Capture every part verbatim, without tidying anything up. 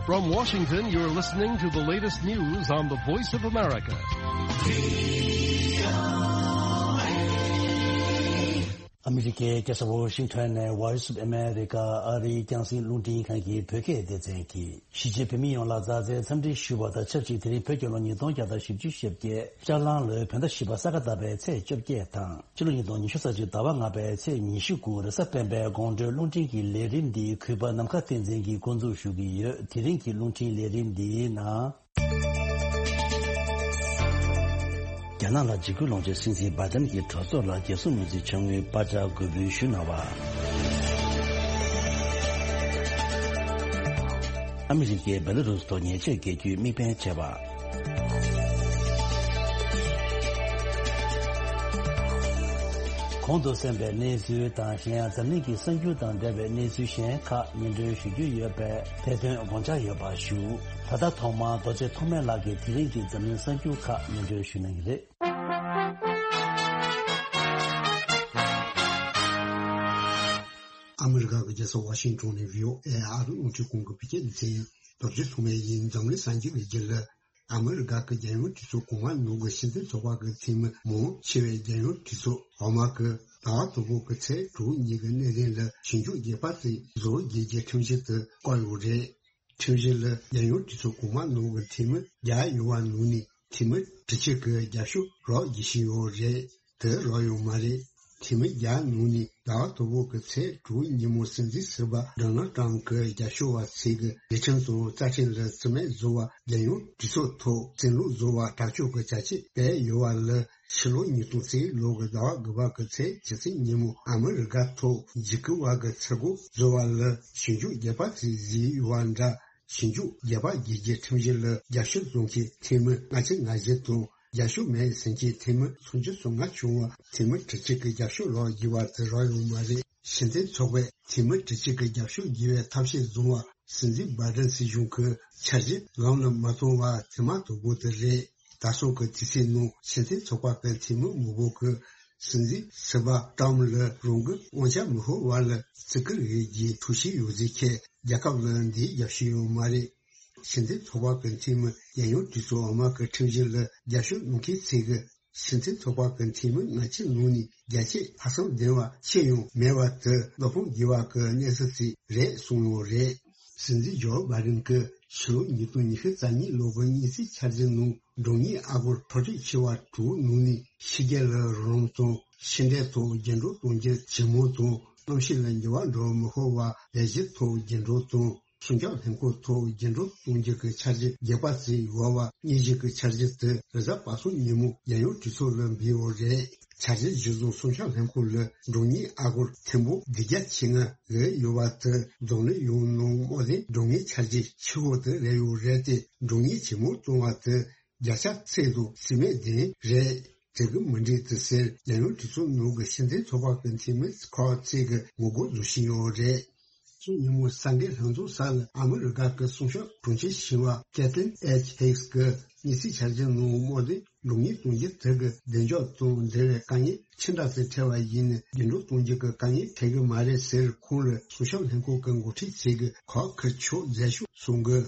From Washington, you're listening to the latest news on the Voice of America. ཨ་མི་རི་ཀའི་རྒྱལ་ས་ཝོ་ཤིང་ཊོན་ནས་Voice of America ཨ་རིའི་རྒྱང་སྲིང་རླུང་འཕྲིན་ཁང་གི་བོད་སྐད་སྡེ་ཚན་གྱིས་གཞིས་བྱེས་བོད་མི་ཡོངས་ལ་མཛའ་བརྩེའི་འཚམས་འདྲི་ཞུ་བ་དང་ཆབས་ཅིག་དེ་རིང་བོད་རྒྱལ་ལོ་ཉིས་སྟོང་བརྒྱ་དང་བཞི་བཅུ་ཞེ་བརྒྱད་ལྕགས་གླང་ལོའི་བོད་ཟླ་བཞི་པ་ས་ག་ཟླ་བའི་ཚེས་བཅོ་བརྒྱད་དང་། ཕྱི་ལོ་ཉིས་སྟོང་ཉི་ཤུ་རྩ་གཅིག་ཟླ་བ་ལྔ་པའི་ཚེས་ཉི་ཤུ་དགུ་རེས་གཟའ་སྤེན་པའི་དགོང་དྲོའི་རླུང་འཕྲིན་གྱི་ལས་རིམ་འདི་གུས་པ་ནམ་མཁའ་བསྟན་འཛིན་གྱིས་འགོ་འཛུགས་ཞུ་གི་ཡོད། དེ་རིང་གི་རླུང་འཕྲིན་ལས་རིམ་འདིའི་ནང་། རྒྱ་ནག་ལ་འཇིགས་སྐུལ་སློང་ཆེད་སྲིད་འཛིན་བྷའི་ཏན་གྱིས་གྲོས་ཚོགས་ལ་རྒྱལ་སྲུང་དངུལ་རྩིས་ཆ་དངུལ་པར་ཆ་དགོས་འབུལ་ཞུས་གནང་བ། ཨ་མི་རི་ཀས་བེ་ལ་རུས་ཐོག་ཉེས་ཆད་འགེལ་རྒྱུའི་དམིགས་འབེན་བྱས་པ། གོང་དུ་གསན་པའི་གནས་ཚུལ་དང་། གཞན་ཡང་འཛམ་གླིང་གི་གསར་འགྱུར་དང་འབྲེལ་བའི་གནས་ཚུལ་གཞན་ཁག་སྙན་སྒྲོན་ཞུ་རྒྱུ་ཡོད་པས། དེ་དོན་དགོངས་འཇགས་ཡོད་པ་ཞུ། ད་ལྟ་ཐོག་མར་རྡོ་རྗེ་ཐོགས་མེད་ལགས་ཀྱིས་དེ་རིང་གི་འཛམ་གླིང་གསར་འགྱུར་ཁག་སྙན་སྒྲོན་ཞུ་གནང་གི་རེད། ཨ་མི་རི་ཀ་གི་རྒྱལ་ས་ཝ་ཤིང་ཊོན་ནས་བྷི་ཨོ་ཨེ་ཨ་རིའི་རླུང་འཕྲིན་ཁང་གི་བོད་སྐད་སྡེ་ཚན། རྡོ་རྗེ་ཐོགས་མེད་ཡིན། འཛམ་གླིང་གསར་འགྱུར་གྱི་རྒྱུད་ལ། ཨ་མི་རི་ཀ་གི་རྒྱལ་ཡོངས་གྲོས་ཚོགས་གོང་མ་ནང་གི་སྤྱི་མཐུན་ཚོགས་པ་གི་འཐུས་མི་མང་ཆེ་བས་རྒྱལ་ཡོངས་གྲོས་ཚོགས་འོག་མ་གི་ཟླ་བ་དང་པོ་གི་ཚེས་དྲུག་ཉིན་གྱི་གནད་དོན་ལ་ཞིབ་འཇུག་རྒྱས་པ་དེ་བཟོ་རྒྱུ་གི་ཁྲིམས་གཞི་དེ་བཀོད་ཡོད་རེད། ཁྲིམས་གཞི་ལ་རྒྱལ་ཡོངས་གྲོས་ཚོགས་གོང་མ་ནང་གི་འཐུས་མི་བརྒྱ་ཡོད་པ་ནང་ནས་འཐུས་མི་དྲུག་ཅུ་གི་རྒྱབ་སྐྱོར་རོགས་བྱེད་བཞིན་ཡོད་རེད། དེ་རོགས་ཡོད་མ་རེད། འཐུས་མི་བརྒྱ་ནང་ནས་ཟླ་བ་དང་པོ་གི་ཚེས་དྲུག་ཉིན་མོ་སྲིད་འཛིན་ཟུར་པ་ཌོ་ནལ་ཊམ་གྱི་རྒྱབ་སྐྱོར་བ་ཚོས་ཀྱི་ལས་ཁྲིམས་དང་རྩ་ཁྲིམས་ལ་རྩིས་མེད་བཟོ་བ། རྒྱལ་ཡོངས་གྲོས་ཚོགས་ཐོག་སྲིད་ལུགས་བཟོ་བ་དྲག་སྤྱོད་ཀྱི་བྱ་སྤྱོད་སྤེལ་ཡོད་པ་ལ། ཕྱི་ལོ་ཉིས་སྟོང་གཅིག་ལོ་གི་ཟླ་བ་དགུ་པ་གི་ཚེས་བཅུ་གཅིག་ཉིན་མོ་ཨ་མི་རི་ཀ་ཐོག་འཇིགས་སྐུལ་བ་གི་ཚུར་རྒོལ་བཟོ་བ་ལ་ཞིབ་འཇུག་རྒྱས་པ་ཞིག་བཟོས་ཡོད་པ་འདྲ། ཞིབ་འཇུག་རྒྱས་པ་བརྒྱུད་རྒྱུའི་ཁྲིམས་གཞི་ལ་རྒྱབ་སྐྱོར་བཟོ་མཁན་འཐུས་མི་ལྔ་བཅུ་ང་བཞི་དང་། རྒྱབ་སྐྱོར་མེད་ཟེར་མཁན་འཐུས་མི་སུམ་ཅུ་སོ་ལྔ་བྱུང་བ། འཐུས་མི་དྲུག་ཅུ་གི་རྒྱབ་སྐྱོར་རོགས་བྱས་པ་དེ་རོགས་ཡོད་མ་རེད། སྤྱི་མཐུན་ཚོགས་པས་འཐུས་མི་དྲུག་ཅུ་གི་རྒྱབ་སྐྱོར་བྱས་པའི་ཐབས་ཤེས་བཟུང་བ། སྲིད་འཛིན་བྷའི་ཏན་སྲིད་གཞུང་གི་འཆར་གཞི་ལམ་ལ་མ་བཏང་བ་དེ་མ་གཏོགས་པོ་དེ་རེད། ད་སོ་གི་དུས་ཚོད་ནང་སྤྱི་མཐུན་ཚོགས་པ་གི་འཐུས་མི་མང་པོ་གིས་སྲིད་འཛིན་ཟུར་པ་ཏྲམ་ལ་རང་གི་དབང་ཆ་མི་ཤོར་བ་ལ་བརྩི་བཀུར་ཡོད་རྒྱུའི་ཐུགས་བཞེད་ཡོད་ཟེར་མཁན་རྒྱལ་ཁབ་ལ་འདིའི་རྒྱབ་སྐྱོར་ཡོད་མ་རེད། སྤྱི་མཐུན་ཚོགས་པ་གི་འཐུས་མི་རྒྱལ་ཡོངས་གྲོས་ཚོགས་འོག་མ་གི་ཁྲིམས་གཞི་ལ་རྒྱབ་སྐྱོར་གནང་མཁན་ཚོས་ཀྱི་སྤྱི་མཐུན་ཚོགས་པ་གི་འཐུས་མི་ལྔ་བཅུ་ནང་ནས་བརྒྱ་ཆ་ལྷག་ཙམ་ལྡན་པ་ཅི་ཡང་མེད་པ་དེ་བློ་ཕམ་རྒྱས་པ་གི་གནས་ཚུལ་ཞིག་རེད་གསུངས་ཡོད་རེད། སྲིད་འཛིན་ཇོ་བྷའི་ཌེན་གྱིས་ཕྱི་ལོ་ཉིས་སྟོང་ཉི་ཤུ་རྩ་གཉིས་ལོ་གི་དངུལ་རྩིས་འཆར་གཞི་ནང་འབྲུ་གཉིས་ཨ་སྒོར་འཕྲོ་སྤྲོད་བྱས་པ་དྲུག་ནང་ནས་ཕྱི་རྒྱལ་ལ་རོགས་རམ་དང་། ཕྱི་འབྲེལ་ཐོག་རྒྱུན་སྒྲོག་གཏོང་རྒྱུ་ཇེ་མང་དང་། གནམ་གཤིས་ལ་འགྱུར་བ་འགྲོ་མི་ཤོར་བ་ལས་གཞི་ཐོག་རྒྱུན་སྒྲོག་དང་། སྲུང་སྐྱོབ་ལྷན་ཁང་ཐོག་རྒྱུན་སྒྲོག་གཏོང་རྒྱུ་གི་འཆར་གཞི་རྒྱས་པ་ཞིག་ཡོད་པ། དངོས་གཞི་གི་འཆར་གཞི་དེ་རེས་གཟའ་པ་སངས་ཉིན་མོ་རྒྱལ་ཡོངས་གྲོས་ཚོགས་ལ་འབུལ་ཡོད་རེད། འཆར་གཞི་གཞིར་བཟུང་སྲུང་སྐྱོབ་ལྷན་ཁང་ལ་འབྲུ་གཉིས་ཨ་སྒོར་ཐེར་འབུམ་བདུན་བརྒྱ་བཅོ་ལྔ་བརྒལ་ཡོད་པ་དེ་འཛམ་གླིང་ཡོངས་ནང་དམག་དོན་འབྲུ་གཉིས་འཆར་གཞི་ཆེ་ཤོས་དེ་རེད་ཡོད་རེད་དེ། འབྲུ་གཉིས་ཇེ་མང་གཏོང་བ་དེ་བརྒྱ་ཆ་ཚད་དང་རྩིས་མེད་ལྡན་རེད། དེ་གི་མི་འགྲིག་དེ་ཟེར་རྒྱལ་ཡོངས་གྲོས་ཚོགས་ནང་གི་སྤྱི་མཐུན་ཚོགས་པ་གི་འཐུས་མི་ཁག་ཅིག་གིས་ངོ་རྒོལ་བཟོ་བཞིན་ཡོད་རེད། སང་ཉིན་མོ་གསར་འགོད་ལྷན་ཚོགས་སར་ཨ་མི་རི་ཀ་གི་སྲུང་སྐྱོབ་དྲུང་ཆེ་ཞི་བ་ཀེ་ཐི་ལིན་ཨེཆ་ཧིག་སི་གིས་དངུལ་རྩིས་འཆར་གཞི་ནང་དམག་དོན་འགྲོ་སོང་གཏོང་རྒྱུ་དེ་གི་གདེང་འཇོག་དང་འབྲེལ་བའི་དཀའ་ངལ་ཆེ་འདྲ་ཞིག་འཕྲད་པ་ཡིན་ན། རྒྱུན་སྒྲོག་གཏོང་རྒྱུ་གི་དཀའ་ངལ་འཕྲད་གི་མ་རེད་ཟེར། ཁོང་ལ་སྲུང་སྐྱོབ་ལྷན་ཁང་གི་འགོ་ཁྲིད་ཅིག་གིས་ཁག་ཁུར་ཆོག་མཛད་ཤོག་གསུང་གི།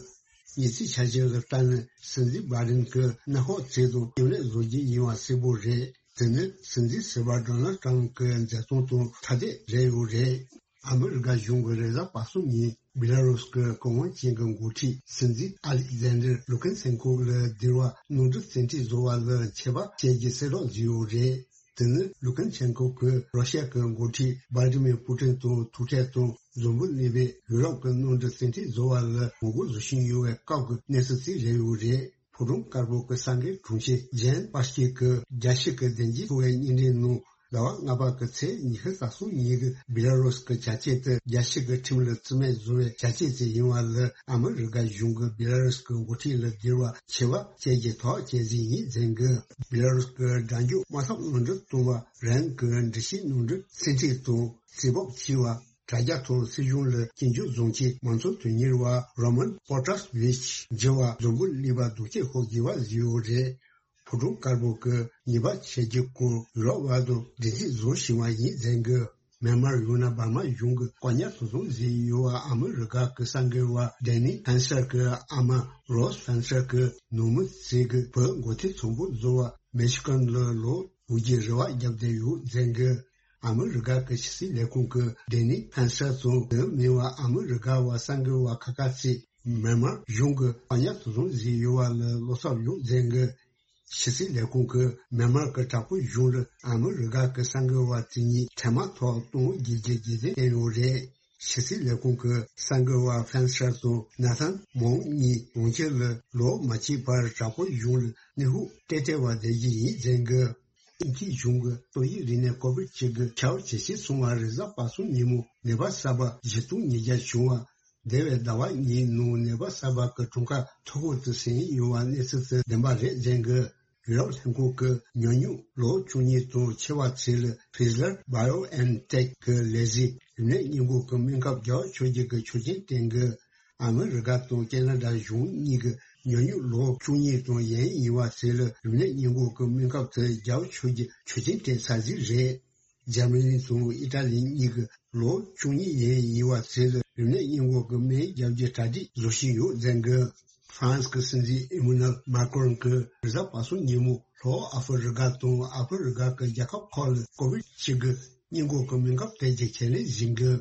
དངུལ་རྩིས་འཆར་གཞི་ལ་ལྟ་ན། སྲིད་འཛིན་བྷའི་ཌེན་གྱིས་གནམ་འོག་ཚད་དང་ཡུན་རིང་བཟོ་རྒྱུ་ཡིན་པ་གསལ་པོ་རེད། དེ་ནི་སྲིད་འཛིན་ཟུར་པ་ཌོ་ནལ་ཊམ་གྱི་མཛད་རྩོམ་དང་ཐ་དད་རེད་ཡོད་རེད། ཨ་མི་རི་ཀ་གཞུང་གིས་རེས་གཟའ་པ་སངས་ཉིན་བི་ལ་རུས་ཀྱི་གུ་ཡངས་ཅན་གྱི་འགོ་ཁྲིད་སྲིད་འཛིན་ཨ་ལིག་ཛན་ཌར་ལུ་ཀན་ཆན་ཀོ་ལ་སྡིར་བ་ནོར་འཁྲུལ་བཙན་ཁྲིད་བཟོ་བ་ལ་ཆད་པ་བཅད་རྒྱུ་གསལ་བསྒྲགས་བཟོས་ཡོད་རེད། དེ་ནི་ལུ་ཀན་ཆན་ཀོ་གིས་རོ་ཤ་གི་འགོ་ཁྲིད་བྷ་ལ་ཏི་མིར་པུ་ཏིན་དང་ཐུག་འཕྲད་དང་། འཛམ་བུ་གླིང་པས་ཡུ་རོབ་ཀྱི་མནའ་འབྲེལ་བཙན་ཁྲིད་བཟོ་བ་ལ་ངོ་རྒོལ་བཟོ་བཞིན་ཡོད་པའི་སྐབས་ཀྱི་གནས་ཚུལ་ཞིག་རེད་ཡོད་རེད། ཕོ་བྲང་དཀར་པོ་གི་གསར་འགོད་དྲུང་ཆེ་ཇེན་པཱ་སྐྱི་གིས་རྒྱལ་སྤྱི་གི་བདེ་སྐྱིད་ཚོགས་པའི་བརྙན་འཕྲིན་ནང་ཟླ་བ་ལྔ་པ་གི་ཚེས་ཉི་ཤུ་རྩ་གསུམ་ཉིན་གྱི་བི་ལ་རུས་ཀྱི་བྱ་སྤྱོད་དེ་རྒྱལ་སྤྱི་གི་ཁྲིམས་ལ་བརྩི་མེད་བཟོ་བའི་བྱ་སྤྱོད་ཅིག་ཡིན་པ་ལ། ཨ་མི་རི་ཀ་གཞུང་གིས་བི་ལ་རུས་ཀྱི་འགོ་ཁྲིད་ལ་སྡིར་བ་ཆད་པ་བཅད་རྒྱུ་ཐག་བཅད་རྩིས་ཡིན་ཟེར་གི། བི་ལ་རུས་ཀྱི་སྒྲ་འཇུག་དམག་འཐབ་མནའ་འབྲེལ་གཏོང་བ་རང་གི་འགྲུལ་བཞུད་མནའ་འབྲེལ་བཙན་ཁྲིད་དང་རྩིས་སྤོབས་ཆེ་བ། དྲ་རྒྱ་ཐོག་སྲིད་གཞུང་ལ་སྐྱོན་བརྗོད་བཟོ་མཁན་མང་གཙོ་དོན་གཉེར་བ་རོ་མན་པོ་ཏྲ་སི་ཝིཆ་འགྱུར་བ་འཛམ་བུ་གླིང་པ་སྡུག་སྐད་ཤོར་དགོས་པ་བཟོས་ཡོད་རེད། ཕོ་བྲང་དཀར་པོ་གིས་ཉེས་པ་ཆད་རྒྱུ་སྐོར་ཡུ་རོབ་དབར་དུ་འགྲན་རྩོད་བཟོ་བཞིན་པ་ཡིན་ཟེར་གི། མེན་མར་ཡང་ན་འབར་མ་གཞུང་གི་བཀག་ཉར་དུ་བཟུང་བཟུང་ཡོད་པ་ཨ་མི་རི་ཀ་གི་གསར་འགོད་པ་ཌེ་ནི་ཕན་སར་གི་ཨ་མ་རོས་ཕན་སར་གི་ནུ་མོ་ཚེ་གི་བུ་མགོ་ཐོད་ཚོམ་བུ་བཟོ་བ་མེ་ཤི་ཀན་ལ་ལོ་དགུ་བརྒྱའི་རེ་བ་བརྒྱབ་བསྡད་ཡོད་ཟེར་གི། ཨ་མི་རི་ཀ་གི་ཕྱི་སྲིད་ལས་ཁུངས་ཀྱི་ཌེ་ནི་ཕན་སར་དང་དེ་མིན་པ་ཨ་མི་རི་ཀ་བ་གསར་འགོད་པ་ཁག་ཁག་ཚོས་མེན་མར་གཞུང་གི་བཀག་ཉར་དུ་བཟུང་བཟུང་ཡོད་པ་ལ་བློ་འཚབ་ཡོད་ཟེར་གི། ཕྱི་སྲིད་ལས་ཁུངས་ཀྱིས་མེན་མར་གྱི་དྲག་པོའི་གཞུང་ལ་ཨ་མི་རི་ཀ་གི་གསར་འགོད་པ་དེ་གཉིས་འཕྲལ་མ་ཐོག་གཏོང་རྒྱུའི་རྒྱུ་མཚན་བསྟན་ཡོད་རེད། ཕྱི་སྲིད་ལས་ཁུངས་ཀྱི་གསར་འགོད་པ་ཕན་སར་དང་ན་ཐན་མོང་གཉིས་གྲོང་ཁྱེར་ལ་ལོ་མ་གཅིག་བར་དྲག་པོའི་གཞུང་ལ་གནོན་ཤུགས་ཏན་ཏན་བ་བསྡད་ཀྱི་ཡིན་ཟེར་གི། ཨིན་ཇིའི་གཞུང་གི་ཏོག་དབྱིབས་རིམས་ནད་ཀོ་བིད་གཅིག་གི་ཁྱབ་ཇེ་ཆེ་སོང་བ་རེས་གཟའ་པ་སངས་ཉིན་མོ་ནད་པ་གསར་པ་བཞི་སྟོང་ཉིས་བརྒྱ་བྱུང་བ། འདས་པའི་ཟླ་བ་གཉིས་ནང་ནད་པ་གསར་པ་གི་གྲངས་ཀ་མཐོ་པོ་དུ་ཟིན་ཡོད་པ་གནས་ཚུལ་དེ་བདེན་པ་རེད་ཟེར་གི། ཡུ་རོབ་ལྷན་ཁང་གི་ཉོ་སྨྱུག་ལོ་བཅུ་གཉིས་དང་ཆེ་བ་ཚོ་ལ་ཕི་ཟར་བྷའི་ཨོ་ཨེན་ཊེག་གི་ལས་གཞི་རིམས་ནད་སྔོན་འགོག་གི་སྨན་ཁབ་རྒྱག་ཆོག་རྒྱུ་གི་ཆོག་མཆན་བསྟན་གི། ཨ་མི་རི་ཀ་དང་ཁེ་ན་ཌ་གཞུང་གཉིས་ཀྱི་ཉོ་སྨྱུག་ལོ་བཅུ་གཉིས་དང་ཡན་ཡིན་པ་ཚོ་ལ་རིམས་ནད་སྔོན་འགོག་གི་སྨན་ཁབ་དེ་རྒྱག་ཆོག་རྒྱུ་ཆོག་མཆན་སྤྲད་ཚར་ཟིག་རེད། འཇར་མ་ནི་དང་ཨི་ཏྲ་ལི་གཉིས་ཀྱི་ལོ་བཅུ་གཉིས་ཡན་ཡིན་པ་ཚོ་ལ་རིམས་ནད་སྔོན་འགོག་གི་སྨན་རྒྱག་རྒྱུ་གྲ་སྒྲིག་བཟོ་བཞིན་ཡོད་ཟེར་གི། ཧྥ་རན་སི་གི་སྲིད་འཛིན་ཨི་མུ་ནལ་མཱ་ཀྲོན་གྱིས་རེས་གཟའ་པ་སངས་ཉིན་མོ་ལྷོ་ཨ་ཧྥེ་རི་ཀ་དང་ཨ་ཧྥེ་རི་ཀ་གི་རྒྱལ་ཁབ་ཁག་ལ་ཀོ་བིད་གཅིག་གི་སྔོན་འགོག་གི་སྨན་ཁབ་སྤྲད་རྒྱུ་ཁས་ལེན་བཞིན་གི།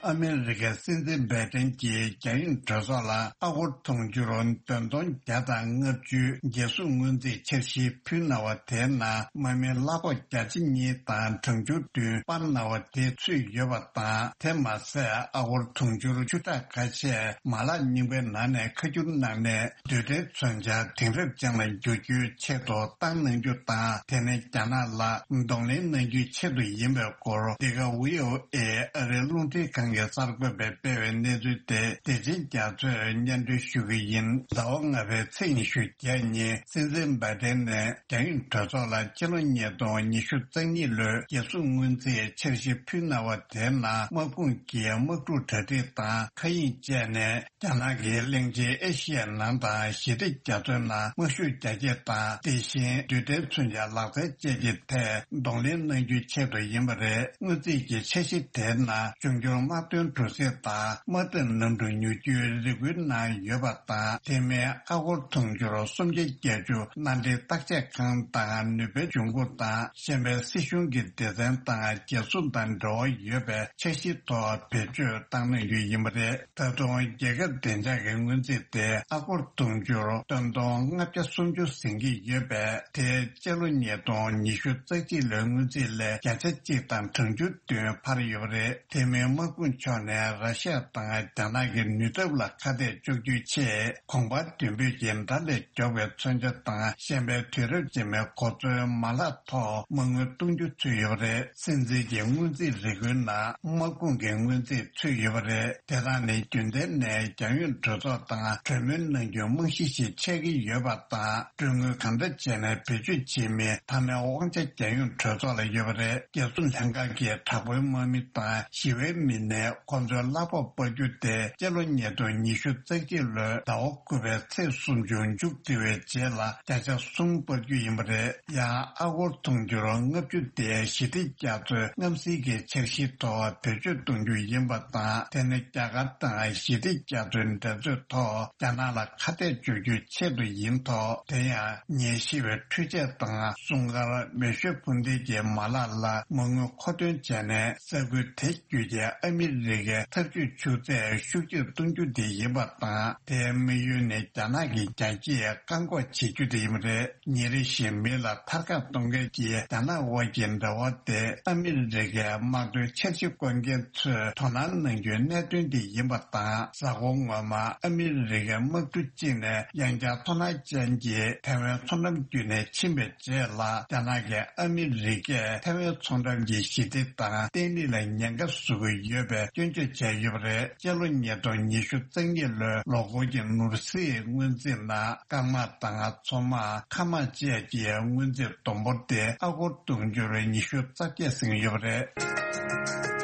ཨ་མི་རི་ཀའི་སྲིད་འཛིན་བྷའི་ཏན་གྱིས་རྒྱ་ཡོངས་གྲོས་ཚོགས་ལ་ཨ་སྒོར་དུང་ཕྱུར་བདུན་སྟོང་བརྒྱ་དང་ལྔ་བཅུ་རྒྱལ་སྲུང་སྔོན་རྩིས་འཆར་གཞི་ཕུལ་གནང་བ་དེའི་ནང་དམག་མི་གླ་ཕོགས་བརྒྱ་ཆ་གཉིས་དང་གྲངས་ཆུང་བདུན་སྤར་གནང་བ་དེ་ཚུད་ཡོད་པ་དང་། དེ་མ་ཟད་ཨ་སྒོར་དུང་ཕྱུར་བཅུ་ཕྲག་ཁ་ཤས་མ་ལག་རྙིང་པའི་ནང་ནས་ཁ་བསྒྱུར་གནང་ནས་རྡུལ་ཕྲན་མཚོན་ཆ་དེང་རབས་ཅན་ལ་འགྱུར་རྒྱུའི་ཆེད་དུ་བཏང་གནང་རྒྱུ་དང་། དེ་ནི་རྒྱ་ནག་ལ་གདོང་ལེན་གནང་རྒྱུའི་ཆེད་དུ་ཡིན་པའི་སྐོར། འདི་ག་ཝི་ཨོ་ཨེ་ཨ་རིའི་རླུང་འཕྲིན་ཁང་གི་གསར་འགོད་པས་སྤེལ་བའི་གནས་ཚུལ་དེ་བདེ་ཆེན་རྒྱ་མཚོས་སྙན་སྒྲོན་ཞུ་གི་ཡིན། ཟླ་བ་ལྔ་པའི་ཚེས་ཉི་ཤུ་བརྒྱད་ཉིན་སྲིད་འཛིན་བྷའི་ཏན་ནས་རྒྱ་ཡོངས་གྲོས་ཚོགས་ལ་སྤྱི་ལོ་ཉིས་སྟོང་ཉི་ཤུ་རྩ་གཉིས་ལོའི་རྒྱལ་སྲུང་སྔོན་རྩིས་འཆར་གཞི་ཕུལ་གནང་བ་དེའི་ནང་དམག་དཔུང་གི་དམག་འཁྲུག་གྲ་སྒྲིག་དང་མཁའ་དབྱིངས་བཅས་ནས། རྒྱ་ནག་གིས་གླིང་ཆེན་ཨེ་ཤི་ཡའི་ནང་དང་ཞི་བདེ་རྒྱ་མཚོའི་ནང་དམག་ཤུགས་རྒྱ་སྐྱེད་དང་། དེ་བཞིན་རྡུལ་ཕྲན་མཚོན་ཆ་ལག་རྩལ་བཅས་ཀྱི་ཐད་གདོང་ལེན་གནང་རྒྱུའི་ཆེད་དུ་ཡིན་པ་རེད། སྔོན་རྩིས་ཀྱི་འཆར་གཞི་དེའི་ནང་འབྱུང་འགྱུར་དམག་དོན་གྲུ་གཟིངས་དང་དམག་འཐབ་གནམ་གྲུ་ཉོ་རྒྱུའི་རེ་སྐུལ་གནང་ཡོད་པ་དང་། དེ་མིན་ཨ་སྒོར་དུང་ཕྱུར་སུམ་བརྒྱ་བརྒྱད་ཅུ་མནའ་འབྲེལ་བརྟག་དཔྱད་ཁང་དང་ནུས་པའི་འབྱུང་ཁུངས་དང་། གཞན་པའི་སྲིད་གཞུང་གི་སྡེ་ཚན་དང་རྒྱལ་སྲུང་དང་འབྲེལ་བ་ཡོད་པའི་འཆར་གཞིའི་ཐོག་བེད་སྤྱོད་བཏང་གནང་རྒྱུ་ཡིན་པ་རེད། ད་དུང་རྒྱལ་ཁབ་བདེ་འཇགས་ཀྱི་སྔོན་རྩིས་དེ་ཨ་སྒོར་དུང་ཕྱུར་བདུན་སྟོང་ལྔ་བརྒྱ་སུམ་ཅུ་ཟིན་གྱི་ཡོད་པས། དེ་སྤྱི་ལོ་ཉིས་སྟོང་ཉི་ཤུ་རྩ་གཅིག་ལོའི་སྔོན་རྩིས་ལས་བརྒྱ་ཆ་གཅིག་དང་གྲངས་ཆུང་བདུན་འཕར་ཡོད་པ་རེད། དེ་མིན་དམག་དཔུང་ཕྱོགས་ནས་ར་ཤི་ཡ་དང་རྒྱ་ནག་གི་ནུས་སྟོབས་ལ་ཁ་གཏད་གཅོག་རྒྱུའི་ཆེད། གོང་འཕར་མདུན་སྤོས་ཀྱི་དགྲ་ལས་མགྱོགས་པའི་མཚོན་ཆ་དང་། གཞན་པའི་དུས་རབས་རྗེས་མའི་གོ་མཚོན་མ་ལག་ཐོག་མ་དངུལ་གཏོང་རྒྱུ་ཚུད་ཡོད་པ་རེད། སྲིད་འཛིན་གྱི་སྔོན་རྩིས་རེ་སྐུལ་ནང་དམག་དཔུང་གི་སྔོན་རྩིས་ཚུད་ཡོད་པ་རེད། དེ་དག་ནི་རྒྱུན་ལྡན་ནས་རྒྱ་ཡོངས་གྲོས་ཚོགས་དང་གྲོས་མོལ་གནང་རྒྱུའི་རྨང་གཞི་ཞིག་ཆགས་ཀྱི་ཡོད་པ་དང་། གྲོན་དངུལ་གང་འདྲ་བྱས་ནས་བེད་སྤྱོད་བྱེད་མིན་མཐའ་མའི་དབང་ཆ་རྒྱ་ཡོངས་གྲོས་ཚོགས་ལ་ཡོད་པ་རེད། རྒྱལ་སྲུང་ལྷན་ཁང་གིས་དྲག་པོའི་དམག་མི་དང་ཞི་བའི་མི་སྣས་ཁོང་ཚོའི་གླ་ཕོགས་སྤར་རྒྱུ་དེ་སྤྱི་ལོ་ཉིས་སྟོང་ཉི་ཤུ་རྩ་གཅིག་ལོའི་ཟླ་བ་དགུ་པའི་ཚེས་སུམ་ཅུ་མཇུག་སྒྲིལ་བའི་རྗེས་ལ་བརྒྱ་ཆ་གསུམ་སྤར་རྒྱུ་ཡིན་པ་རེད། ཡང་ཨ་སྒོར་དུང་ཕྱུར་ལྔ་བཅུ་དེ་ཞི་བདེ་རྒྱ་མཚོའི་རྔམ་སེལ་གྱི་འཆར་གཞིའི་ཐོག་བེད་སྤྱོད་གཏོང་རྒྱུ་ཡིན་པ་དང་། དེ་ནི་རྒྱ་གར་དང་ཞི་བདེ་རྒྱ་མཚོའི་འགྲན་རྩོད་ཐོག་རྒྱ་ནག་ལ་ཁ་གཏད་གཅོག་རྒྱུའི་ཆེད་དུ་ཡིན་ཐོག་དེ་ཡང་ཉིན་ཤི་བའི་འཕྲུལ་ཆས་དང་སྲུང་སྐར་མེ་ཤོད་འཕུར་མདེལ་གྱི་མ་ལག་ལ་མ་དངུལ་མཁོ་འདོན་བྱས་ནས། ས་ཁུལ་དེ་བརྒྱུད་ཀྱི་ཨ་མི་རི་ཀའི་འཐབ་ཇུས་ཆུ་ཚད་ཤུགས་ཆེར་གཏོང་རྒྱུ་དེ་ཡིན་པ་དང་། དེའི་དམིགས་ཡུལ་ནི་རྒྱ་ནག་གི་རྒྱལ་སྤྱིའི་བཀག་འགོག་བྱེད་རྒྱུ་དེ་ཡིན་པ་རེད། ཉིན་རེ་བཞིན་མི་ལ་ཐར་ཀ་གཏོང་མཁན་གྱི་རྒྱ་ནག་དབར་གྱི་འབྲེལ་བ་དེ་ཨ་མི་རི་ཀའི་དམག་དོན་འཆར་གཞི་བཀོད་མཁན་ཚོས་དོ་སྣང་གནང་རྒྱུའི་གནད་དོན་དེ་ཡིན་པ་དང་། གཟའ་འཁོར་སྔོན་མ་ཨ་མི་རི་ཀའི་དམག་གྲུ་གཅིག་ནས་ཡང་བསྐྱར་མཐོང་སྣང་ཅན་གྱི་ཐའེ་ཝན་མཚོ་འགྲམ་བརྒྱུད་ནས་ཕྱིན་པའི་རྗེས་ལ། རྒྱ་ནག་གིས་ཨ་མི་རི་ཀས་ཐའེ་ཝན་མཚོ་འགྲམ་གྱི་ཞི་བདེ་དང་བརྟན་ལྷིང་ལ་ཉེན་ཁ་བཟོ་གི་ཡོད་པའི་སྐྱོན་བརྗོད་བྱས་ཡོད་པ་རེད། སྤྱི་ལོ་ཉིས་སྟོང་ཉི་ཤུ་རྩ་གཉིས་ལོའི་ལོ་འཁོར་གྱི་ནོར་སྲིད་སྔོན་རྩིས་ནང་། སྐར་མ་དང་། མཚོ་དམག་མཁའ་དམག་བཅས་ཀྱི་སྔོན་རྩིས་བསྡོམས་འབོར་དེ་ཨ་སྒོར་དུང་ཕྱུར་ཉི་ཤུ་རྩ་བརྒྱད་ཟིན་ཡོད་པ་རེད།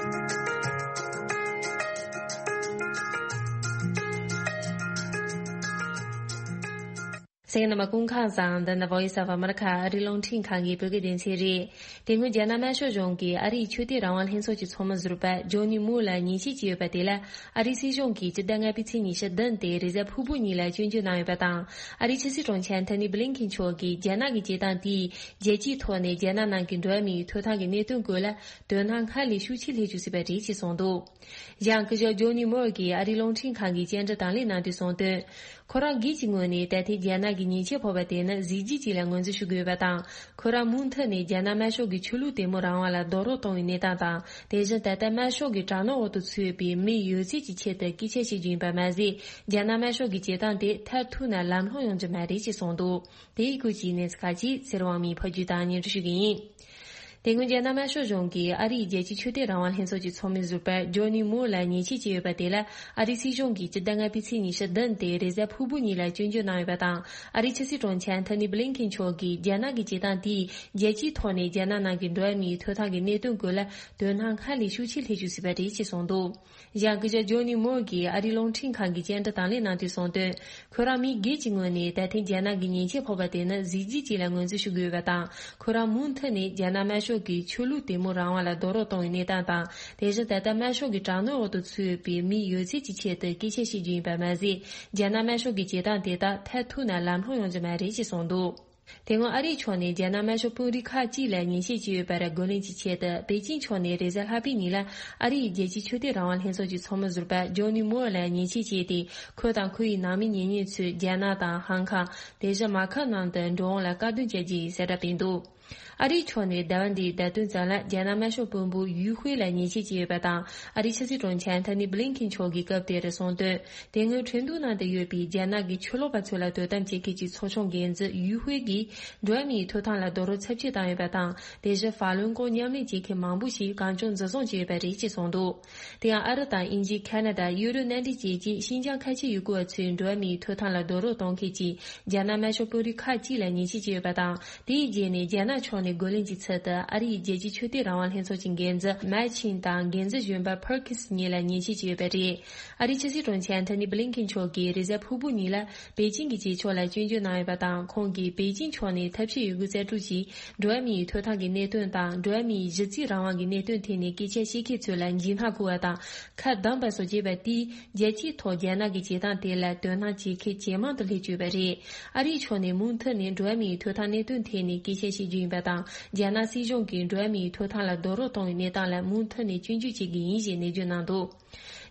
གསན་མཁན་རྣམ་པ་སྐུ་ཁམས་བཟང་། འདི་ནི་Voice of America ཨ་རིའི་རླུང་འཕྲིན་ཁང་གི་བོད་སྐད་སྡེ་ཚན་རེད། དེ་སྔོན་རྒྱ་ནག་དམར་ཤོག་གཞུང་གིས་ཨ་རིའི་ཆོས་དད་རང་དབང་ལྷན་ཚོགས་ཀྱི་ཚོགས་མི་ཟུར་པ་ཇོ་ནི་མོར་ལ་ཉེས་ཆད་བཅད་ཡོད་པ་དེ་ལ། ཨ་རིའི་སྲིད་གཞུང་གིས་སྤྱི་ཟླ་ལྔ་པའི་ཚེས་ཉི་ཤུ་བདུན་སྟེ་རེས་གཟའ་ཕུར་བུ་ཉིན་ལ་སྐྱོན་བརྗོད་གནང་ཡོད་པ་དང་། ཨ་རིའི་ཕྱི་སྲིད་དྲུང་ཆེ་ཨན་ཐོ་ནི་བྷི་ལིན་ཁིན་མཆོག་གིས་རྒྱ་ནག་གི་བྱེད་སྟངས་དེས་རྒྱལ་སྤྱིའི་ཐོག་ནས་རྒྱ་ནག་ནང་གི་འགྲོ་བ་མིའི་ཐོབ་ཐང་གི་གནད་དོན་སྐོར་ལ་དོ་སྣང་སྔར་ལས་ཤུགས་ཆེ་སླེབས་བཅུག་སྲིད་པ་རེད་ཅེས་གསུངས་འདུག། ཡང་སྐུ་ཞབས་ཇོ་ནི་མོར་གྱིས་ཨ་རིའི་རླུང་འཕྲིན་ཁང་གི་བཅར་འདྲི་དང་ལེན་གནང་དུས་གསུངས་དོན། ཁོ་རང་སྒེར་གྱི་ངོས་ནས་ད་ཐེངས་རྒྱ་ནག་གིས་ཉེས་ཆད་ཕོག་པ་དེ་ནི་གཟི་བརྗིད་ཅིག་ལ་ངོས་འཛིན་ཞུ་དགོས་པ་དང་། ཁོ་རང་མུ་མཐུད་ནས་རྒྱ་ནག་དམར་ཤོག་གི་ཆོས་ལུགས་དད་མོས་རང་དབང་ལ་རྡོག་རོལ་གཏོང་བའི་གནས་སྟངས་དང་། དེ་བཞིན་ད་ལྟ་དམར་ཤོག་གི་དྲག་གནོན་འོག་ཏུ་ཚུད་པའི་མི་ཡོད་ཚད་ཀྱི་ཆེད་དུ་སྐད་ཆ་བཤད་རྒྱུ་ཡིན་པ་མ་ཟད། རྒྱ་ནག་དམར་ཤོག་གི་བྱེད་སྟངས་དེ་མཐར་ཐུག་ན་ལམ་ལྷོང་ཡོང་རྒྱུ་མ་རེད་ཅེས་གསུངས་འདུག། དེའི་སྐོར་གྱི་གནས་ཚུལ་ཁག་ཅིག་ཚེ་རིང་དབང་མོས་ཕབ་སྒྱུར་དང་སྙན་སྒྲོན་ཞུ་གི་ཡིན། དེ་སྔོན་རྒྱ་ནག་དམར་ཤོག་གཞུང་གིས་ཨ་རིའི་རྒྱལ་སྤྱིའི་ཆོས་དད་རང་དབང་ལྷན་ཚོགས་ཀྱི་ཚོགས་མི་ཟུར་པ་ཇོ་ནི་མོར་ལ་ཉེས་ཆད་བཅད་ཡོད་པ་དེ་ལ། ཨ་རིའི་སྲིད་གཞུང་གིས་སྤྱི་ཟླ་ལྔ་པའི་ཚེས་ཉི་ཤུ་བདུན་སྟེ་རེས་གཟའ་ཕུར་བུ་ཉིན་ལ་སྐྱོན་བརྗོད་གནང་ཡོད་པ་དང་། ཨ་རིའི་ཕྱི་སྲིད་དྲུང་ཆེ་ཨན་ཐོ་ནི་བྷི་ལིན་ཁིན་མཆོག་གིས་རྒྱ་ནག་གི་བྱེད་སྟངས་དེས་རྒྱལ་སྤྱིའི་ཐོག་ནས་རྒྱ་ནག་ནང་གི་འགྲོ་བ་མིའི་ཐོབ་ཐང་གི་གནད་དོན་སྐོར་ལ་དོ་སྣང་སྔར་ལས་ཤུགས་ཆེ་སླེབས་བཅུག་སྲིད་པ་རེད་ཅེས་གསུངས་འདུག། ཡང་སྐུ་ཞབས་ཇོ་ནི་མོར་གྱིས་ཨ་རིའི་རླུང་འཕྲིན་ཁང་གི་བཅར་འདྲི་དང་ལེན་གནང་དུས་གསུངས་དོན། ཁོ་རང་མི་སྒེར་གྱི་ངོས་ནས་ད་ཐེངས་རྒྱ་ནག་གི་ཉེས་ཆད་ཕོག་པ་དེ་ནི་གཟི་བརྗིད་ཅིག་ལ་ངོས་འཛིན་ཞུ་དགོས་པ་དང་། ཁོ་རང་མུ་མཐུད་ནས་རྒྱ་ནག་དམར་ཤོག་གི་ཆོས་ལུགས་དད་མོས་རང་དབང་ལ་རྡོག་རོལ་གཏོང་བའི་གནས་སྟངས་དང་། དེ་བཞིན་ད་ལྟ་དམར་ཤོག་གི་དྲག་གནོན་འོག་ཏུ་ཚུད་པའི་མི་ཡོད་ཚད་ཀྱི་ཆེད་དུ་སྐད་ཆ་བཤད་རྒྱུ་ཡིན་པ་མ་ཟད། རྒྱ་ནག་དམར་ཤོག་གི་བྱེད་སྟངས་དེ་དག་མཐར་ཐུག་ན་ལམ་ལྷོང་ཡོང་རྒྱུ་མ་རེད་ཅེས་གསུངས་འདུག། དེ་སྔོན་ཨ་རིའི་ཕྱོགས་ནས་རྒྱ་ནག་དམར་ཤོག་དཔོན་རིགས་ཁག་ཅིག་ལ་ཉེས་ཆད་བཅད་ཡོད་པར་རྒོལ་ལན་གྱི་ཆེད་དུ་པེ་ཅིང་ཕྱོགས་ནས་རེས་གཟའ་ལྷག་པའི་ཉིན་ལ་ཨ་རིའི་རྒྱལ་སྤྱིའི་ཆོས་དད་རང་དབང་ལྷན་ཚོགས་ཀྱི་ཚོགས་མི་ཟུར་པ་ཇོ་ནི་མོར་ལ་ཉེས་ཆད་བཅད་དེ། ཁོ་དང་ཁོ་ཡི་ནང་མི་གཉེན་ཉེ་ཚོས་རྒྱ་ནག་དང་ཧང་ཁང་། དེ་བཞིན་མ་ཁ་ནང་དུ་འགྲོ་འོང་ལ་བཀག་སྡོམ་བྱ་རྒྱུ་ཡིན་གསལ་བསྒྲགས་སྤེལ་འདུག། ཨ་རིའི་ཕྱོགས་ནས་ཟླ་བ་འདིའི་ཟླ་སྟོད་ཙམ་ལ་རྒྱ་ནག་དམར་ཤོག་དཔོན་པོ་ཡུས་ཧུའེ་ལ་ཉེས་ཆད་བཅད་ཡོད་པ་དང་། ཨ་རིའི་ཕྱི་སྲིད་དྲུང་ཆེ་ཨན་ཐོ་ནི་བྷི་ལིན་ཁིན་མཆོག་གིས་སྐབས་དེར་གསུངས་དོན། དེ་སྔོན་ཁྲིན་ཏུའུ་ནང་དུ་ཡོད་པའི་རྒྱ་ནག་གི་ཕྱིར་ལོག་པ་ཚོ་ལ་དོ་དམ་བྱེད་མཁན་གྱི་ཚོགས་ཆུང་འགན་འཛིན་ཡུས་ཧུའེ་གིས་འགྲོ་བ་མིའི་ཐོབ་ཐང་ལ་རྡོག་རོལ་ཚབས་ཆེ་བཏང་ཡོད་པ་དང་། དེ་བཞིན་ཧྥ་ལུན་གོང་མཉམ་ལས་བྱེད་མཁན་མང་པོ་ཞིག་གང་བྱུང་འཛིན་བཟུང་བྱས་ཡོད་པ་རེད་ཅེས་གསུངས་འདུག། དེ་ཡང་ཨ་རི་དང་དབྱིན་ཇི། ཁ་ན་ཌ། ཡུ་རོབ་མནའ་འབྲེལ་བཅས་ཀྱིས་ཤིན་ཅང་ཁ་ཆེ་ཡུལ་སྐོར་བ་ཚོའི་འགྲོ་བ་མིའི་ཐོབ་ཐང་ལ་རྡོག་རོལ་གཏོང་མཁན་གྱི་རྒྱ་ནག་དམར་ཤོག་དཔོན་རིགས་ཁག་ཅིག་ལ་ཉེས་ཆད་བཅད་ཡོད་པ་དང་། དེའི་རྗེས་ནས་རྒྱ་ནག་ཕྱོགས་ནས་རྒོལ་ལན་གྱི་ཚུལ་དུ་ཨ་རིའི་རྒྱལ་སྤྱིའི་ཆོས་དད་རང་དབང་ལྷན་ཚོགས་ཀྱི་འགན་འཛིན་མཱ་ཆིན་དང་འགན་འཛིན་གཞོན་པ་ཕར་ཁིས་གཉིས་ལ་ཉེས་ཆད་བཅད་ཡོད་པ་རེད། ཨ་རིའི་ཕྱི་སྲིད་དྲུང་ཆེ་ཨན་ཐོ་ནི་བྷི་ལིན་ཁིན་མཆོག་གིས་རེས་གཟའ་ཕུར་བུ་ཉིན་ལ་པེ་ཅིང་གི་ཇེ་ཕྱོགས་ལ་སྐྱོན་བརྗོད་གནང་ཡོད་པ་དང་། ཁོང་གིས་པེ་ཅིང་ཕྱོགས་ནས་ཐབས་ཤེས་ཡོད་རྒུ་རྩལ་སྤྲུགས་ཀྱིས་འགྲོ་བ་མིའི་ཐོབ་ཐང་གི་གནད་དོན་དང་། འགྲོ་བ་མིའི་གཞི་རྩའི་རང་དབང་གི་གནད་དོན་ཐད་ནས་སྐད་ཆ་བཤད་མཁན་ཚོ་ལ་འཇིགས་སྣང་འཁོར་བ་དང་། ཁ་བསྡམས་པ་སོགས་བྱས་པ་དེས་རྒྱལ་སྤྱིའི་ཐོག་རྒྱ་ནག་གི་བྱེད་སྟངས་དེ་ལ་དོ་སྣང་བྱེད་མཁན་ཇེ་མང་དུ་སླེབས་བཅུག་པ་རེད། ཨ་རིའི་ཕྱོགས་ནས་མུ་མཐུད་ནས་འགྲོ་བ་མིའི་ཐོབ་ཐང་གནད་དོན་ཐད་ནས་སྐད་ཆ་བཤད་རྒྱུ་ཡིན་པ་དང་། རྒྱ་ནག་སྲིད་གཞུང་གིས་འགྲོ་བ་མིའི་ཐོབ་ཐང་ལ་རྡོག་རོལ་གཏོང་བའི་གནས་སྟངས་ལ་མུ་མཐུད་ནས་སྐྱོན་བརྗོད་བྱེད་ཀྱི་ཡིན་ཞེས་ནན་བརྗོད་གནང་འདུག།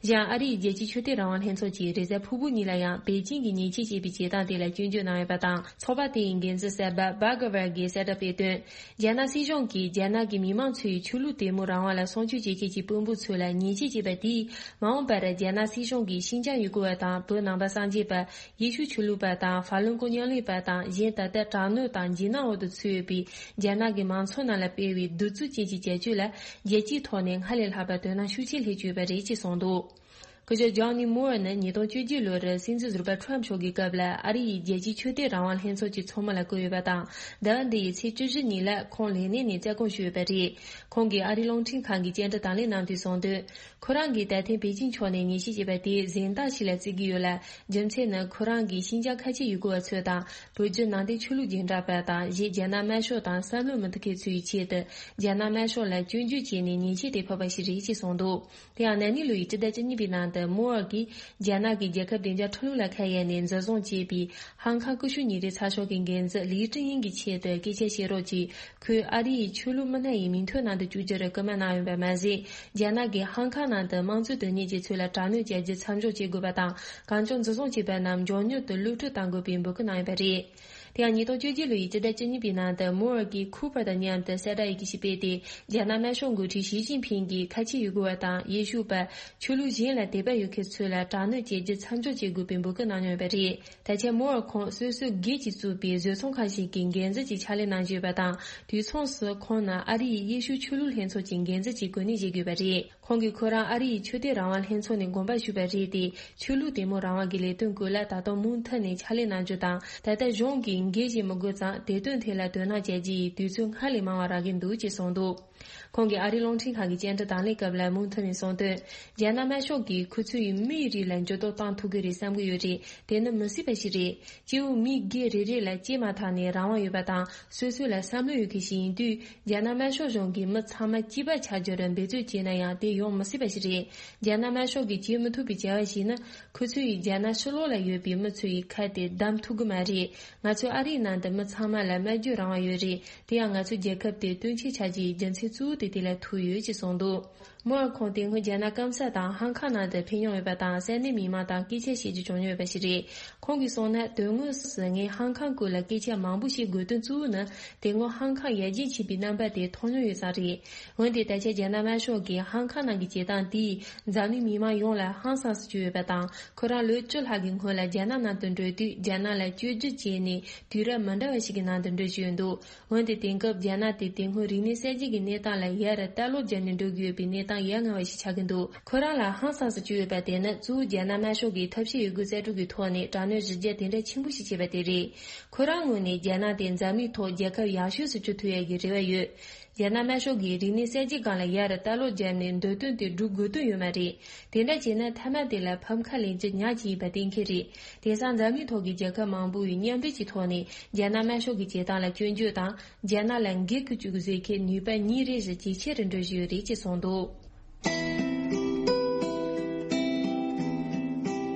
གཞན་ཨ་རིའི་རྒྱལ་སྤྱིའི་ཆོས་དད་རང་དབང་ལྷན་ཚོགས་ཀྱིས་རེས་གཟའ་ཕུར་བུ་ཉིན་ལ་ཡང་པེ་ཅིང་གིས་ཉེས་ཆད་བཅད་པའི་བྱེད་སྟངས་དེ་ལ་སྐྱོན་བརྗོད་གནང་ཡོད་པ་དང་། ཚོགས་པ་དེའི་འགན་འཛིན་གསར་པ་བྷ་ག་ཝར་གྱིས་གསལ་བསྒྲགས་སྤེལ་དོན། རྒྱ་ནག་སྲིད་གཞུང་གིས་རྒྱ་ནག་གི་མི་མང་ཚོའི་ཆོས་ལུགས་དད་མོས་རང་དབང་ལ་སྲུང་སྐྱོབ་བྱེད་མཁན་གྱི་དཔོན་པོ་ཚོ་ལ་ཉེས་ཆད་བཅད་པ་དེས། མ་འོངས་པར་རྒྱ་ནག་སྲིད་གཞུང་གིས་ཤིན་ཅང་ཡུལ་སྐོར་བ་དང་བོད་ནང་པ་སངས་རྒྱས་པ། ཡེ་ཤུ་ཆོས་ལུགས་པ་དང་། ཧྥ་ལུན་གོ་མཉམ་ལས་པ་དང་། གཞན་ད་ལྟ་དྲག་གནོན་དང་འཇིགས་སྣང་འོག་ཏུ་ཚུད་ཡོད་པའི་རྒྱ་ནག་གི་མང་ཚོགས་རྣམས་ལ་སྤེལ་བའི་གདུག་རྩུབ་ཅན་གྱི་བྱ་སྤྱོད་ལ་རྒྱལ་སྤྱིའི་ཐོག་ནས་སྔར་ལས་ལྷག་པ་དོ་སྣང་ཤུགས་ཆེ་སླེབས་བཅུག་པ་རེད་ཅེས་གསུངས་འདུག། སྐུ་ཞབས་ཇོ་ནི་མོར་ནི་ཉིས་སྟོང་བཅོ་བརྒྱད་ལོར་སྲིད་འཛིན་ཟུར་པ་ཁྲོམ་མཆོག་གི་སྐབས་ལ་ཨ་རི་ཡི་རྒྱལ་སྤྱིའི་ཆོས་དད་རང་དབང་ལྷན་ཚོགས་ཀྱི་ཚོགས་མི་ལ་བསྐོས་ཡོད་པ་དང་། ཟླ་བ་འདི་ཡི་ཚེས་བཅུ་བཞི་ཉིན་ལ་ཁོང་ལས་གནས་ནས་བཙལ་སྐོང་ཞུས་ཡོད་པ་རེད། ཁོང་གིས་ཨ་རིའི་རླུང་འཕྲིན་ཁང་གི་བཅར་འདྲི་དང་ལེན་གནང་དུས་གསུངས་དོན། ཁོ་རང་གིས་ད་ཐེངས་པེ་ཅིང་ཕྱོགས་ནས་ཉེས་ཆད་བཅད་པ་དེ་གཟེངས་རྟགས་ཤིག་ལ་བརྩི་གི་ཡོད་ལ། རྒྱུ་མཚན་ནི་ཁོ་རང་གིས་ཤིན་ཅང་ཁ་ཆེ་ཡུལ་སྐོར་བ་ཚོ་དང་། བོད་བརྒྱུད་ནང་བསྟན་ཆོས་ལུགས་རྗེས་འབྲང་པ་དང་། གཞན་རྒྱ་ནག་དམར་ཤོག་དང་བསམ་བློ་མི་མཐུན་མཁན་ཚོའི་ཆེད་དུ་རྒྱ་ནག་དམར་ཤོག་ལ་སྐྱོན་བརྗོད་བྱས་ནས་ཉེས་ཆད་དེ་ཕོག་པ་ཞིག་རེད་ཅེས་གསུངས་འདུག། དེ་ཡང་ན་ནིང་ལོ་ཡི་སྤྱི་ཟླ་བཅུ་གཉིས་པའི་ནང་དུ་མོ་ཨར་གྱིས་རྒྱ་ནག་གི་རྒྱལ་ཁབ་བདེ་འཇགས་ཁྲིམས་ལུགས་ལ་ཁ་གཡར་ནས་འཛིན་བཟུང་བྱས་པའི་ཧང་ཁང་ཀུ་ཤུ་ཉིན་རེའི་ཚགས་ཤོག་གི་འགན་འཛིན་ལི་ཀྲི་ཡིན་གྱི་ཆེད་དུ་སྐད་ཆ་བཤད་རོགས་ཀྱིས། ཁོས་ཨ་རི་ཡི་ཆོས་ལུགས་མི་སྣ་ཡི་མིང་ཐོའི་ནང་དུ་བཅུག་རྒྱུར་སྐུལ་མ་གནང་ཡོད་པ་མ་ཟད། རྒྱ་ནག་གིས་ཧང་ཁང་ནང་དུ་དམངས་གཙོའི་དོན་གཉེར་བྱེད་ཚུལ་ལ་དྲག་གནོན་བྱ་རྒྱུ་མཚམས་འཇོག་བྱེད་དགོས་པ་དང་། གང་བྱུང་འཛིན་བཟུང་བྱས་པ་རྣམས་མགྱོགས་མྱུར་དུ་གློད་བཀྲོལ་གཏང་དགོས་པའི་འབོད་སྐུལ་གནང་ཡོད་པ་རེད། དེ་ཡང་ཉིས་སྟོང་བཅོ་བརྒྱད་ལོ་ཡི་སྤྱི་ཟླ་བཅུ་གཉིས་པའི་ནང་དུ་མོ་ཨར་གྱིས་ཁུ་པར་དང་མཉམ་དུ་གསལ་བསྒྲགས་ཡི་གེ་ཞིག་སྤེལ་ཏེ། རྒྱ་ནག་དམར་ཤོག་འགོ་ཁྲིད་ཞི་ཅིན་ཕིང་གིས་ཁ་ཆེ་ཡུལ་སྐོར་བ་དང་ཡེ་ཤུ་པ། ཆོས་ལུགས་གཞན་ལ་དད་པ་ཡོད་མཁན་ཚོ་ལ་དྲག་གནོན་བྱེད་རྒྱུ་མཚམས་འཇོག་བྱེད་དགོས་པའི་འབོད་སྐུལ་གནང་མྱོང་ཡོད་པ་རེད། ད་ཆ་མོ་ཨར་ཁོང་སོ་སོའི་སྒེར་གྱིས་བཙུགས་པའི་བཟོ་ཚོང་ཁང་ཞིག་གི་འགན་འཛིན་གྱི་ཕྱག་ལས་གནང་བཞིན་ཡོད་པ་དང་། དུས་མཚུངས་སུ་ཁོང་ནི་ཨ་རི་ཡི་ཡེ་ཤུ་ཆོས་ལུགས་ལྷན་ཚོགས་ཀྱི་འགན་འཛིན་གྱི་གོ་གནས་བཞེས་དགོས་པ་རེད། ཁོང་གིས་ཁོ་རང་ཨ་རི་ཡི་ཆོས་དད་རང་དབང་ལྷན་ཚོགས་ནས་དགོངས་པ་ཞུས་པ་རེད་དེ། ཆོས་ལུགས་དད་མོས་རང་དབང་གི་ལས་དོན་སྐོར་ལ་ད་དུང་མུ་མཐུད་ནས་ཕྱག་ལས་གནང་རྒྱུ་དང་། ད་ལྟ་གཞུང་གིས་འགན་བཞེས་མི་དགོས་ཙང་དེ་དོན་ཐད་ལ་དོ་སྣང་བྱ་རྒྱུ་ཡི་དུས་ཚོད་སྔར་ལས་མང་བ་རག་གི་འདུག་ཅེས་གསུངས་འདུག། ཁོང་གིས་ཨ་རིའི་རླུང་འཕྲིན་ཁང་གི་བཅར་འདྲི་དང་ལེན་སྐབས་ལ་མུ་མཐུད་ནས་གསུངས་དོན། རྒྱ་ནག་དམར་ཤོག་གིས་ཁོ་ཚོའི་མིའི་རིགས་ལ་འགྱུར་ལྡོག་བཏང་ཐུབ་ཀྱི་རེད་བསམ་གྱི་ཡོད་རེད། དེ་ནི་མི་སྲིད་པ་ཞིག་རེད། སྐྱེ་བོ་མི་སྒེར་རེ་རེ་ལ་སྐྱེས་མ་ཐག་ནས་རང་དབང་ཡོད་པ་དང་། སོ་སོ་ལ་བསམ་བློ་ཡོད་མཁན་ཞིག་ཡིན་དུས། རྒྱ་ནག་དམར་ཤོག་གཞུང་གིས་མི་ཚང་མ་གཅིག་པ་ཆགས་རྒྱུར་འབད་རྩོལ་བྱས་ན་ཡང་དེ་ཡོང་མི་སྲིད་པ་ཞིག་རེད། རྒྱ་ནག་དམར་ཤོག་གིས་བྱེད་མི་ཐུབ་པའི་བྱ་བ་ཞིག་ནི། ཁོ་ཚོ་ཡིས་རྒྱ་ནག་ཕྱི་ལོགས་ལ་ཡོད་པའི་མི་ཚོ་ཡི་ཁ་དེ་བསྡམས་ཐུབ་ཀྱི་མ་རེད། ང་ཚོ་ཨ་རིའི་ནང་དུ་མི་ཚང་མ་ལ་སྨྲ་བརྗོད་རང་དབང་ཡོད་རེད། དེ་ཡང་ང་ཚོའི་རྒྱལ་ཁབ་དེ་སྟོན་ཆེན་ཆགས་རྒྱུའི་རྒྱུ་མཚན་གཙོ་བོ་དེ་དེ་ལ་ཐུག་ཡོད་ཅེས་གསུངས་འདུག་མོ་ཨ་ཁོང་དེ་སྔོན་རྒྱ་ནག་སྐམ་ས་དང་ཧང་ཁང་ནང་དུ་ཕེབས་མྱོང་ཡོད་པ་དང་། ས་གནས་མི་མང་དང་སྐད་ཆ་བཤད་རྒྱུ་བྱུང་མྱོང་ཡོད་པ་ཞིག་རེད། ཁོང་གིས་གསུངས་ན། དོན་དངོས་སུ་ངས་ཧང་ཁང་སྐོར་ལ་སྐད་ཆ་མང་པོ་བཤད་དགོས་དོན་གཙོ་བོ་ནི། དེ་སྔོན་ཧང་ཁང་ཡར་རྒྱས་ཕྱིན་པའི་རྣམ་པ་དེ་མཐོང་མྱོང་ཡོད་ཙང་རེད། འོན་ཏེ་ད་ཆ་རྒྱ་ནག་དམར་ཤོག་གིས་ཧང་ཁང་ནང་གི་བྱེད་སྟངས་དེས་འཛམ་གླིང་མི་མང་ཡོངས་ལ་ཧང་སངས་སུ་གྱུར་ཡོད་པ་དང་། ཁོ་རང་ལོ་བཅུ་ལྷག་གི་སྔོན་ལ་རྒྱ་ནག་ནང་དུ་འགྲོ་དུས། རྒྱ་ནག་ལ་བཅོས་སྒྱུར་བྱས་ནས་དུས་རབས་མི་འདྲ་བ་ཞིག་གི་ནང་དུ་འགྲོ་བཞིན་ཡོད་འདུག་འོན་ཏེ་དེང་སྐབས་རྒྱ་ནག་དེ་དེ་སྔོན་རིག་གནས་གསར་བརྗེ་གི་གནས་སྟངས་ལ་ཡར་ལྟ་ཀློག་བརྒྱབ་ནས་འགྲོ་གི་ཡོད་པའི་གནས་སྟངས་ཡ་ང་བ་ཞིག་ཆགས་ཀྱི་འདུག་ཁོ་རང་ལ་ཧང་སངས་སུ་གྱུར་ཡོད་པ་དེ་ནི། གཙོ་བོ་རྒྱ་ནག་དམར་ཤོག་གིས་ཐབས་ཤེས་ཡོད་རྒུ་རྩལ་སྤྲུགས་ཀྱི་ཐོག་ནས་དྲག་གནོན་གཞི་རྒྱ་དེ་འདྲ་ཆེན་པོ་ཞིག་བྱས་པ་དེ་རེད། ཁོ་རང་ངོས་ནས་རྒྱ་ནག་དེ་འཛམ་གླིང་ཐོག་རྒྱལ་ཁབ་ཡག་ཤོས་སུ་གྱུར་ཐུབ་ཡ་གི་རེ་བ་ཡོད། རྒྱ་ནག་དམར་ཤོག་གིས་རིག་གནས་གསར་བརྗེ་སྒང་ལ་ཡར་ལྟ་ཀློག་བརྒྱབ་ནས་འདོད་དོན་དེ་སྒྲུབ་དགོས་དོན་ཡོད་མ་རེད། དེ་འདྲ་བྱས་ན་མཐའ་མ་དེ་ལ་ཕམ་ཁ་ལེན་རྒྱུ་ཉག་ཅིག་ཡིན་པ་གཏན་འཁེལ་རེད། དེང་སང་འཛམ་གླིང་ཐོག་གི་རྒྱལ་ཁབ་མང་པོ་ཡིས་མཉམ་འབྲེལ་གྱི་ཐོག་ནས་རྒྱ་ནག་དམར་ཤོག་གི་བྱེད་སྟངས་ལ་སྐྱོན་བརྗོད་དང་། རྒྱ་ནག་ལ་འགན་འཁུར་བཅུག་བཟོས་མཁན་ནུས་པ་ཉིན་རེ་བཞིན་ཇེ་ཆེ་རུ་འགྲོ་བཞིན་ཡོད་རེད་ཅེས་གསུངས་འདུག་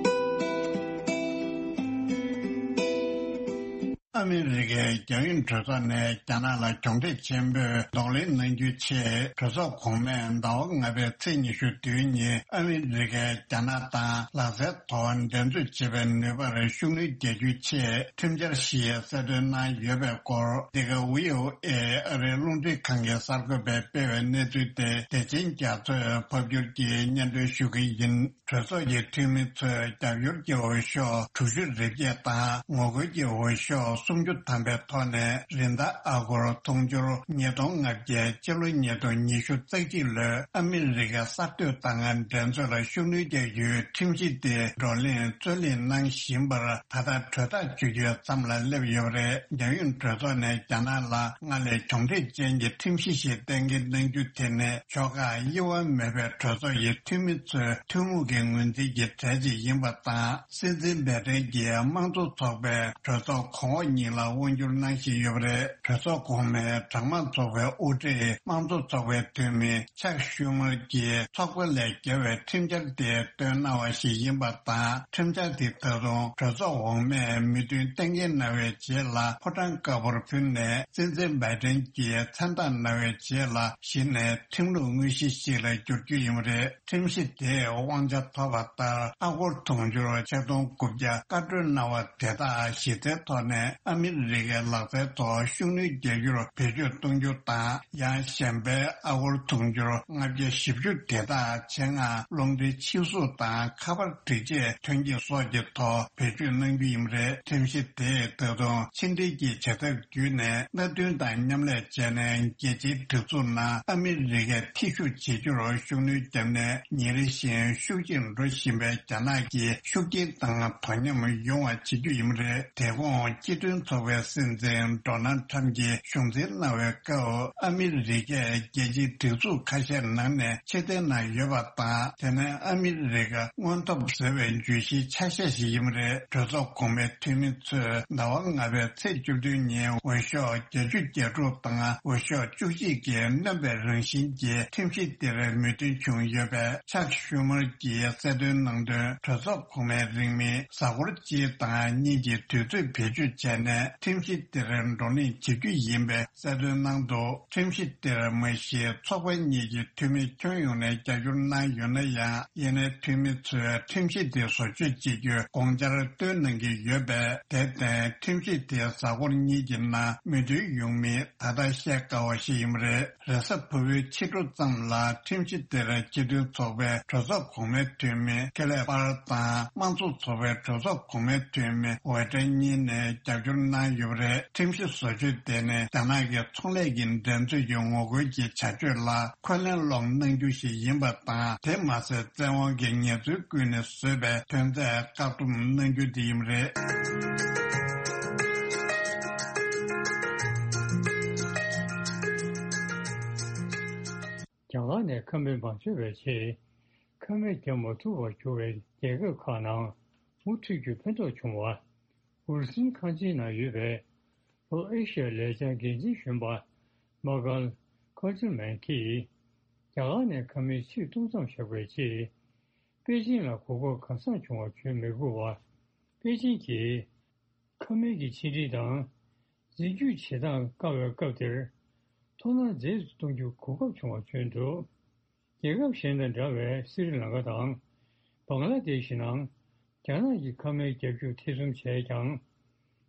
ཨ་མི་རི་ཀའི་རྒྱ་ཡོངས་གྲོས་ཚོགས་ནས་རྒྱ་ནག་ལ་གྱོང་གྲད་ཆེན་པོས་གདོང་ལེན་གནང་རྒྱུའི་ཆེད། གྲོས་ཚོགས་གོང་མས་ཟླ་བ་ལྔ་པའི་ཚེས་ཉི་ཤུ་དུས་ཉིན་ཨ་མི་རི་ཀས་རྒྱ་ནག་དང་ལག་རྩལ་ཐོག་འགྲན་རྩོད་བྱེད་པའི་ནུས་པར་ཤུགས་སྣོན་རྒྱག་རྒྱུའི་ཆེད། ཁྲིམས་འཆར་ཞིག་གསལ་སྟོན་གནང་ཡོད་པའི་སྐོར། འདི་ག་བྷི་ཨོ་ཨེ་ཨ་རིའི་རླུང་འཕྲིན་ཁང་གི་གསར་འགོད་པས་སྤེལ་བའི་གནས་ཚུལ་དེ། བདེ་ཆེན་རྒྱ་མཚོས་ཕབ་སྒྱུར་གྱིས་སྙན་སྒྲོན་ཞུ་གི་ཡིན། གྲོས་ཚོགས་ཀྱི་འཐུས་མི་ཚོས་རྒྱབ་སྐྱོར་གྱི་འོས་ཤོག་དྲུག་ཅུ་རེ་བརྒྱད་དང་ངོ་རྒོལ་གྱི་འོས་ཤོག་སུམ་ཅུ་ཐམ་པའི་ཐོག་ནས། རིན་ཐང་ཨ་སྒོར་དུང་ཕྱུར་ཉིས་སྟོང་ལྔ་བརྒྱ། སྤྱི་ལོ་ཉིས་སྟོང་ཉི་ཤུ་རྩ་གཅིག་ལོའི་ཨ་མི་རི་ཀའི་གསར་གཏོད་དང་འགྲན་རྩོད་ལ་ཤུགས་སྣོན་རྒྱག་རྒྱུའི་ཁྲིམས་གཞི་དེ་བགྲོ་གླེང་རྩོད་གླེང་གནང་བཞིན་པར། ད་ལྟ་གྲོས་ཐག་གཅོད་རྒྱུའི་མཚམས་ལ་སླེབས་ཡོད་པ་རེད། རྒྱ་ཡོངས་གྲོས་ཚོགས་ནས་རྒྱ་ནག་ལ་སྔར་ལས་གྱོང་གྲད་ཅན་གྱི་ཁྲིམས་གཞི་ཞིག་གཏན་འཁེལ་གནང་རྒྱུ་དེ་ནི། ཕྱོགས་ཁག་དབྱེ་བ་མེད་པའི་གྲོས་ཚོགས་ཀྱི་འཐུས་མི་ཚོའི་ཐུན་མོང་གི་ངོས་འཛིན་གྱི་གྲས་ཤིག་ཡིན་པ་དང་། སྲིད་འཛིན་བྷའི་ཏན་གྱིས་དམངས་གཙོ་ཚོགས་པའི་གྲོས་ཚོགས་གོང་འོག་གཉིས་ལ་དབང་བསྒྱུར་གནང་བཞིན་ཡོད་པ་རེད། གྲོས་ཚོགས་གོང་མའི་གྲངས་མང་ཚོགས་པའི་དབུ་ཁྲིད་དམངས་གཙོ་ཚོགས་པའི་འཐུས་མི་ཆག་ཤུ་མར་གྱིས་ཚོགས་པ་ལས་བརྒལ་བའི་ཁྲིམས་འཆར་དེ་བཏོན་གནང་བ་ཞིག་ཡིན་པ་དང་། ཁྲིམས་འཆར་དེ་ད་དུང་གྲོས་ཚོགས་འོག་མས་མོས་མཐུན་གཏན་འཁེལ་གནང་བའི་རྗེས་ལ་ཕོ་བྲང་དཀར་པོར་ཕུལ་ནས། སྲིད་འཛིན་བྷའི་ཏན་གྱིས་མཚན་རྟགས་གནང་བའི་རྗེས་ལ། གཞི་ནས་ཁྲིམས་ལུགས་དངོས་གཞི་ཞིག་ལ་འགྱུར་རྒྱུ་ཡིན་པ་རེད། ཁྲིམས་གཞི་དེས་དབང་ཆ་ཐོབ་པ་ལྟར། ཨ་སྒོར་དུང་ཕྱུར་ཆིག་སྟོང་དགུ་བརྒྱ་བཀའ་འཁྲོལ་གནང་བ་དེ་དག་གཞི་རྩའི་ཐོག་ནས་ཨ་མི་རི་ཀའི་ལག་རྩལ་ཐོག་ཤུགས་སྣོན་རྒྱག་རྒྱུར་བེད་སྤྱོད་གཏོང་རྒྱུ་དང་། ཡང་གཞན་པའི་ཨ་སྒོར་དུང་ཕྱུར་ལྔ་བརྒྱ་བཞི་བཅུ་དེ་དག་ཆེད་མངགས་རླུང་འཕྲིན་ཕྱིར་བཟོ་དང་ཁ་པར་སྒྲིག་ཆས་ཐོན་སྐྱེད་སོགས་ཀྱི་ཐོག་བེད་སྤྱོད་གནང་རྒྱུ་ཡིན་པ་རེད། ཁྲིམས་གཞི་དེས་ད་དུང་ཕྱི་འབྲེལ་གྱི་བྱ་ཐབས་བརྒྱུད་ནས་མནའ་མཐུན་དང་མཉམ་ལས་བྱས་ནས། རྒྱལ་སྤྱིའི་སྒྲིག་འཛུགས་ནང་ཨ་མི་རི་ཀས་ཐེ་ཞུགས་བྱེད་རྒྱུར་ཤུགས་སྣོན་བརྒྱབ་ནས། ཉིན་རེ་བཞིན་ཤུགས་ཆེར་འགྲོ་བཞིན་པའི་རྒྱ་ནག་གི་ཤུགས་རྐྱེན་དང་དོ་མཉམ་ཡོང་བ་བྱེད་རྒྱུ་ཡིན་པ་རེད། དེ་གོང་སྤྱི་མཐུན་ཚོགས་པའི་སྲིད་འཛིན་ཌོ་ནལ་ཊམ་གྱིས་གཞུང་འཛིན་གནང་བའི་སྐབས། ཨ་མི་རི་ཀས་རྒྱལ་སྤྱིའི་སྒྲིག་འཛུགས་ཁ་ཤས་ནང་ནས་ཕྱིར་འཐེན་གནང་ཡོད་པ་དང་། དེ་ནས་ཨ་མི་རི་ཀ་སྔོན་ཐོབ་ཟེར་བའི་བརྗོད་གཞིའི་ཆ་ཤས་ཤིག་ཡིན་པ་རེད། གྲོས་ཚོགས་གོང་མའི་འཐུས་མི་ཚོས་ཟླ་བ་ལྔ་པའི་ཚེས་བཅུ་བདུན་ཉིན་འོས་ཤོག་བརྒྱད་ཅུ་གྱ་དྲུག་དང་འོས་ཤོག་བཅུ་གཅིག་གིས་གནོན་པའི་རང་བཞིན་གྱི་ཁྲིམས་གཞི་དེར་མོས་མཐུན་བྱུང་ཡོད་པས། ཆག་ཤུ་མར་གྱིས་གསལ་སྟོན་གནང་དོན། གྲོས་ཚོགས་གོང་མའི་རིང་མིན་གཟའ་འཁོར་གཅིག་དང་གཉིས་ཀྱི་དུས་ཚོད་བེད་སྤྱོད་བྱས་ནས་ཁྲིམས་གཞི་དེར་བགྲོ་གླེང་བྱེད་རྒྱུ་ཡིན་པའི་གསལ་སྟོན་གནང་འདུག་ཁྲིམས་གཞི་དེར་མ་གཞི་ཚོགས་པ་གཉིས་ཀྱི་འཐུས་མི་ཁྱོན་ཡོངས་ནས་རྒྱབ་སྐྱོར་གནང་ཡོད་ན་ཡང་། ཡིན་ནའི་འཐུས་མི་ཚོས་ཁྲིམས་གཞི་དེ་བཟོ་བཅོས་བྱེད་རྒྱུའི་དགོངས་འཆར་བཏོན་གནང་གི་ཡོད་པས། དེར་བརྟེན་ཁྲིམས་གཞི་དེ་གཟའ་འཁོར་གཉིས་ཀྱི་ནང་མོས་མཐུན་ཡོང་མིན་ད་ལྟ་བཤད་དཀའ་བ་ཞིག་ཡིན་པ་རེད། རེས་གཟའ་ཕུར་བུའི་ཕྱི་དྲོ་ཙམ་ལ་ཁྲིམས་གཞི་དེར་སྤྱི་མཐུན་ཚོགས་པའི་གྲོས་ཚོགས་གོང་མའི་འཐུས་མི་ཁེ་ལེ་པར་དང་། དམངས་གཙོ་ཚོགས་པའི་གྲོས་ཚོགས་གོང་མའི་འཐུས་མི་ཝེ་ཀྲན་གཉིས་ནས་རྒྱབ་སྐྱོར་གནང་ཡོད་པ་རེད། ཁྲིམས་གཞི་བཟོ་བཅོས་དེ་ནི་རྒྱ་ནག་གི་ཚོང་ལས་ཀྱི་འགྲན་རྩོད་ཀྱི་ངོ་རྒོལ་གྱི་བྱ་སྤྱོད་ལ་འཁོན་ལན་སློག་གནང་རྒྱུ་ཞིག་ཡིན་པ་དང་། དེ་མ་ཟད། བཙན་དབང་གི་ངལ་རྩོལ་ཀུན་ནས་བཟོས་པའི་ཐོན་རྫས་བཀག་སྡོམ་གནང་རྒྱུ་དེ་ཡིན་པ་རེད། རྒྱ་གར་ནས་ཁ་སྨན་མ་བྱོན་པའི་ཆེད། ཁ་སྨན་བརྒྱབ་མ་ཐུབ་པར་གྱུར་བའི་རྒྱལ་ཁབ་ཁག་ནང་མུ་མཐུད་རྒྱུར་ཕན་ཐོགས་བྱུང་བ། འུར་ཟིང་ཁང་ཆེན་ནང་ཡོད་པའི་ལྷོ་ཨེ་ཤི་ཡའི་ལས་འཆར་འགན་འཛིན་གཞོན་པ་མ་ཀལ་ཁོ་ཅི་མན་གྱིས། རྒྱ་གར་ནས་ཁ་སྨན་ཕྱིར་གཏོང་མཚམས་བཞག་པའི་ཆེད། པེ་ཅིང་ལ་གོ་སྐབས་གང་ཟག་བྱུང་བ་བརྗོད་མི་དགོས་པ། པེ་ཅིང་གིས་ཁ་སྨན་གྱི་ཕྱི་འབྲེལ་དང་། འཛིན་སྐྱོང་བྱེད་སྟངས་བཀག་པའི་སྐབས་དེར། མཐོང་སྣང་མཛེས་སུ་གཏོང་རྒྱུར་གོ་སྐབས་བྱུང་བ་བརྗོད་འདུག་རྒྱལ་ཁབ་གཞན་དང་འདྲ་བའི་སི་རི་ལང་ཀ་དང་། བང་ལ་དེ་ཤི་ནང་། རྒྱ་ནག་གི་ཁ་སྨན་བརྒྱབ་རྒྱུར་ཐེ་ཚོམ་བྱས་ཀྱང་།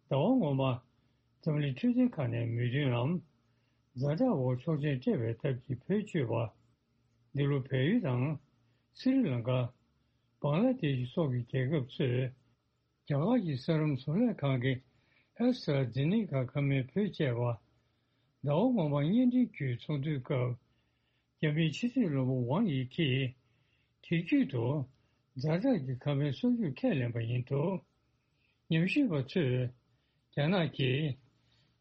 ཟླ་བ་སྔོན་མ། འཛམ་གླིང་འཕྲོད་བསྟེན་ཁང་ནས་མོས་མཐུན་ལམ། ཛ་དྲག་འོག་ཆོག་མཆན་སྤྲད་པའི་སྟབས་ཀྱིས་བེད་སྤྱོད་པ། འདི་ལོ་བལ་ཡུལ་དང་། སི་རི་ལང་ཀ། བང་ལ་དེ་ཤི་སོགས་ཀྱི་རྒྱལ་ཁབ་ཚོས། རྒྱ་གར་གྱི་ས་རིམ་བཟོ་ལས་ཁང་གི་ཨེ་སི་ཊ་ར་ཛེ་ནེ་ཀ་ཁ་སྨན་བེད་སྤྱད་པ། ཟླ་བ་སྔོན་མ་བརྙན་འཕྲིན་བརྒྱུད་ཚོགས་འདུའི་སྐབས། རྒྱ་མིའི་ཕྱི་སྲིད་བློན་པོ་ཝང་ཡི་ཁིས། དེ་བརྒྱུད་དུ། ཛ་དྲག་གི་ཁ་སྨན་གསོག་རྒྱུར་ཁས་ལེན་པ་ཡིན་འདུག་ཉམས་ཞིབ་པ་ཚོས། རྒྱ་ནག་གིས།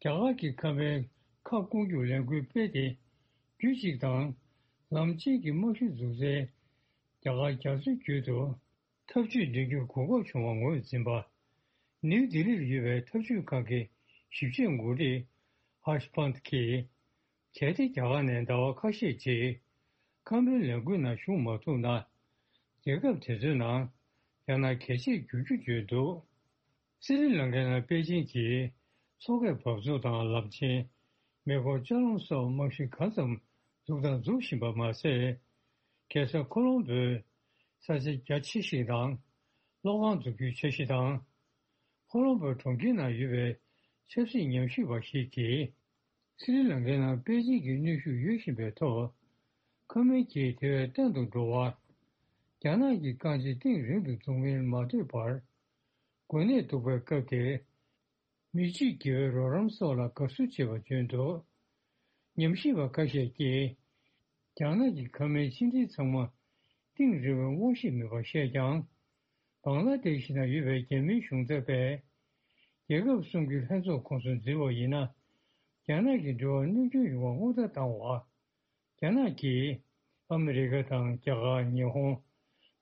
རྒྱ་གར་གྱི་ཁ་སྨན་ཁ་སྐོང་རྒྱུར་ལས་འགུལ་སྤེལ་ཏེ། རྒྱུད་གཅིག་དང་། ལམ་གཅིག་གི་རྨང་གཞི་འཛུགས་སའི། རྒྱ་གར་རྒྱ་མཚོའི་རྒྱུད་དུ། ཐབས་ཇུས་འདིང་རྒྱུར་གོ་སྐབས་བྱུང་བ་ངོས་འཛིན་པ། ནིའུ་ལྡི་ལིར་ཡོད་པའི་ཐབས་ཇུས་ཁང་གི་ཞིབ་དཔྱད་འགོ་ཁྲིད་ཧར་ཤ་པཱན་ཐི་གིས། གལ་ཏེ་རྒྱ་གར་ནས་ཟླ་བ་ཁ་ཤས་རྗེས་ཁ་སྨན་ལས་འགུལ་ནང་ཞུགས་མ་ཐུབ་ན། རྒྱལ་ཁབ་དེ་ཚོའི་ནང་རྒྱ་ནག་གལ་ཆེར་འགྱུར་རྒྱུ་བརྗོད་འདུག་སི་རི་ལང་ཀའི་ནང་པེ་ཅིང་གིས་མཚོ་ཁའི་འབབ་ཚུགས་དང་ལམ་ཆེན། མེ་འཁོར་ལྕགས་ལམ་སོགས་རྨང་གཞི་གང་ཙམ་འཛུགས་དང་འཛུགས་བཞིན་པ་མ་ཟད། རྒྱལ་ས་ཁོ་ལོམ་བོའི་ས་ཆ་རྒྱ་ཆེ་ཞིག་དང་། གློག་ཁང་འཛུགས་རྒྱུའི་འཆར་གཞི་དང་། ཁོ་ལོམ་བོ་གྲོང་ཁྱེར་ནང་ཡོད་པའི་ཆབ་སྲིད་ཉམས་ཞིབ་པ་ཞིག་གིས། སི་རི་ལང་ཀའི་ནང་པེ་ཅིང་གི་གནོན་ཤུགས་ཡོད་བཞིན་པའི་ཐོག་ཁ་སྨན་གྱིས་དེ་བས་བརྟན་དུ་འགྲོ་བ། རྒྱ་ནག་གི་རྐང་རྗེས་གཏིང་རིང་དུ་འཛུགས་མིན་མ་ལྟོས་པར། འགོས་ནད་འདུག་པའི་སྐབས་དེར། མི་གཅིག་དགེ་བའི་རོགས་རམ་སོགས་ལ་དགའ་བསུ་བྱེད་པ་བརྗོད་འདུག་ཉམས་ཞིབ་པ་ཁ་ཤས་ཀྱིས། རྒྱ་ནག་གི་ཁ་སྨན་ཕྱི་འབྲེལ་ཚང་མ་གཏིང་རིང་བའི་དབང་ཤེད་མེད་པར་བཤད་ཀྱང་། བང་ལ་དེ་ཤི་ནང་ཡོད་པའི་རྒྱ་མིའི་གཞུང་ཚབ་པས། རྒྱལ་ཁབ་གསུམ་གྱི་ལྷན་ཚོགས་ཁོངས་སུ་འཛུལ་བ་ཡིན་ན། རྒྱ་ནག་གི་འབྲེལ་བར་གནོད་སྐྱོན་ཡོང་བ་སྔོན་བརྡ་བཏང་བ། རྒྱ་ནག་གིས་ཨ་མི་རི་ཀ་དང་རྒྱ་གར། ཉི་ཧོང་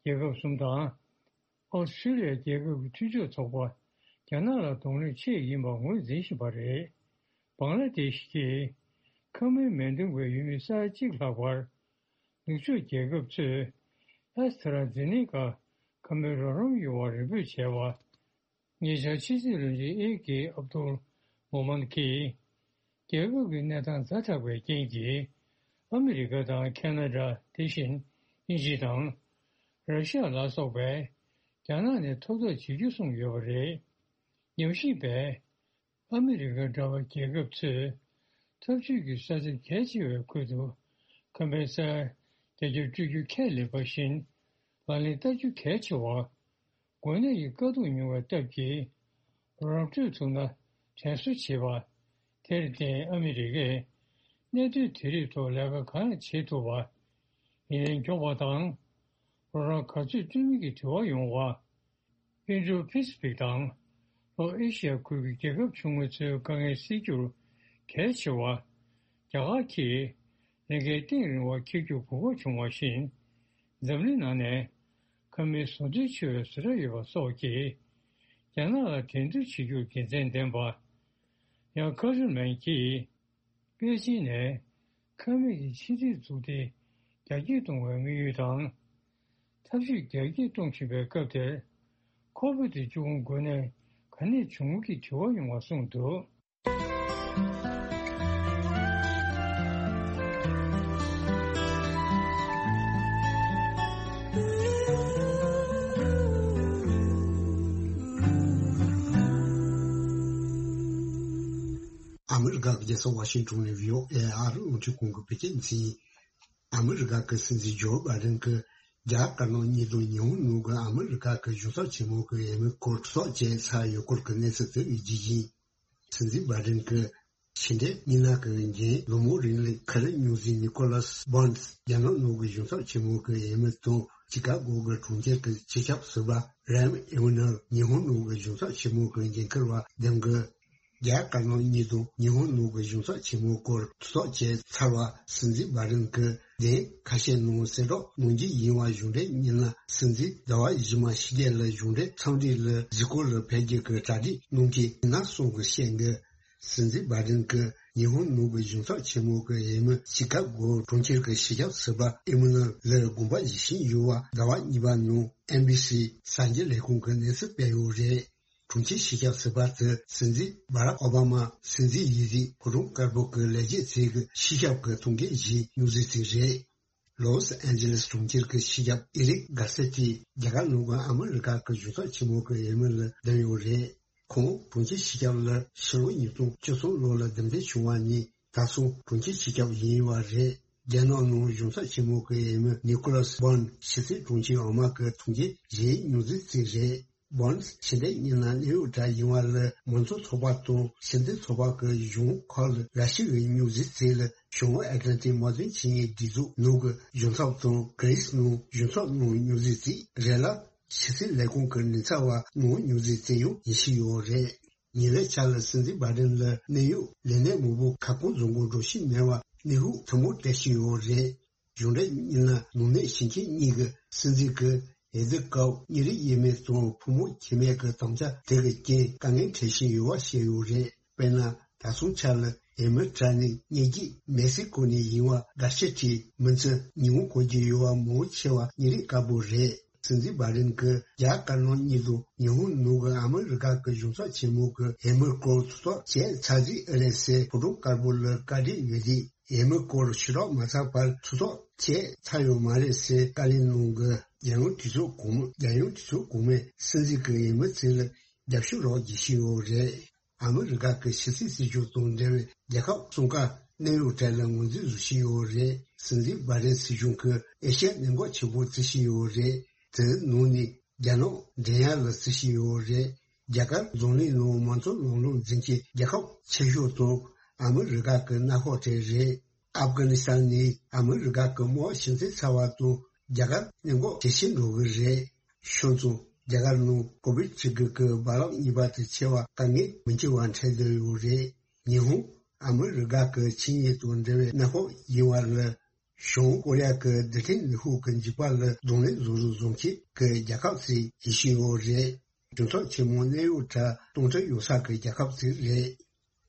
རྒྱལ་ཁབ་གསུམ་དང་། ཨོ་སི་ཀྲི་ལི་ཡ་རྒྱལ་ཁབ་ཀྱི་མཐུན་ཕྱོགས་ཚོགས་པ་རྒྱ་ནག་ལ་གདོང་ལེན་ཆེད་ཡིན་པ་ངོས་འཛིན་བཞིན་པ་རེད། བང་ལ་དེ་ཤི་གིས་ཁ་སྨན་མི་འདང་བའི་ཡུལ་མི་ས་ཡ་གཅིག་ལྷག་པར། ནུབ་ཕྱོགས་རྒྱལ་ཁབ་ཚོས་ཨེ་སི་ཊ་ར་ཛེ་ནེ་ཀ་ཁ་སྨན་རོགས་རམ་ཡོང་བར་རེ་འབོད་བྱས་པ། ཉེ་ཆར་ཕྱི་སྲིད་བློན་ཆེན་ཨེ་ཀེ་ཨབ་དུལ་མོ་མན་གྱིས། རྒྱལ་ཁབ་ཀྱི་གནས་སྟངས་ཛ་དྲག་པའི་རྐྱེན་གྱིས། ཨ་མི་རི་ཀ་དང་ཁེ་ན་ཌ། དེ་བཞིན་དབྱིན་ཇི་དང་། ར་ཤི་ཡ་ལ་སོགས་པས། རྒྱ་ནག་ནས་ཐོབ་ཐང་བྱེད་རྒྱུ་གསུངས་ཡོད་པ་རེད། ཉམས་ཞིབ་པས། ཨ་མི་རི་ཀ་འདྲ་བའི་རྒྱལ་ཁབ་ཚོས། འཐབ་ཇུས་ཀྱི་ས་ཆ་གལ་ཆེ་བའི་ཁུལ་དུ། ཁ་པའི་ས་ཡ་བརྒྱ་ཆ་སྤྲོད་རྒྱུ་ཁས་ལེན་པ་བཞིན། ལག་ལེན་བསྟར་རྒྱུ་གལ་ཆེ་བ། འགོས་ནད་ཀྱི་དཀའ་སྡུག་མྱོང་བའི་སྟབས་ཀྱིས། རོགས་རམ་སྤྲོད་ཐུབ་ན་དྲན་གསོ་བྱེད་པ། དེར་བརྟེན་ཨ་མི་རི་ཀས་གནད་དོན་དེ་རིགས་ཐོག་ལས་ཀ་གང་ཡང་བྱེད་ཐུབ་པ། ཡིན་ནའི་མགྱོགས་པ་དང་། རོགས་རམ་ག་ཚོད་སྤྲོད་མིན་གྱི་དྲི་བ་ཡོང་བ། ཨིན་ཌོ་པེ་སི་ཕིག་དང་། ལྷོ་ཨེ་ཤི་ཡ་ཁུལ་གྱི་རྒྱལ་ཁབ་ཆུང་ངུ་ཚོའི་དཀའ་ངལ་སེལ་རྒྱུར་གལ་ཆེ་བ། རྒྱ་གར་གྱིས་ལས་འགན་གཏིང་རིང་བ་འཁྱེར་རྒྱུར་གོ་སྐབས་བྱུང་བ་བཞིན། འཛམ་གླིང་ནང་ནས་ཁ་སྨན་བཟོ་འདྲེན་ཆེ་བའི་བཟོ་གྲྭ་ཡོད་པ་སོགས་ཀྱིས། རྒྱ་ནག་ལ་འགྲན་བསྡུར་བྱེད་རྒྱུར་དགེ་མཚན་ལྡན་པ། ཡང་ཁ་ཤུ་མན་གྱིས། པེ་ཅིན་ནས་ཁ་སྨན་གྱི་ཕྱི་འབྲེལ་འཛུགས་ཏེ་རྒྱ་སྐྱེད་གཏོང་བའི་དམིགས་ཡུལ་དང་། ཐབས་ཇུས་རྒྱ་སྐྱེད་གཏོང་བཞིན་པའི་སྐབས་དེར། ཁོ་བོད་དེ་བཅུ་དགུ་འགོས་ནད་ག་ནས་བྱུང་གི་དྲི་བ་ཡོང་བ་གསུངས་འདུག་ཨ་མི་རི་ཀ་གི་རྒྱལ་ས་ཝ་ཤིང་ཊོན་ནས་བྷི་ཨོ་ཨེ་ཨ་རི་རླུང་འཕྲིན་ཁང་གི་བོད་སྐད་སྡེ་ཚན་ཡིན། ཨ་མི་རི་ཀ་གི་སྲིད་འཛིན་ཇོ་བྷའི་ཌེན་གྱིས་རྒྱ་དཀར་ནག་གཉིས་དང་ཉི་ཧོང་ནང་གི་ཨ་མི་རི་ཀ་གི་གཞུང་ཚབ་ཆེན་མོ་གི་འོས་མི་སྐོར་ཚོགས་བཅས་ཚར་ཡོད་སྐོར་གྱི་གནས་ཚུལ་དེ་བའི་རྒྱུ་ཡིན། སྲིད་འཛིན་བྷའི་ཌེན་གྱིས་ཕྱི་འབྲེལ་མི་སྣ་གི་འགན་ལོ་མོ་རིང་ལ་ག་རེ་མྱོང་ཟིན། ནི་ཀོ་ལཱས་བྷོན་སི་རྒྱ་ནག་ནང་གི་གཞུང་ཚབ་ཆེན་མོ་གི་འོས་མི་དང་ཅི་ཀ་གོ་གི་གྲོང་ཁྱེར་གྱི་སྤྱི་ཁྱབ་ཟུར་པ་རེམ་ཨེ་ཝ་ནར། ཉི་ཧོང་ནང་གི་གཞུང་ཚབ་ཆེན་མོ་གི་འགན་འཁུར་བ་ལྡེམ་གི། རྒྱ་དཀར་ནག་གཉིས་དང་ཉི་ཧོང་ནང་གི་གཞུང་ཚབ་ཆེན་མོའི་སྐོར་ཐུགས་ཐག་བཅད་ཚར་བ་སྲིད་འཛིན་སྦ་ཏན་གྱིས་གདན་ཁ་ཤས་ནང་གསལ་བསྒྲགས་གནང་རྒྱུ་ཡིན་པ། གཞུང་འབྲེལ་ཉིན་ལ་སྲིད་འཛིན་ཟླ་བ་བཞི་མ་ཕྱི་རྒྱལ་ལ་གཞུང་འབྲེལ་འཚམས་འདྲི་ལ་གཟིགས་སྐོར་ལ་ཕེབས་རྒྱུ་གི་གྲ་སྒྲིག་གནང་གི་ཡིན་ན་གསུང་གི་བཤད་འདུག་སྲིད་འཛིན་སྦ་ཏན་གྱིས་ཉི་ཧོང་ནང་གི་གཞུང་ཚབ་ཆེན་མོ་གི་འོས་མི་ཆི་ཀ་གོ་གྲོང་ཁྱེར་གྱི་སྤྱི་ཁྱབ་ཟུར་པ་ཨི་མ་ནུ་ཨེལ་ལ་དགོངས་པ་བཞེས་བཞིན་ཡོད་པ་ཟླ་བ་གཉིས་པ་ནང་ཨེན་བྷི་སི་གསར་འགྱུར་ལས་ཁུངས་ཀྱིས་གནས་ཚུལ་སྤེལ་ཡོད་རེད། གྲོང་ཁྱེར་སྤྱི་ཁྱབ་ཟུར་པ་དེ་སྲིད་འཛིན་སྦ་རག་ཨོ་བྷ་མ་སྲིད་འཛིན་ཡིན་དུས་ཕོ་བྲང་དཀར་པོ་གི་ལས་བྱེད་ཚོའི་སྤྱི་ཁྱབ་ཀྱི་ཐུགས་འགན་བཞེས་མྱོང་ཚུལ་དེ་རེད། ལོས་ཨན་ཇི་ལེས་གྲོང་ཁྱེར་གྱི་སྤྱི་ཁྱབ་ཨེ་རིག་གྷར་སེ་ཏི་རྒྱ་གར་ནང་གི་ཨ་མི་རི་ཀ་གི་གཞུང་ཚབ་ཆེན་མོ་གི་འོས་མི་ལ་བདམས་ཡོད་རེད། ཁོང་གྲོང་ཁྱེར་སྤྱི་ཁྱབ་ལ་ཕྱི་ལོ་ཉིས་སྟོང་བཅུ་གསུམ་ལོ་ལ་འདེམས་ཐོན་བྱུང་བ་ནས་ད་སོང་གྲོང་ཁྱེར་སྤྱི་ཁྱབ་ཡིན་པ་རེད། རྒྱ་ནག་ནང་གཞུང་ཚབ་ཆེན་མོ་གི་འོས་མི་ནི་ཀོ་ལཱས་སྦོན་ཕྱི་སྲིད་དྲུང་ཆེ་འོག་མ་གི་ཐུགས་འགན་བཞེས་མྱོང་ཚུལ་བརྩིས་རེད། སྦོན་ཕྱི་ཟླ་གཉིས་ནང་གནད་ཡོད་གྲས་ཡིན་པ་ལ་མང་གཙོ་ཚོགས་པ་དང་ཕྱི་འབྲེལ་ཚོགས་པ་གི་གཞུང་ཁག་ལ་ར་ཤི་ཡའི་མྱོང་ཚུལ་བརྩིས་ལ་བྱང་ཨེ་ཏི་ལན་ཏིག་དམག་དོན་ཆིངས་ཡིག་སྒྲིག་འཛུགས་ནང་གི་གཞུང་ཚབ་དང་གྷི་རི་སི་ནང་གཞུང་ཚབ་གནང་མྱོང་ཚུལ་བརྩིས་རེད་ལ། ཕྱི་སྲིད་ལས་ཁུངས་ཀྱི་མགྲིན་ཚབ་པ་གནང་མྱོང་ཚུལ་བརྩིས་ཡང་ཡིད་ཆེས་ཡོད་རེད། ཉེ་བའི་ཆར་ལ་སྲིད་འཛིན་སྦ་ཏན་ལ་གནད་ཡོད་ལས་གནས་མང་པོ་ཁ་སྐོང་བཟོ་དགོས་འགྲོ་བཞིན་མེད་པ་གནས་ལུགས་ཐུན་མོང་བཀྲ་ཤིས་ཡོད་རེད། གཞུང་འབྲེལ་ཉིན་ལ་ནང་གནས་ཞིང་ཆེན་གཉིས་ཀྱི་སྲིད་འཛིན་གྱིས་འོས་བསྡུ་སྐབས་གཉིས་རིགས་དབྱེ་མེད་དང་ཕོ་མོ་ཁྱད་མེད་ཀྱི་དམ་བཅའ་དེ་གི་རྐྱེན་དཀའ་ངལ་འཕྲད་བཞིན་ཡོད་པ་བཤད་ཡོད་རེད། དཔེར་ན། ད་སོང་ཆ་ལ་འོས་མི་གྲས་ནི་ཉེ་སྐྱེས་མེག་སི་ཀོ་ནས་ཡིན་པ་གྷར་ཤེ་ཏི་མི་ཚེ་ཉིན་མོ་གོ་རྒྱུ་ཡོད་པ་མང་ཆེ་བ་གཉིས་རིགས་དཀར་པོ་རེད། སྲིད་འཛིན་སྦ་ཏན་གྱིས་རྒྱ་དཀར་ནག་གཉིས་དང་ཉི་ཧོང་ནང་གི་ཨ་མི་རི་ཀ་གི་གཞུང་ཚབ་ཆེན་མོ་གི་འོས་མིའི་སྐོར་ཐུགས་ཐག་བཅད་ཚར་རྗེས་ཨེ་རེད་ཟེར་ཕོ་བྲང་དཀར་པོ་ལ་བཀའ་འདྲི་ཡོད་དུས། འོས་མིའི་སྐོར་ཞུ་རོགས་མ་ཚར་བར་ཐུགས་ཐག་བཅད་ཚར་ཡོད་མ་རེད་ཟེར་བཀའ་ལན་གནང་གི། རྒྱལ་ཡོངས་གྲོས་ཚོགས་གོང་མ། རྒྱལ་ཡོངས་གྲོས་ཚོགས་གོང་མས་སྲིད་འཛིན་གྱི་འོས་མི་ཚོ་ལ་རྒྱབ་སྐྱོར་རོགས་བྱེད་བཞིན་ཡོད་རེད། ཨ་མི་རི་ཀ་གི་ཕྱི་སྲིད་སྲིད་གཞུང་དང་འབྲེལ་བའི་རྒྱལ་ཁབ་གསུམ་ཀ་གནད་ཡོད་གྲས་ལ་ངོས་འཛིན་བཟོ་བཞིན་ཡོད་རེད། སྲིད་འཛིན་སྦ་ཏན་སྲིད་གཞུང་གིས་ཨེ་ཤ་ཡ་གནད་འགག་ཆེ་པོ་བརྩི་བཞིན་ཡོད་རེད། དེའི་ནང་ནས་རྒྱ་ནག་འགྲན་ཡག་ལ་བརྩི་བཞིན་ཡོད་རེད། རྒྱ་གར་འཛམ་གླིང་ནང་མང་གཙོ་ལམ་ལུགས་འཛིན་གྱི་རྒྱལ་ཁབ་ཆེ་ཤོས་དང་ཨ་མི་རི་ཀ་གི་མནའ་ཤོག་གྲས་རེད། ཨབ་གྷ་ནི་སི་ཐན་ནི་ཨ་མི་རི་ཀ་གི་དམག་ཞིང་ཚད་ཚ་བ་དང་རྒྱ་གར་གནད་འགག་ཇེ་ཆེར་འགྲོ་གི་རེད། ཤོད་ཙང་རྒྱ་གར་ནང་ཀོ་བིད་བཅུ་དགུ་གི་རྦ་རླབས་གཉིས་པ་དེ་ཆེ་བ་དཀའ་ངལ་མི་འཕྱད་པ་འཕྲད་བསྡད་ཡོད་རེད། ཉི་ཧོང་ཨ་མི་རི་ཀ་གི་ཆིངས་ཡིག་དང་འབྲེལ་བའི་མནའ་ཤོག་ཡིན་པ་ལ། བྱང་ཀོ་རི་ཡ་གི་རྡུལ་ཕྲན་ནུས་ཤུགས་ཀྱི་འཇིགས་པ་ལ་གདོང་ལེན་བཟོ་རུ་བཟོ་མཁན་གྱི་རྒྱལ་ཁབ་ཅིག་ཡིན་བཞིན་ཡོད་རེད། གྲོས་ཚོགས་ཆེན་མོ་གནད་ཡོད་གྲས་སྟོང་ཕྲག་ཡོད་ས་གི་རྒྱལ་ཁབ་ཅིག་རེད།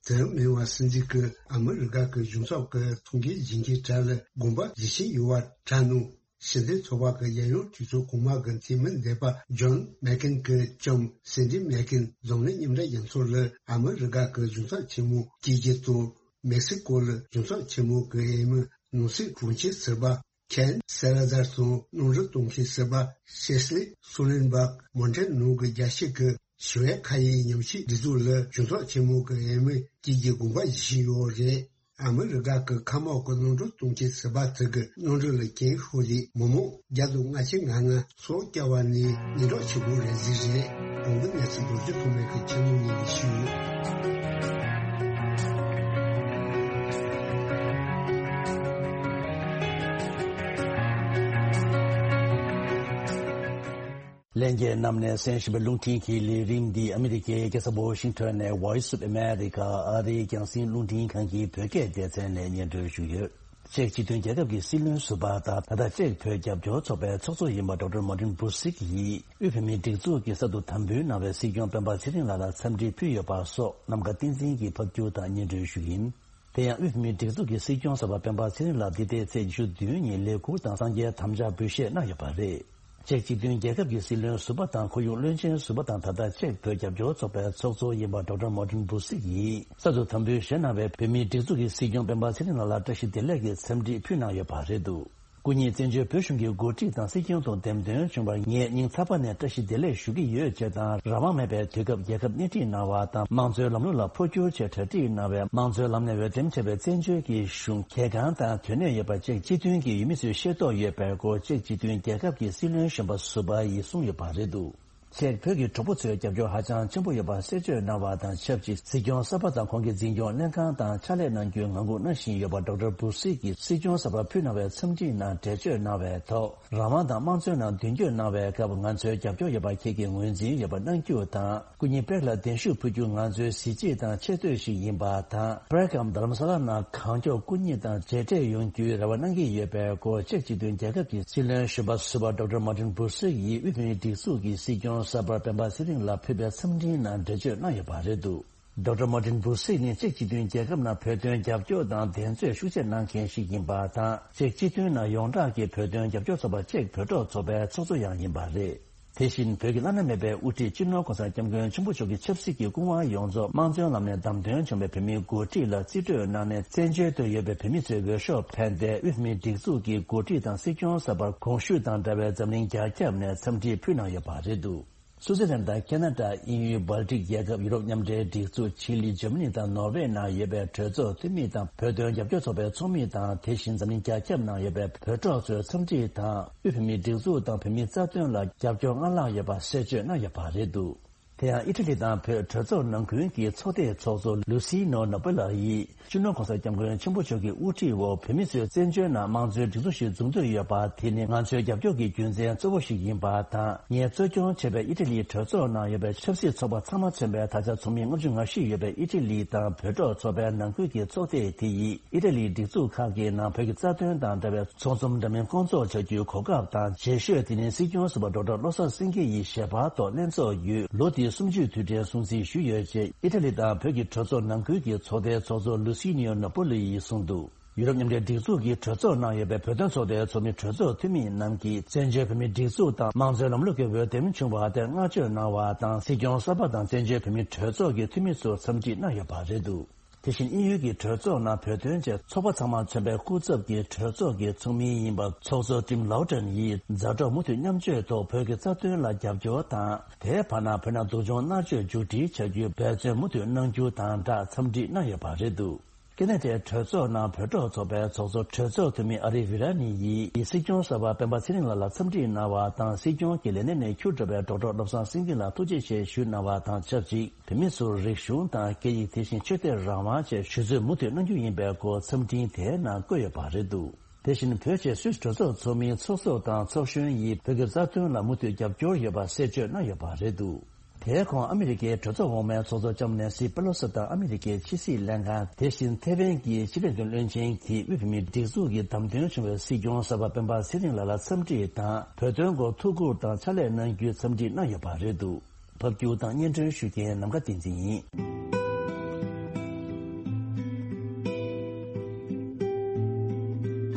དེ་མིན་པ་སྲིད་འཛིན་གྱིས་ཨ་མི་རི་ཀ་གི་གཞུང་ཚབ་ཀྱི་ཐུགས་འགན་བཞེས་མཁན་གྲས་ལ་དགོངས་པ་བཞེས་བཞིན་ཡོད་པ་གྲས་ནང་། ཕྱི་འབྲེལ་ཚོགས་པ་གི་རྒྱལ་ཡོངས་གྲོས་ཚོགས་གོང་མ་གི་འཐུས་མི་འདས་པ་ཇོན་མེག་ཀེན་གྱི་ལྕམ་སེན་ཌི་མེག་ཀེན་འཛམ་གླིང་མཉམ་འབྲེལ་རྒྱལ་ཚོགས་ལ་ཨ་མི་རི་ཀ་གི་གཞུང་ཚབ་ཆེན་མོ་བསྐོས་རྒྱུ་དང་། མེག་སི་ཀོ་ལ་གཞུང་ཚབ་ཆེན་མོ་གི་འོས་མི་ནང་སྲིད་དྲུང་ཆེ་ཟུར་པ་ཁེན་སེ་ལ་ཛར་དང་གནམ་གྲུ་གཏོང་མཁན་ཟུར་པ་ཤེ་སི་ལི་སུ་ལེན་སྦག་མོན་ཊེ་ནང་གི་རྒྱལ་སྤྱི་གི་ཞི་བའི་མཁའ་དབྱིངས་ཉམས་ཞིབ་སྒྲིག་འཛུགས་ལ་གཞུང་ཚབ་ཆེན་མོ་གི་འོས་མི་བསྐོས་རྒྱུའི་དགོངས་པ་བཞེས་བཞིན་ཡོད་རེད། ཨ་མི་རི་ཀ་གི་མཁའ་དམག་གི་གནམ་གྲུ་གཏོང་མཁན་ཟུར་པ་དེ་གི་གནམ་གྲུ་ལ་གྱེན་ཤོར་རྗེས་མི་མང་བརྒྱ་དང་ལྔ་བཅུ་ང་ལྔ་སྲོག་སྐྱོབ་པ་ནི་སྙན་གྲགས་ཆེ་པོ་རེད་ཟེར་རེད། གོང་གི་གནས་ཚུལ་རྡོ་རྗེ་ཐོགས་མེད་ཀྱིས་ཁྱེད་རྣམས་ལ་ཞུས་ཡོད། ལྷན་རྒྱས་རྣམས་ནས་གསན་བཞིན་པའི་རླུང་འཕྲིན་གྱི་ལས་རིམ་འདི་ཨ་མི་རི་ཀའི་རྒྱལ་ས་ཝ་ཤིང་ཊོན་ནས་Voice of America ཨ་རིའི་རྒྱང་སྲིང་རླུང་འཕྲིན་ཁང་གི་བོད་སྐད་སྡེ་ཚན་ནས་སྙན་སྒྲོན་ཞུས་ཡོད། ཅེཀ་སྤྱི་མཐུན་རྒྱལ་ཁབ་ཀྱི་སྲིད་བློན་ཟུར་པ་དང་ད་ལྟ་ཅེཀ་བོད་རྒྱབ་སྐྱོར་ཚོགས་པའི་ཚོགས་གཙོ་ཡིན་པ་ཌོག་ཊར་མར་ཏིན་བྷུ་སིག་ཡིས་དབུས་བོད་མིའི་སྒྲིག་འཛུགས་ཀྱི་གསར་དུ་དམ་འབུལ་གནང་བའི་སྲིད་སྐྱོང་སྤེན་པ་ཚེ་རིང་ལགས་ལ་འཚམས་འདྲི་ཕུལ་ཡོད་པ་སོགས་རྣམ་དཀར་བསྟན་འཛིན་གྱིས་ཕབ་སྒྱུར་དང་སྙན་སྒྲོན་ཞུས་ཡིན། དེ་ཡང་དབུས་བོད་མིའི་སྒྲིག་འཛུགས་ཀྱི་སྲིད་སྐྱོང་གསར་པ་སྤེན་པ་ཚེ་རིང་ལགས་འདི་ཟླའི་ཚེས་ཉི་ཤུ་བདུན་ཉིན་ལས་འཁུར་དང་གསང་རྒྱའི་དམ་བཅའ་འབུལ་བཞེས་གནང་ཡོད་པ་རེད། ཅེཀ་སྤྱི་མཐུན་རྒྱལ་ཁབ་ཀྱི་སྲིད་བློན་ཟུར་པ་དང་ཁོར་ཡུག་བློན་ཆེན་ཟུར་པ་དང་ད་ལྟ་ཅེཀ་བོད་རྒྱབ་སྐྱོར་ཚོགས་པའི་ཚོགས་གཙོ་ཡིན་པ་ཌོག་ཊར་མར་ཏིན་བྷུ་སིག་ཡིས་གསར་དུ་དམ་འབུལ་བཞེས་གནང་བའི་བོད་མིའི་སྒྲིག་འཛུགས་ཀྱི་སྲིད་སྐྱོང་སྤེན་པ་ཚེ་རིང་ལགས་ལ་བཀྲ་ཤིས་བདེ་ལེགས་ཀྱི་འཚམས་འདྲི་ཕུལ་གནང་ཡོད་པ་རེད་འདུག་སྐུ་ཉིད་བཙན་བྱོལ་བོད་གཞུང་གི་འགོ་ཁྲིད་དང་སྲིད་སྐྱོང་དུ་འདེམས་ཐོན་བྱུང་བར་ངས་སྙིང་ཐག་པ་ནས་བཀྲ་ཤིས་བདེ་ལེགས་ཞུ་གི་ཡོད་ཅེས་དང་། རང་དབང་མེད་པའི་དུས་སྐབས་རྒྱལ་ཁབ་སྣེ་ཁྲིད་གནང་བ་དང་། དམངས་གཙོའི་ལམ་ལུགས་ལ་འཕོ་འགྱུར་ཆེད་གྲ་སྒྲིག་གནང་བའི་དམངས་གཙོའི་ལམ་ནས་འོས་འདེམས་བྱས་པའི་བཙན་བྱོལ་གྱི་གཞུང་གལ་འགངས་དང་དོན་གནད་ཡོད་པ་ཅེཀ་སྤྱི་མཐུན་གྱི་འོས་མི་ཚོས་ཤེས་རྟོགས་ཡོད་པའི་སྐོར་ཅེཀ་སྤྱི་མཐུན་རྒྱལ་ཁབ་ཀྱི་སྲིད་བློན་གཞོན་པ་ཟུར་པ་ཡིས་གསུངས་ཡོད་པ་རེད་འདུག་ཅེས་བོད་ཀྱི་གྲོགས་པོ་ཚོའི་རྒྱབ་སྐྱོར་ཧ་ཅང་ཆེན་པོ་ཡོད་པ་གསལ་བརྗོད་གནང་བ་དང་ཆབས་ཅིག་སྲིད་སྐྱོང་གསར་པ་དང་ཁོང་གི་འཛིན་སྐྱོང་ལྷན་ཁང་དང་ཕྱག་ལས་གནང་རྒྱུའི་ངང་སྒུག་གནང་བཞིན་ཡོད་པ་ཌོག་ཊར་བུ་སིག་གིས་སྲིད་སྐྱོང་གསར་པར་ཕུལ་གནང་བའི་འཚམས་འདྲིའི་ནང་འགྲེལ་བརྗོད་གནང་བའི་ཐོག་རང་དབང་དང་དམངས་གཙོའི་ནང་མདུན་སྐྱོད་གནང་བའི་སྐབས་ང་ཚོའི་རྒྱབ་སྐྱོར་ཡོད་པ་ཁྱེད་ཀྱིས་ངོས་འཛིན་ཡོད་པ་གནང་རྒྱུ་དང་། སྐུ་ཉིད་པེག་ལ་གདན་ཞུ་ཕུལ་རྒྱུ་ང་ཚོའི་གཟི་བརྗིད་དང་ཆེ་བསྟོད་ཞིག་ཡིན་པ་དང་། པེག་གམ་རྡ་རམ་ས་ལ་ནང་གང་མགྱོགས་སྐུ་ཉིད་དང་མཇལ་འཕྲད་ཡོང་རྒྱུའི་རེ་བ་གནང་གི་ཡོད་པའི་སྐོར་ཅེཀ་སྤྱི་མཐུན་རྒྱལ་ཁབ་ཀྱི་སྲིད་བློན་གཞོན་པ་ཟུར་པ་ཌོག་ཊར་མར་ཏིན་བུ་སིག་ཡིས་དབུས་བོད་མིའི་སྒྲིག་འཛུགས་ཀྱི་སྲིད་སྐྱོང་གསར་པ་སྤེན་པ་ཚེ་རིང་ལ་ཕུལ་བའི་འཚམས་འཕྲིན་ནང་འགྲེལ་བརྗོད་གནང་ཡོད་པ་རེད་འདུག་ཌོག་ཊར་མར་ཏིན་བུ་སིག་ནི་ཅེཀ་སྤྱི་མཐུན་རྒྱལ་ཁབ་ནང་བོད་དོན་རྒྱབ་སྐྱོར་དང་འགྲན་རྩོད་ཤུགས་ཆེ་གནང་མཁན་ཞིག་ཡིན་པ་དང་། ཅེཀ་སྤྱི་མཐུན་ནང་ཡོངས་གྲགས་ཀྱི་བོད་དོན་རྒྱབ་སྐྱོར་ཚོགས་པ་ཅེཀ་བོད་ཕྲུག་ཚོགས་པའི་ཚོགས་གཙོ་ཡང་ཡིན་པ་རེད། དེ་བཞིན་བོད་ཀྱི་བླ་ན་མེད་པའི་དབུ་ཁྲིད་སྤྱི་ནོར་གོང་ས་སྐྱབས་མགོན་ཆེན་པོ་མཆོག་གི་ཆབ་སྲིད་ཀྱི་སྐུ་དབང་ཡོངས་རྫོགས་དམངས་གཙོའི་ལམ་ནས་བདམས་ཐོན་བྱུང་བའི་བོད་མིའི་འགོ་ཁྲིད་ལ་རྩིས་སྤྲོད་གནང་ནས་བཙན་བྱོལ་དུ་ཡོད་པའི་བོད་མི་ཚོའི་འོས་ཤོག་འཕེན་ཏེ་དབུས་མིའི་སྒྲིག་འཛུགས་ཀྱི་འགོ་ཁྲིད་དང་སྲིད་སྐྱོང་གསར་པར་གོང་ཞུས་དང་འདྲ་བའི་འཛམ་གླིང་རྒྱ་ཁྱབ་ནས་འཚམས་འདྲི་ཕུལ་གནང་ཡོད་པ་རེད་འདུག་སུའུ་ཙི་ལན་དང་ཁེ་ན་ཌ། དབྱིན་ཡུལ། སྦལ་ཏིག་རྒྱལ་ཁབ། ཡུ་རོབ་མཉམ་འབྲེལ་སྒྲིག་འཛུགས། ཆི་ལི། འཇར་མ་ནི་དང་ནོར་ཝེ་ནང་ཡོད་པའི་གྲོས་ཚོགས་འཐུས་མི་དང་བོད་དོན་རྒྱབ་སྐྱོར་ཚོགས་པའི་ཚོགས་མི་དང་། དེ་བཞིན་འཛམ་གླིང་རྒྱ་ཁྱབ་ནང་ཡོད་པའི་བོད་ཕྲུག་ཚོའི་འཚམས་འདྲི་དང་། དབུས་བོད་མིའི་སྒྲིག་འཛུགས་དང་བོད་མིའི་རྩ་དོན་ལ་རྒྱབ་སྐྱོར་སྔར་ལྷག་ཡོད་པ་གསལ་བརྗོད་གནང་ཡོད་པ་རེད་འདུག་དེ་ཡང་ཨི་ཊ་ལི་དང་བོད་གྲོས་ཚོགས་ནང་ཁུལ་གྱི་ཚོགས་སྡེའི་ཚོགས་གཙོ་ལུ་སི་ནོ་ནོ་པོ་ལ་ཡིས། སྤྱི་ནོར་གོང་ས་སྐྱབས་མགོན་ཆེན་པོ་མཆོག་གི་དབུ་ཁྲིད་འོག་བོད་མི་ཚོས་བཙན་བྱོལ་ནང་དམངས་གཙོའི་སྒྲིག་འཛུགས་ཤིག་འཛུགས་འདོད་ཡོད་པ་དེ་ནི་ང་ཚོའི་རྒྱབ་སྐྱོར་གྱི་རྒྱུ་མཚན་གཙོ་བོ་ཞིག་ཡིན་པ་དང་། ངས་གཙོ་སྐྱོང་བྱས་པའི་ཨི་ཊ་ལིའི་གྲོས་ཚོགས་ནང་ཡོད་པའི་ཆབ་སྲིད་ཚོགས་པ་ཚང་མ་མཚོན་པའི་ད་ཆ་ཚོགས་མི་ལྔ་བཅུ་ང་བཞི་ཡོད་པའི་ཨི་ཊ་ལི་དང་བོད་ཕྲུག་ཚོགས་པའི་ནང་ཁུལ་གྱི་ཚོགས་སྡེ་དེ་ཡིས་ཨི་ཊ་ལིའི་སྒྲིག་འཛུགས་ཁག་གི་ནང་བོད་ཀྱི་རྩ་དོན་དང་འབྲེལ་བའི་ཚོགས་འཛོམས་འདྲ་མིན་སྐོང་ཚོགས་བྱ་རྒྱུའི་གོ་སྐབས་དང་། རྗེས་ཤོས་དེ་ནི་སྲིད་སྐྱོང་ཟུར་པ་ཌོག་ཊར་བློ་བཟང་སེང་གེ་ཡི་ཞལ་པར་ཐོག་ལྷན་ཚོགས་བརྒྱུད་ལོ་འདིའི་གསུམ་བཅུའི་དུས་དྲན་སྲུང་བརྩི་ཞུས་ཡོད་ཅེས་ཨི་ཊ་ལི་དང་བོད་ཀྱི་གྲོས་ཚོགས་ནང་ཁུལ་གྱི་ཚོགས་སྡེའི་ཚོགས་གཙོ་ལུ་སི་ནིའོ་ནོ་པོ་ལི་ཡིས་གསུངས་འདུག་ཡུ་རོབ་མཉམ་འབྲེལ་སྒྲིག་འཛུགས་ཀྱི་གྲོས་ཚོགས་ནང་ཡོད་པའི་བོད་དོན་ཚོགས་སྡེའི་ཚོགས་མི་གྲོས་ཚོགས་འཐུས་མི་རྣམས་ཀྱིས་བཙན་བྱོལ་བོད་མིའི་སྒྲིག་འཛུགས་དང་དམངས་གཙོའི་ལམ་ལུགས་ཀྱི་འོས་འདེམས་བྱུང་བ་དེར་བསྔགས་བརྗོད་གནང་བ་དང་། སྲིད་སྐྱོང་གསར་པ་དང་བཙན་བྱོལ་བོད་མིའི་གྲོས་ཚོགས་ཀྱི་འཐུས་མི་ཚོར་འཚམས་འདྲི་གནང་ཡོད་པ་རེད་འདུག་དེ་བཞིན་དབྱིན་ཡུལ་གྱི་གྲོས་ཚོགས་ནང་བོད་དོན་ཆེད་ཚོགས་པ་ཚང་མ་མཚོན་པའི་སྐུ་ཚབ་ཀྱི་གྲོས་ཚོགས་ཀྱི་ཚོགས་མི་ཡིན་པ་ཚོགས་གཙོ་ཏིམ་ལའོ་ཊན་ཡིས་མཛའ་གྲོགས་མུ་མཐུད་མཉམ་སྤྱོད་ཐོག་བོད་ཀྱི་རྩ་དོན་ལ་རྒྱབ་སྐྱོར་དང་། དེའི་བར་ན་བོད་ནང་སྡུག་སྦྱོང་མནར་གཅོད་མཇུག་སྒྲིལ་བྱ་རྒྱུའི་འབད་བརྩོན་མུ་མཐུད་གནང་རྒྱུ་དང་སྦྲགས་འཚམས་འདྲི་གནང་ཡོད་པ་རེད་འདུག་ཀེ་ན་ཌའི་གྲོས་ཚོགས་ནང་བོད་ཕྲུག་ཚོགས་པའི་ཚོགས་གཙོ་གྲོས་ཚོགས་འཐུས་མི་ཨ་རི་ཝི་ར་ནི་ཡིས་སྲིད་སྐྱོང་གསར་པ་སྤེན་པ་ཚེ་རིང་ལགས་ལ་འཚམས་འདྲི་གནང་བ་དང་། སྲིད་སྐྱོང་གི་ལས་གནས་ནས་འཁྱུར་འགྲོ་བའི་ཌོག་ཊར་བློ་བཟང་སེང་གེ་ལ་ཐུགས་རྗེ་ཆེ་ཞུ་གནང་བ་དང་ཆབས་ཅིག་བོད་མི་ཚོར་རིག་གཞུང་དང་སྐད་ཡིག་དེ་བཞིན་ཆོས་དད་རང་དབང་བཅས་ཞུ་རྩོད་མུ་མཐུད་གནང་རྒྱུ་ཡིན་པའི་སྐོར་འཚམས་འཕྲིན་དེའི་ནང་བཀོད་ཡོད་པ་རེད་འདུག་དེ་བཞིན་བོད་ཆེད་སུད་སི་གྲོས་ཚོགས་ཚོགས་མིའི་ཚོགས་གཙོ་དང་ཚོགས་གཞོན་ཡིས་བོད་ཀྱི་རྩ་དོན་ལ་མུ་མཐུད་རྒྱབ་སྐྱོར་ཡོད་པ་གསལ་བརྗོད་གནང་ཡོད་པ་རེད་འདུག་དེའི་གོང་ཨ་མི་རི་ཀའི་གྲོས་ཚོགས་འོག་མའི་ཚོགས་གཙོ་ལྕམ་ནེན་སི་པེ་ལོ་སི་དང་ཨ་མི་རི་ཀའི་ཕྱི་སྲིད་ལྷན་ཁང་། དེ་བཞིན་ཐེ་ཝན་གྱི་ཕྱི་སྲིད་དོན་བློན་ཆེན་གྱིས་དབུས་བོད་མིའི་སྒྲིག་འཛུགས་ཀྱི་བདམས་ཐོན་བྱུང་བའི་སྲིད་སྐྱོང་གསར་པ་སྤེན་པ་ཚེ་རིང་ལགས་ལ་འཚམས་འདྲི་དང་བོད་དོན་སྐོར་ཐུགས་ཁུར་དང་ཕྱག་ལས་གནང་རྒྱུའི་འཚམས་འདྲི་གནང་ཡོད་པ་རེད་འདུག་ཕབ་སྒྱུར་དང་སྙན་སྒྲོན་ཞུ་མཁན་ནམ་མཁའ་བསྟན་འཛིན་ཡིན།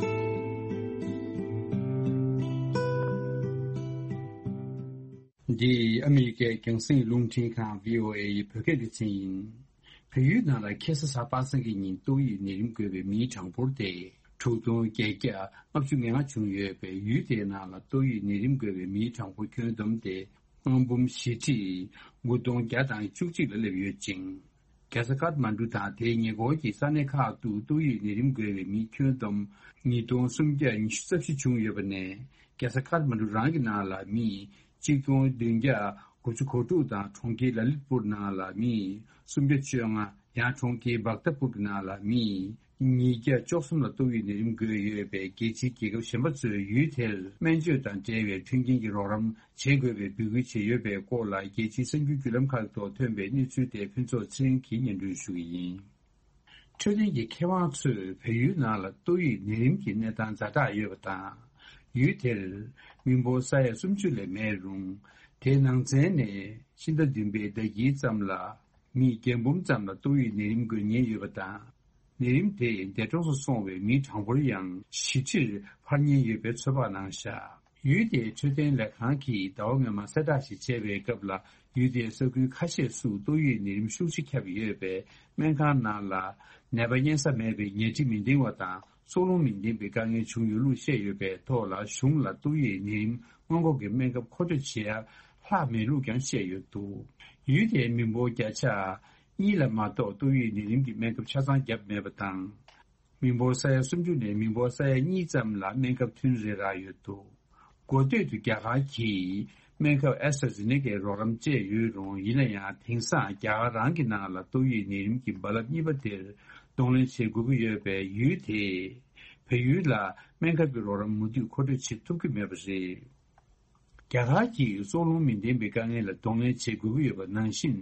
འདི་ཨ་མི་རི་ཀའི་རྒྱང་སྲིང་རླུང་འཕྲིན་ཁང་བྷི་ཨོ་ཨེ་ཡི་བོད་སྐད་སྡེ་ཚན་ཡིན། བལ་ཡུལ་ནང་ལ་ཁ་སང་གཟའ་པ་སངས་ཀྱི་ཉིན་ཏོག་དབྱིབས་ནད་རིམས་འགོས་པའི་མིའི་གྲངས་འབོར་དེ་དྲུག་སྟོང་བརྒྱད་བརྒྱ་ལྔ་བཅུ་ང་ལྔ་བྱུང་ཡོད་པས། ཡུལ་དེའི་ནང་ལ་ཏོག་དབྱིབས་ནད་རིམས་འགོས་པའི་མིའི་གྲངས་འབོར་ཁྱོན་བསྡོམས་དེ་སྔོན་འབུམ་བཞི་ཁྲི་དགུ་སྟོང་བརྒྱ་དང་བཅུ་གཅིག་ལ་སླེབས་ཡོད་ཅིང་། རྒྱལ་ས་ཀཏ་མན་གྲུ་དང་དེའི་ཉེ་འཁོར་གྱི་ས་གནས་ཁག་ཏུ་ཏོག་དབྱིབས་ནད་རིམས་འགོས་པའི་མི་ཁྱོན་བསྡོམས་ཉིས་སྟོང་སུམ་བརྒྱ་ཉི་ཤུ་རྩ་བཞི་བྱུང་ཡོད་པ་ནས། རྒྱལ་ས་ཀཏ་མན་གྲུ་རང་གི་ནང་ལ་མི་གཅིག་སྟོང་བདུན་བརྒྱ་དགུ་བཅུ་གོ་དྲུག་དང་། གྲོང་ཁྱེར་ལ་ལིད་པུར་ནང་ལ་མི་སུམ་བརྒྱ་བཅོ་ལྔ། ཡང་གྲོང་ཁྱེར་བག་ཏ་པུར་གྱི་ནང་ལ་མི་ཉིས་བརྒྱ་བཅུ་གསུམ་ལ་ཏོག་དབྱིབས་ནད་རིམས་འགོས་ཡོད་པས། རྒྱལ་སྤྱིའི་རྒྱལ་ཁབ་གཞན་པ་ཚོས་ཡུལ་དེར་སྨན་བཅོས་དང་འབྲེལ་བའི་མཐུན་རྐྱེན་གྱི་རོགས་རམ་བྱེད་དགོས་པའི་འབོད་སྐུལ་བྱས་ཡོད་པའི་སྐོར་ལ། རྒྱལ་སྤྱིའི་གསར་འགྱུར་བརྒྱུད་ལམ་ཁག་ཐོག་ཐོན་པའི་གནས་ཚུལ་དེ་ཕུན་ཚོགས་ཚེ་རིང་གིས་སྙན་སྒྲོན་ཞུ་གི་ཡིན། འཕྲོད་བསྟེན་གྱི་མཁས་དབང་ཚོས་བལ་ཡུལ་ནང་ལ་ཏོག་དབྱིབས་ནད་རིམས་ཀྱི་གནས་སྟངས་ཛ་དྲག་ཡོད་པ་དང་། ཡུལ་དེར་མི་འབོར་ས་ཡ་སུམ་ཅུ་ལས་མེད་རུང་། དེའི་ནང་ཚན་ནས་ཕྱི་ཟླ་བདུན་པའི་ཟླ་དཀྱིལ་ཙམ་ལ་མི་བརྒྱ་འབུམ་ཙམ་ལ་ཏོག་དབྱིབས་ནད་རིམས་འགོས་ཉེན་ཡོད་པ་དང་། ནད་རིམས་དེ་འདས་གྲོངས་སུ་སོང་བའི་མིའི་གྲངས་འབོར་ཡང་བཞི་ཁྲིར་འཕར་ཉེན་ཡོད་པའི་ཚོད་དཔག་གནང་བཞག་ཡུལ་དེའི་འཕྲོད་བསྟེན་ལས་ཁང་གིས་ཟླ་བ་སྔོན་མ་གསལ་བསྒྲགས་ཤིག་བྱས་པའི་སྐབས་ལ། ཡུལ་དེའི་ས་ཁུལ་ཁ་ཤས་སུ་ཏོག་དབྱིབས་ནད་རིམས་ཤུགས་ཆེ་ཁྱབ་ཡོད་པས། སྨན་ཁང་ནང་ལ་ནད་པ་གཉན་ས་མེད་པའི་ཉལ་ཁྲི་མི་འདང་བ་དང་། སྲོག་རླུང་མི་འདང་བའི་དཀའ་ངལ་བྱུང་ཡོད་ལུགས་བཤད་ཡོད་པའི་ཐོག་ལ། གཞུང་ལ་ཏོག་དབྱིབས་ནད་རིམས་སྔོན་འགོག་གི་སྨན་ཁབ་མཁོ་སྤྲོད་བྱེད་ཡ་ལྷག་མེད་ལུགས་ཀྱང་བཤད་ཡོད་འདུག་ཡུལ་དེའི་མི་འབོར་བརྒྱ་ཆ་གཉིས་ལ་མ་གཏོགས་ཏོག་དབྱིབས་ནད་རིམས་ཀྱི་སྨན་ཁབ་ཆ་ཚང་བརྒྱབ་མེད་པ་དང་། མི་འབོར་ས་ཡ་སུམ་ཅུ་ནས་མི་འབོར་ས་ཡ་གཉིས་ཙམ་ལ་སྨན་ཁབ་ཐུན་རེ་རག་ཡོད་འདུག་འགོ་སྟོད་དུ་རྒྱ་གར་གྱིས་ སྨན་ཁབ་ཨེ་སི་ཊ་ཛེ་ནེ་ཀའི་རོགས་རམ་བཅས་ཡོད་རུང་། ཡིན་ན་ཡང་དེང་སང་རྒྱ་གར་རང་གི་ནང་ལ་ཏོག་དབྱིབས་ནད་རིམས་ཀྱི་རྦ་རླབས་གཉིས་པ་དེར་གདོང་ལེན་བྱེད་དགོས་ཀྱི་ཡོད་པས། ཡུལ་དེས་བལ་ཡུལ་ལ་སྨན་ཁབ་ཀྱི་རོགས་རམ་མུ་མཐུད་མཁོ་སྤྲོད་བྱེད་ཐུབ་ཀྱི་མེད་པ་རེད། རྒྱ་གར་གྱིས་སྲོག་རླུང་མི་ལྡན་པའི་དཀའ་ངལ་ལ་གདོང་ལེན་བྱེད་དགོས་ཀྱི་ཡོད་པ་ནང་བཞིན།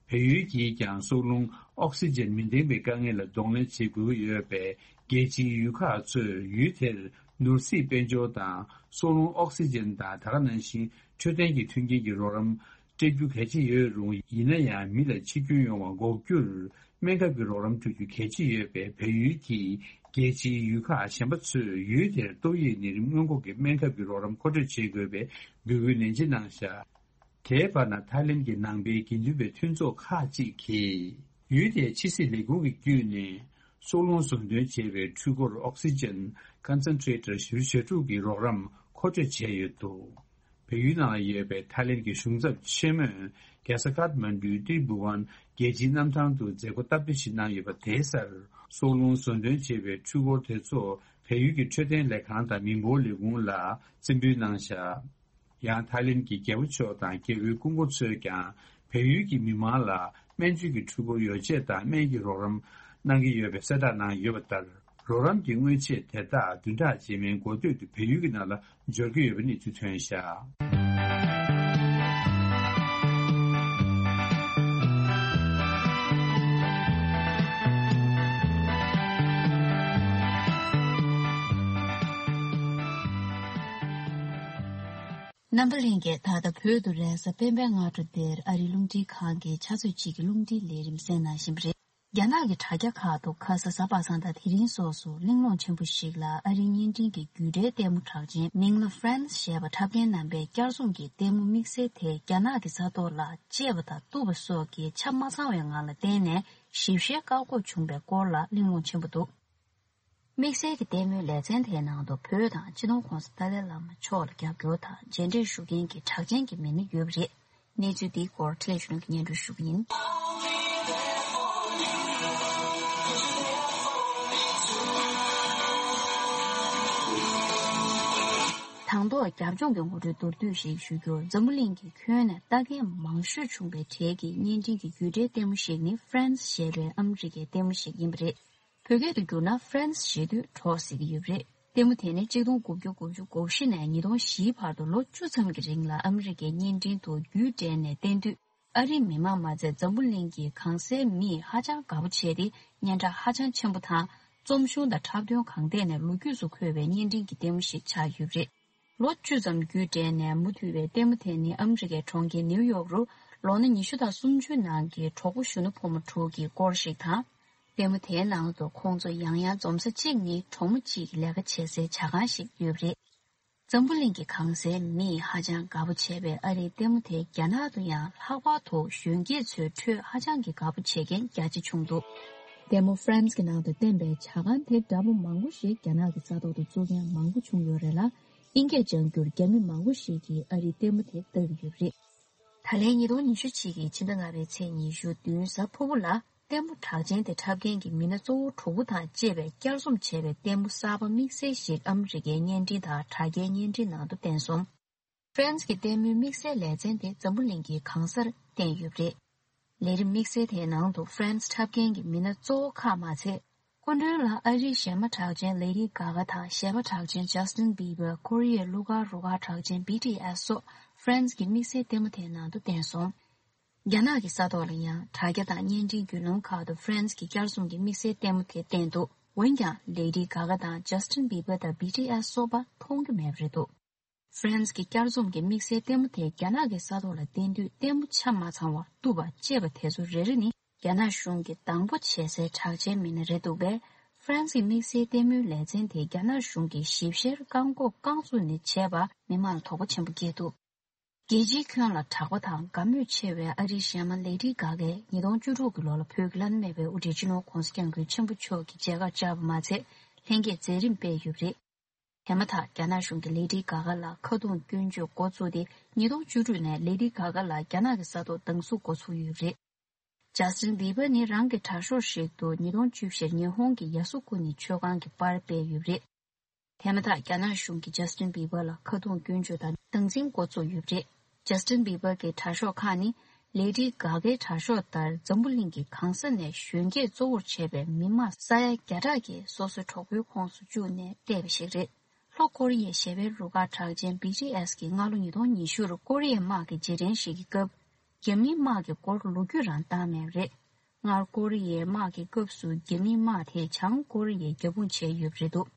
བལ་ཡུལ་གྱིས་ཀྱང་སྲོག་རླུང་ཨོག་སི་ཇན་མི་ལྡན་པའི་དཀའ་ངལ་ལ་གདོང་ལེན་བྱེད་དགོས་ཀྱི་ཡོད་པས། རྒྱལ་སྤྱིའི་ཡུལ་ཁག་ཚོས་ཡུལ་དེར་ནོར་སྲིད་དཔལ་འབྱོར་དང་སྲོག་རླུང་ཨོག་སི་ཇན་དང་། ད་ག་ནང་བཞིན་འཕྲོད་བསྟེན་གྱི་མཐུན་རྐྱེན་གྱི་རོགས་རམ་སྤྲད་རྒྱུ་གལ་ཆེ་ཡོད་རུང་། ཡིན་ན་ཡང་མི་ལ་འཆི་སྐྱོན་ཡོང་བ་འགོག་རྒྱུར་སྨན་ཁབ་ཀྱི་རོགས་རམ་སྤྲོད་རྒྱུ་གལ་ཆེ་ཡོད་པས། བལ་ཡུལ་གྱིས་རྒྱལ་སྤྱིའི་ཡུལ་ཁག་གཞན་པ་ཚོས་ཡུལ་དེར་ཏོག་དབྱིབས་ནད་རིམས་སྔོན་འགོག་གི་སྨན་ཁབ་ཀྱི་རོགས་རམ་མཁོ་སྤྲོད་བྱེད་དགོས་པའི་འབོད་སྐུལ་ནན་ཆེ་གནང་བཞག་དེའི་བར་ན། ཐའི་ལེན་གྱི་ནང་པའི་དགེ་འདུན་པའི་མཐུན་ཚོགས་ཁག་ཅིག་གིས་ཡུལ་དེའི་ཕྱི་སྲིད་ལས་ཁུངས་ཀྱི་བརྒྱུད་ནས་སྲོག་རླུང་ཟོན་ཐོན་བྱེད་པའི་འཕྲུལ་འཁོར་ཨོག་སི་ཇན་ཀོན་སན་ཊི་རེ་ཊར་བཞི་བཅུ་ཞེ་དྲུག་གི་རོགས་རམ་མཁོ་སྤྲོད་བྱས་ཡོད་འདུག་བལ་ཡུལ་ནང་ལ་ཡོད་པའི་ཐའི་ལེན་གྱི་གཞུང་ཚབ་ཆེན་མོས་རྒྱལ་ས་ཀཏ་མན་ཌུའི་ཏི་རུ་བྷུ་ཝན་རྒྱལ་སྤྱིའི་གནམ་ཐང་དུ་མཛད་སྒོ་སྟབས་བདེ་ཞིག་གནང་ཡོད་པ། དེའི་སར་སྲོག་རླུང་ཟོན་ཐོན་བྱེད་པའི་འཕྲུལ་འཁོར་དེ་ཚོ་བལ་ཡུལ་གྱི་འཕྲོད་བསྟེན་ལས་ཁང་དང་མི་འབོར་ལས་ཁུངས་ལ་རྩིས་འབུལ་གནང་བཞག་ཡང་ཐའི་ལེན་གྱི་རྒྱལ་པོ་མཆོག་དང་རྒྱལ་པོའི་སྐུ་འཁོར་ཚོས་ཀྱང་བལ་ཡུལ་གྱི་མི་མང་ལ་སྨན་བཅོས་ཀྱི་འཕྲུལ་འཁོར་ཡོ་བྱད་དང་སྨན་གྱི་རོགས་རམ་གནང་གི་ཡོད་པའི་གསལ་བསྒྲགས་གནང་ཡོད་པ་ལྟར། རོགས་རམ་གྱི་དངོས་ཆས་དེ་དག་བདུན་ཕྲག་རྗེས་མའི་འགོ་སྟོད་དུ་བལ་ཡུལ་གྱི་ནང་ལ་འབྱོར་གྱི་ཡོད་པའི་གནས་ཚུལ་ཐོན་བཞག་རྣམ་པ་ལྷན་རྒྱས། ད་ལྟ་བོད་དུ་རེས་གཟའ་སྤེན་པའི་སྔ་དྲོ་འདིར་ཨ་རིའི་རླུང་འཕྲིན་ཁང་གི་ཆུ་ཚོད་གཅིག་གི་རླུང་འཕྲིན་ལས་རིམ་གསན་གནང་བཞིན་པ་རེད། རྒྱ་ནག་གི་དྲ་རྒྱ་ཁག་ཏུ་ཁ་ས་གཟའ་པ་སངས་དང་དེ་རིང་སོགས་སུ་གླེང་སློང་ཆེན་པོ་ཞིག་ལ་ཨ་རིའི་བརྙན་འཕྲིན་གྱི་བརྒྱུད་འབྲེལ་ལྟད་མོ་གྲགས་ཅན་མིང་ལ་Friends ཞེས་པ་འཁྲབ་མཁན་རྣམ་པས་བསྐྱར་བཟུང་གིས་ལྟད་མོ་དམིགས་བསལ་དེ་རྒྱ་ནག་གི་ས་ཐོག་ལ་བཅད་པ་དང་གཏུབ་པ་སོགས་ཀྱི་ཆ་མ་ཚང་བའི་ངང་ལ་བསྟན་ནས་ཞིབ་བཤེར་བཀག་འགོག་བྱུང་བའི་སྐོར་ལ་གླེང་སློང་ཆེན་པོ་འདུག་དམིགས་བསལ་གྱི་ལྟད་མོའི་ལེ་ཚན་དེའི་ནང་དུ་བོད་དང་སྤྱི་ནོར་༧གོང་ས་ཏཱ་ལའི་བླ་མ་མཆོག་ལ་རྒྱབ་སྐྱོར་དང་མཇལ་འཕྲད་ཞུ་མཁན་གྱི་གྲགས་ཅན་གྱི་མི་སྣ་ཡོད་པ་རེད། གནས་ཚུལ་འདིའི་སྐོར་འཕྲིན་ལས་གཞོན་ནུ་གིས་སྙན་སྒྲོན་ཞུ་གི་ཡིན། དང་ཐོག་རྒྱབ་ལྗོངས་ཀྱི་ངོ་སྤྲོད་མདོར་བསྡུས་ཤིག་ཞུ་རྒྱུར། འཛམ་བུ་གླིང་གི་ཁྱོན་ནས་ལྟ་མཁན་མང་ཤོས་བྱུང་བའི་གྲས་ཀྱི་བརྙན་འཕྲིན་གྱི་བརྒྱུད་འབྲེལ་ལྟད་མོ་ཞིག་ནི་Friends ཞེས་པའི་ཨ་མི་རི་ཀའི་ལྟད་མོ་ཞིག་ཡིན་པ་རེད། བོད་སྐད་དུ་བསྒྱུར་ན་Friends ཞེས་དུས་གྲོགས་ཟེར་གྱི་ཡོད་པ་རེད། ལྟད་མོ་དེ་ནི་གཅིག་སྟོང་དགུ་བརྒྱ་དགུ་བཅུ་གོ་བཞི་ནས་ཉིས་སྟོང་བཞིའི་བར་དུ་ལོ་བཅུ་ཙམ་གྱི་རིང་ལ་ཨ་མི་རི་ཀའི་བརྙན་འཕྲིན་དུ་བརྒྱུད་སྤྲད་ནས་བསྟན་དུས། ཨ་རིའི་མི་མང་མ་ཚད་འཛམ་བུ་གླིང་གི་གང་སའི་མིས་ཧ་ཅང་དགའ་པོ་བྱས་ཏེ། སྙན་གྲགས་ཧ་ཅང་ཆེན་པོ་དང་། རྩོམ་གཞུང་དང་འཁྲབ་སྟོན་གང་ཐད་ནས་ལོ་རྒྱུས་སུ་འཁོད་པའི་བརྙན་འཕྲིན་གྱི་ལྟད་མོ་ཞིག་ཆགས་ཡོད་པ་རེད། ལོ་བཅུ་ཙམ་བརྒྱུད་སྤྲད་ནས་མུ་མཐུད་པའི་ལྟད་མོ་དེ་ནི་ཨ་མི་རི་ཀའི་གྲོང་ཁྱེར་ནེའུ་ཡོག་རུ་ལོ་ན་ཉི་ཤུ་དང་སུམ་ཅུའི་ནང་གི་གྲོགས་པོ་གཞོན་ནུ་ཕོ་མོ་དྲུག་གི་སྐོར་ཞིག་དང་། ལྟད་མོ་དེའི་ནང་དུ་ཁོང་ཚོ་ཡང་ཡང་འཛོམས་ས་གཅིག་ནི་གྲོགས་མོ་གཅིག་གིས་ལས་ཀ་བྱེད་སའི་ཇ་ཁང་ཞིག་ཡོད་པ་རེད། འཛམ་བུ་གླིང་གི་གང་སའི་མིས་ཧ་ཅང་དགའ་པོ་བྱས་པའི་ཨ་རིའི་ལྟད་མོ་དེ་རྒྱ་ནག་ཏུ་ཡང་ལྷག་པར་དུ་གཞོན་སྐྱེས་ཚོའི་ཁྲོད་ཧ་ཅང་གི་དགའ་པོ་བྱེད་མཁན་རྒྱ་ཆེ་བྱུང་འདུག་ལྟད་མོ་Friends གྱི་ནང་དུ་བསྟན་པའི་ཇ་ཁང་དེ་འདྲ་པོ་མང་པོ་ཞིག་རྒྱ་ནག་གི་ས་ཐོག་ཏུ་བཙུགས་མཁན་མང་པོ་བྱུང་ཡོད་རེད་ལ། ཨིན་སྐད་སྦྱང་རྒྱུར་རྒྱ་མི་མང་པོ་ཞིག་གིས་ཨ་རིའི་ལྟད་མོ་དེ་ལྟ་གི་ཡོད་པ་རེད། ད་ལན་ཉིས་སྟོང་ཉི་ཤུ་གཅིག་གི་ཕྱི་ཟླ་ལྔ་པའི་ཚེས་ཉི་ཤུ་བདུན་གཟའ་ཕུར་བུ་ལ། ལྟད་མོ་གྲགས་ཅན་དེ་འཁྲབ་མཁན་གྱི་མི་སྣ་གཙོ་བོ་དྲུག་པོ་དང་བཅས་པའི་བསྐྱར་རྩོམ་བྱས་པའི་ལྟད་མོ་གསར་པ་དམིགས་བསལ་ཞིག་ཨ་མི་རི་ཀའི་བརྙན་འཕྲིན་དང་དྲ་རྒྱའི་བརྙན་འཕྲིན་ནང་དུ་བསྟན་སོང་། Friends གྱི་ལྟད་མོའི་དམིགས་བསལ་ལེ་ཚན་དེ་འཛམ་བུ་གླིང་གི་གང་སར་བསྟན་ཡོད་པ་རེད། ལས་རིམ་དམིགས་བསལ་དེའི་ནང་དུ་Friends འཁྲབ་མཁན་གྱི་མི་སྣ་གཙོ་བོ་ཁག་མ་ཚད། སྐུ་མགྲོན་ལ་ཨ་རིའི་གཞས་མ་གྲགས་ཅན་Lady Gaga དང་གཞས་པ་གྲགས་ཅན་Justin Bieber། ཀོ་རི་ཡའི་གླུ་གར་རུ་ཁག་གྲགས་ཅན་B T S སོགས་Friends གྱི་དམིགས་བསལ་ལྟད་མོ་དེའི་ནང་དུ་བསྟན་སོང་། རྒྱ་ནག་གི་ས་ཐོག་ལ་ཡང་དྲ་རྒྱ་དང་བརྙན་འཕྲིན་བརྒྱུད་ལམ་ཁག་ཏུ་Friends གྱི་བསྐྱར་རྩོམ་གྱི་དམིགས་བསལ་ལྟད་མོ་དེ་བསྟན་འདུག་འོན་ཀྱང་Lady Gaga དང་Justin Bieber དང་B T S སོགས་པ་མཐོང་རྒྱུ་མེད་པ་རེད་འདུག Friends གྱི་བསྐྱར་རྩོམ་གྱི་དམིགས་བསལ་ལྟད་མོ་དེ་རྒྱ་ནག་གི་ས་ཐོག་ལ་བསྟན་དུས། ལྟད་མོ་ཆ་མ་ཚང་བ། གཏུབ་པ། བཅད་པ་དེ་ཚོ་རེ་རེ་ནི་རྒྱ་ནག་གཞུང་གིས་སྡང་པོ་བྱེད་སའི་གྲགས་ཅན་མི་སྣ་རེད་འདུག་པས། Friends གྱི་དམིགས་བསལ་ལྟད་མོའི་ལེ་ཚན་དེ་རྒྱ་ནག་གཞུང་གིས་ཞིབ་བཤེར་བཀག་འགོག་བཀག་འཛུགས་ནས་བྱས་པ་མི་མང་ལ་དོགས་པ་ཆེན་པོ་སྐྱེས་འདུག་རྒྱལ་སྤྱིའི་ཁྱོན་ལ་གྲགས་པ་དང་དགའ་མོས་ཆེ་བའི་ཨ་རིའི་གཞས་མ་Lady Gaga ཉིས་སྟོང་བཅུ་དྲུག་གི་ལོ་ལ་བོད་ཀྱི་བླ་ན་མེད་པའི་དབུ་ཁྲིད་སྤྱི་ནོར་༧གོང་ས་༧སྐྱབས་མགོན་ཆེན་པོ་མཆོག་གི་མཇལ་ཁར་བཅར་བ་མ་ཚད། ལྷན་རྒྱས་མཛད་རིམ་སྤེལ་ཡོད་པ་རེད། དེ་མ་ཐག་རྒྱ་ནག་གཞུང་གིས་Lady Gaga ལ་ཁ་རྡུང་སྐྱོན་བརྗོད་འགོ་བཙུགས་ཏེ། ཉིས་སྟོང་བཅུ་དྲུག་ནས་Lady Gaga ལ་རྒྱ་ནག་གི་ས་ཐོག་སྡང་ཟུག་འགོ་ཚུགས་ཡོད་པ་རེད། Justin Bieber ནི་རང་གི་དྲ་ཤོག་ཞིག་ཏུ་ཉིས་སྟོང་བཅུ་བཞིར་ཉི་ཧོང་གི་ཡ་སུ་ཀུ་ནི་མཆོད་ཁང་གི་པར་སྤེལ་ཡོད་པ་རེད། དེ་མ་ཐག་རྒྱ་ནག་གཞུང་གིས་Justin Bieber ལ་ཁ་རྡུང་སྐྱོན་བརྗོད་དང་སྡང་འཛིན་འགོ་བཙུགས་ཡོད་པ་རེད། Justin Bieber གྱི་དྲ་ཤོག་ཁག་ནི་Lady Gaga གི་དྲ་ཤོག་ལྟར་འཛམ་བུ་གླིང་གི་གང་ས་ནས་གཞོན་སྐྱེས་གཙོ་བོར་བྱས་པའི་མི་དམངས་ས་ཡ་བརྒྱ་ཕྲག་གིས་སོ་སོའི་གྲོགས་པོའི་ཁོངས་སུ་བཅུག་ནས་བལྟས་པ་ཞིག་རེད། ལྷོ་ཀོ་རི་ཡའི་གཞས་པའི་རུ་ཁག་གྲགས་ཅན་བྷི་ཊི་ཨེས་ཀྱིས་སྔ་ལོ་ཉིས་སྟོང་ཉི་ཤུ་རུ་ཀོ་རི་ཡའི་དམག་གི་རྗེས་དྲན་ཞིག་གི་སྐབས། རྒྱ་མིའི་དམག་གི་སྐོར་ལོ་རྒྱུས་རང་བཏང་མེད་པ་རེད། སྔར་ཀོ་རི་ཡའི་དམག་གི་སྐབས་སུ་རྒྱ་མིའི་དམག་དེས་བྱང་ཀོ་རི་ཡའི་རྒྱབ་དཔུང་བྱས་ཡོད་པ་རེད་འདུག་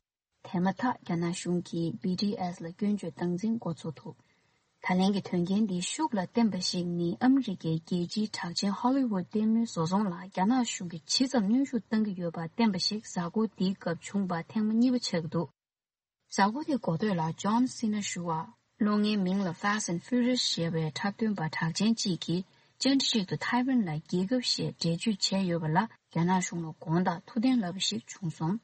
དེ་མ་ཐག་རྒྱ་ནག་གཞུང་གིས་བྷི་ཊི་ཨེས་ལ་སྐྱོན་བརྗོད་སྟངས་འཛིན་འགོ་ཚུགས་ཐུབ། ད་ལན་གྱི་དོན་རྐྱེན་འདིའི་ཤུགས་ལ་བརྟེན་པ་ཞིག་ནི་ཨ་མི་རི་ཀའི་རྒྱལ་སྤྱིའི་གྲགས་ཅན་ཧོ་ལི་ཝུད་ལྟད་མོའི་བཟོ་ཚོང་ལ་རྒྱ་ནག་གཞུང་གིས་ཇི་ཙམ་གནོན་ཤུགས་གཏང་གི་ཡོད་པ་བསྟན་པ་ཞིག་གཟའ་འཁོར་འདིའི་སྐབས་བྱུང་བ་ཐེངས་མ་གཉིས་པ་ཆགས་ཀྱི་འདུག་གཟའ་འཁོར་དེའི་འགོ་སྟོད་ལ་ཇོན་སི་ན་ཞུ་བ། གློག་བརྙན་མིང་ལ་Fast and Furious ཞེས་པའི་འཁྲབ་སྟོན་པ་གྲགས་ཅན་གཅིག་གིས་བཅར་འདྲི་ཞིག་ཏུ་ཐའེ་ཝན་ལ་རྒྱལ་ཁབ་ཞེས་འགྲེལ་བརྗོད་བྱས་ཡོད་པ་ལ་རྒྱ་ནག་གཞུང་ལ་དགོངས་དག་ཐུགས་བདེན་ལབ་པ་ཞིག་བྱུང་སོང་།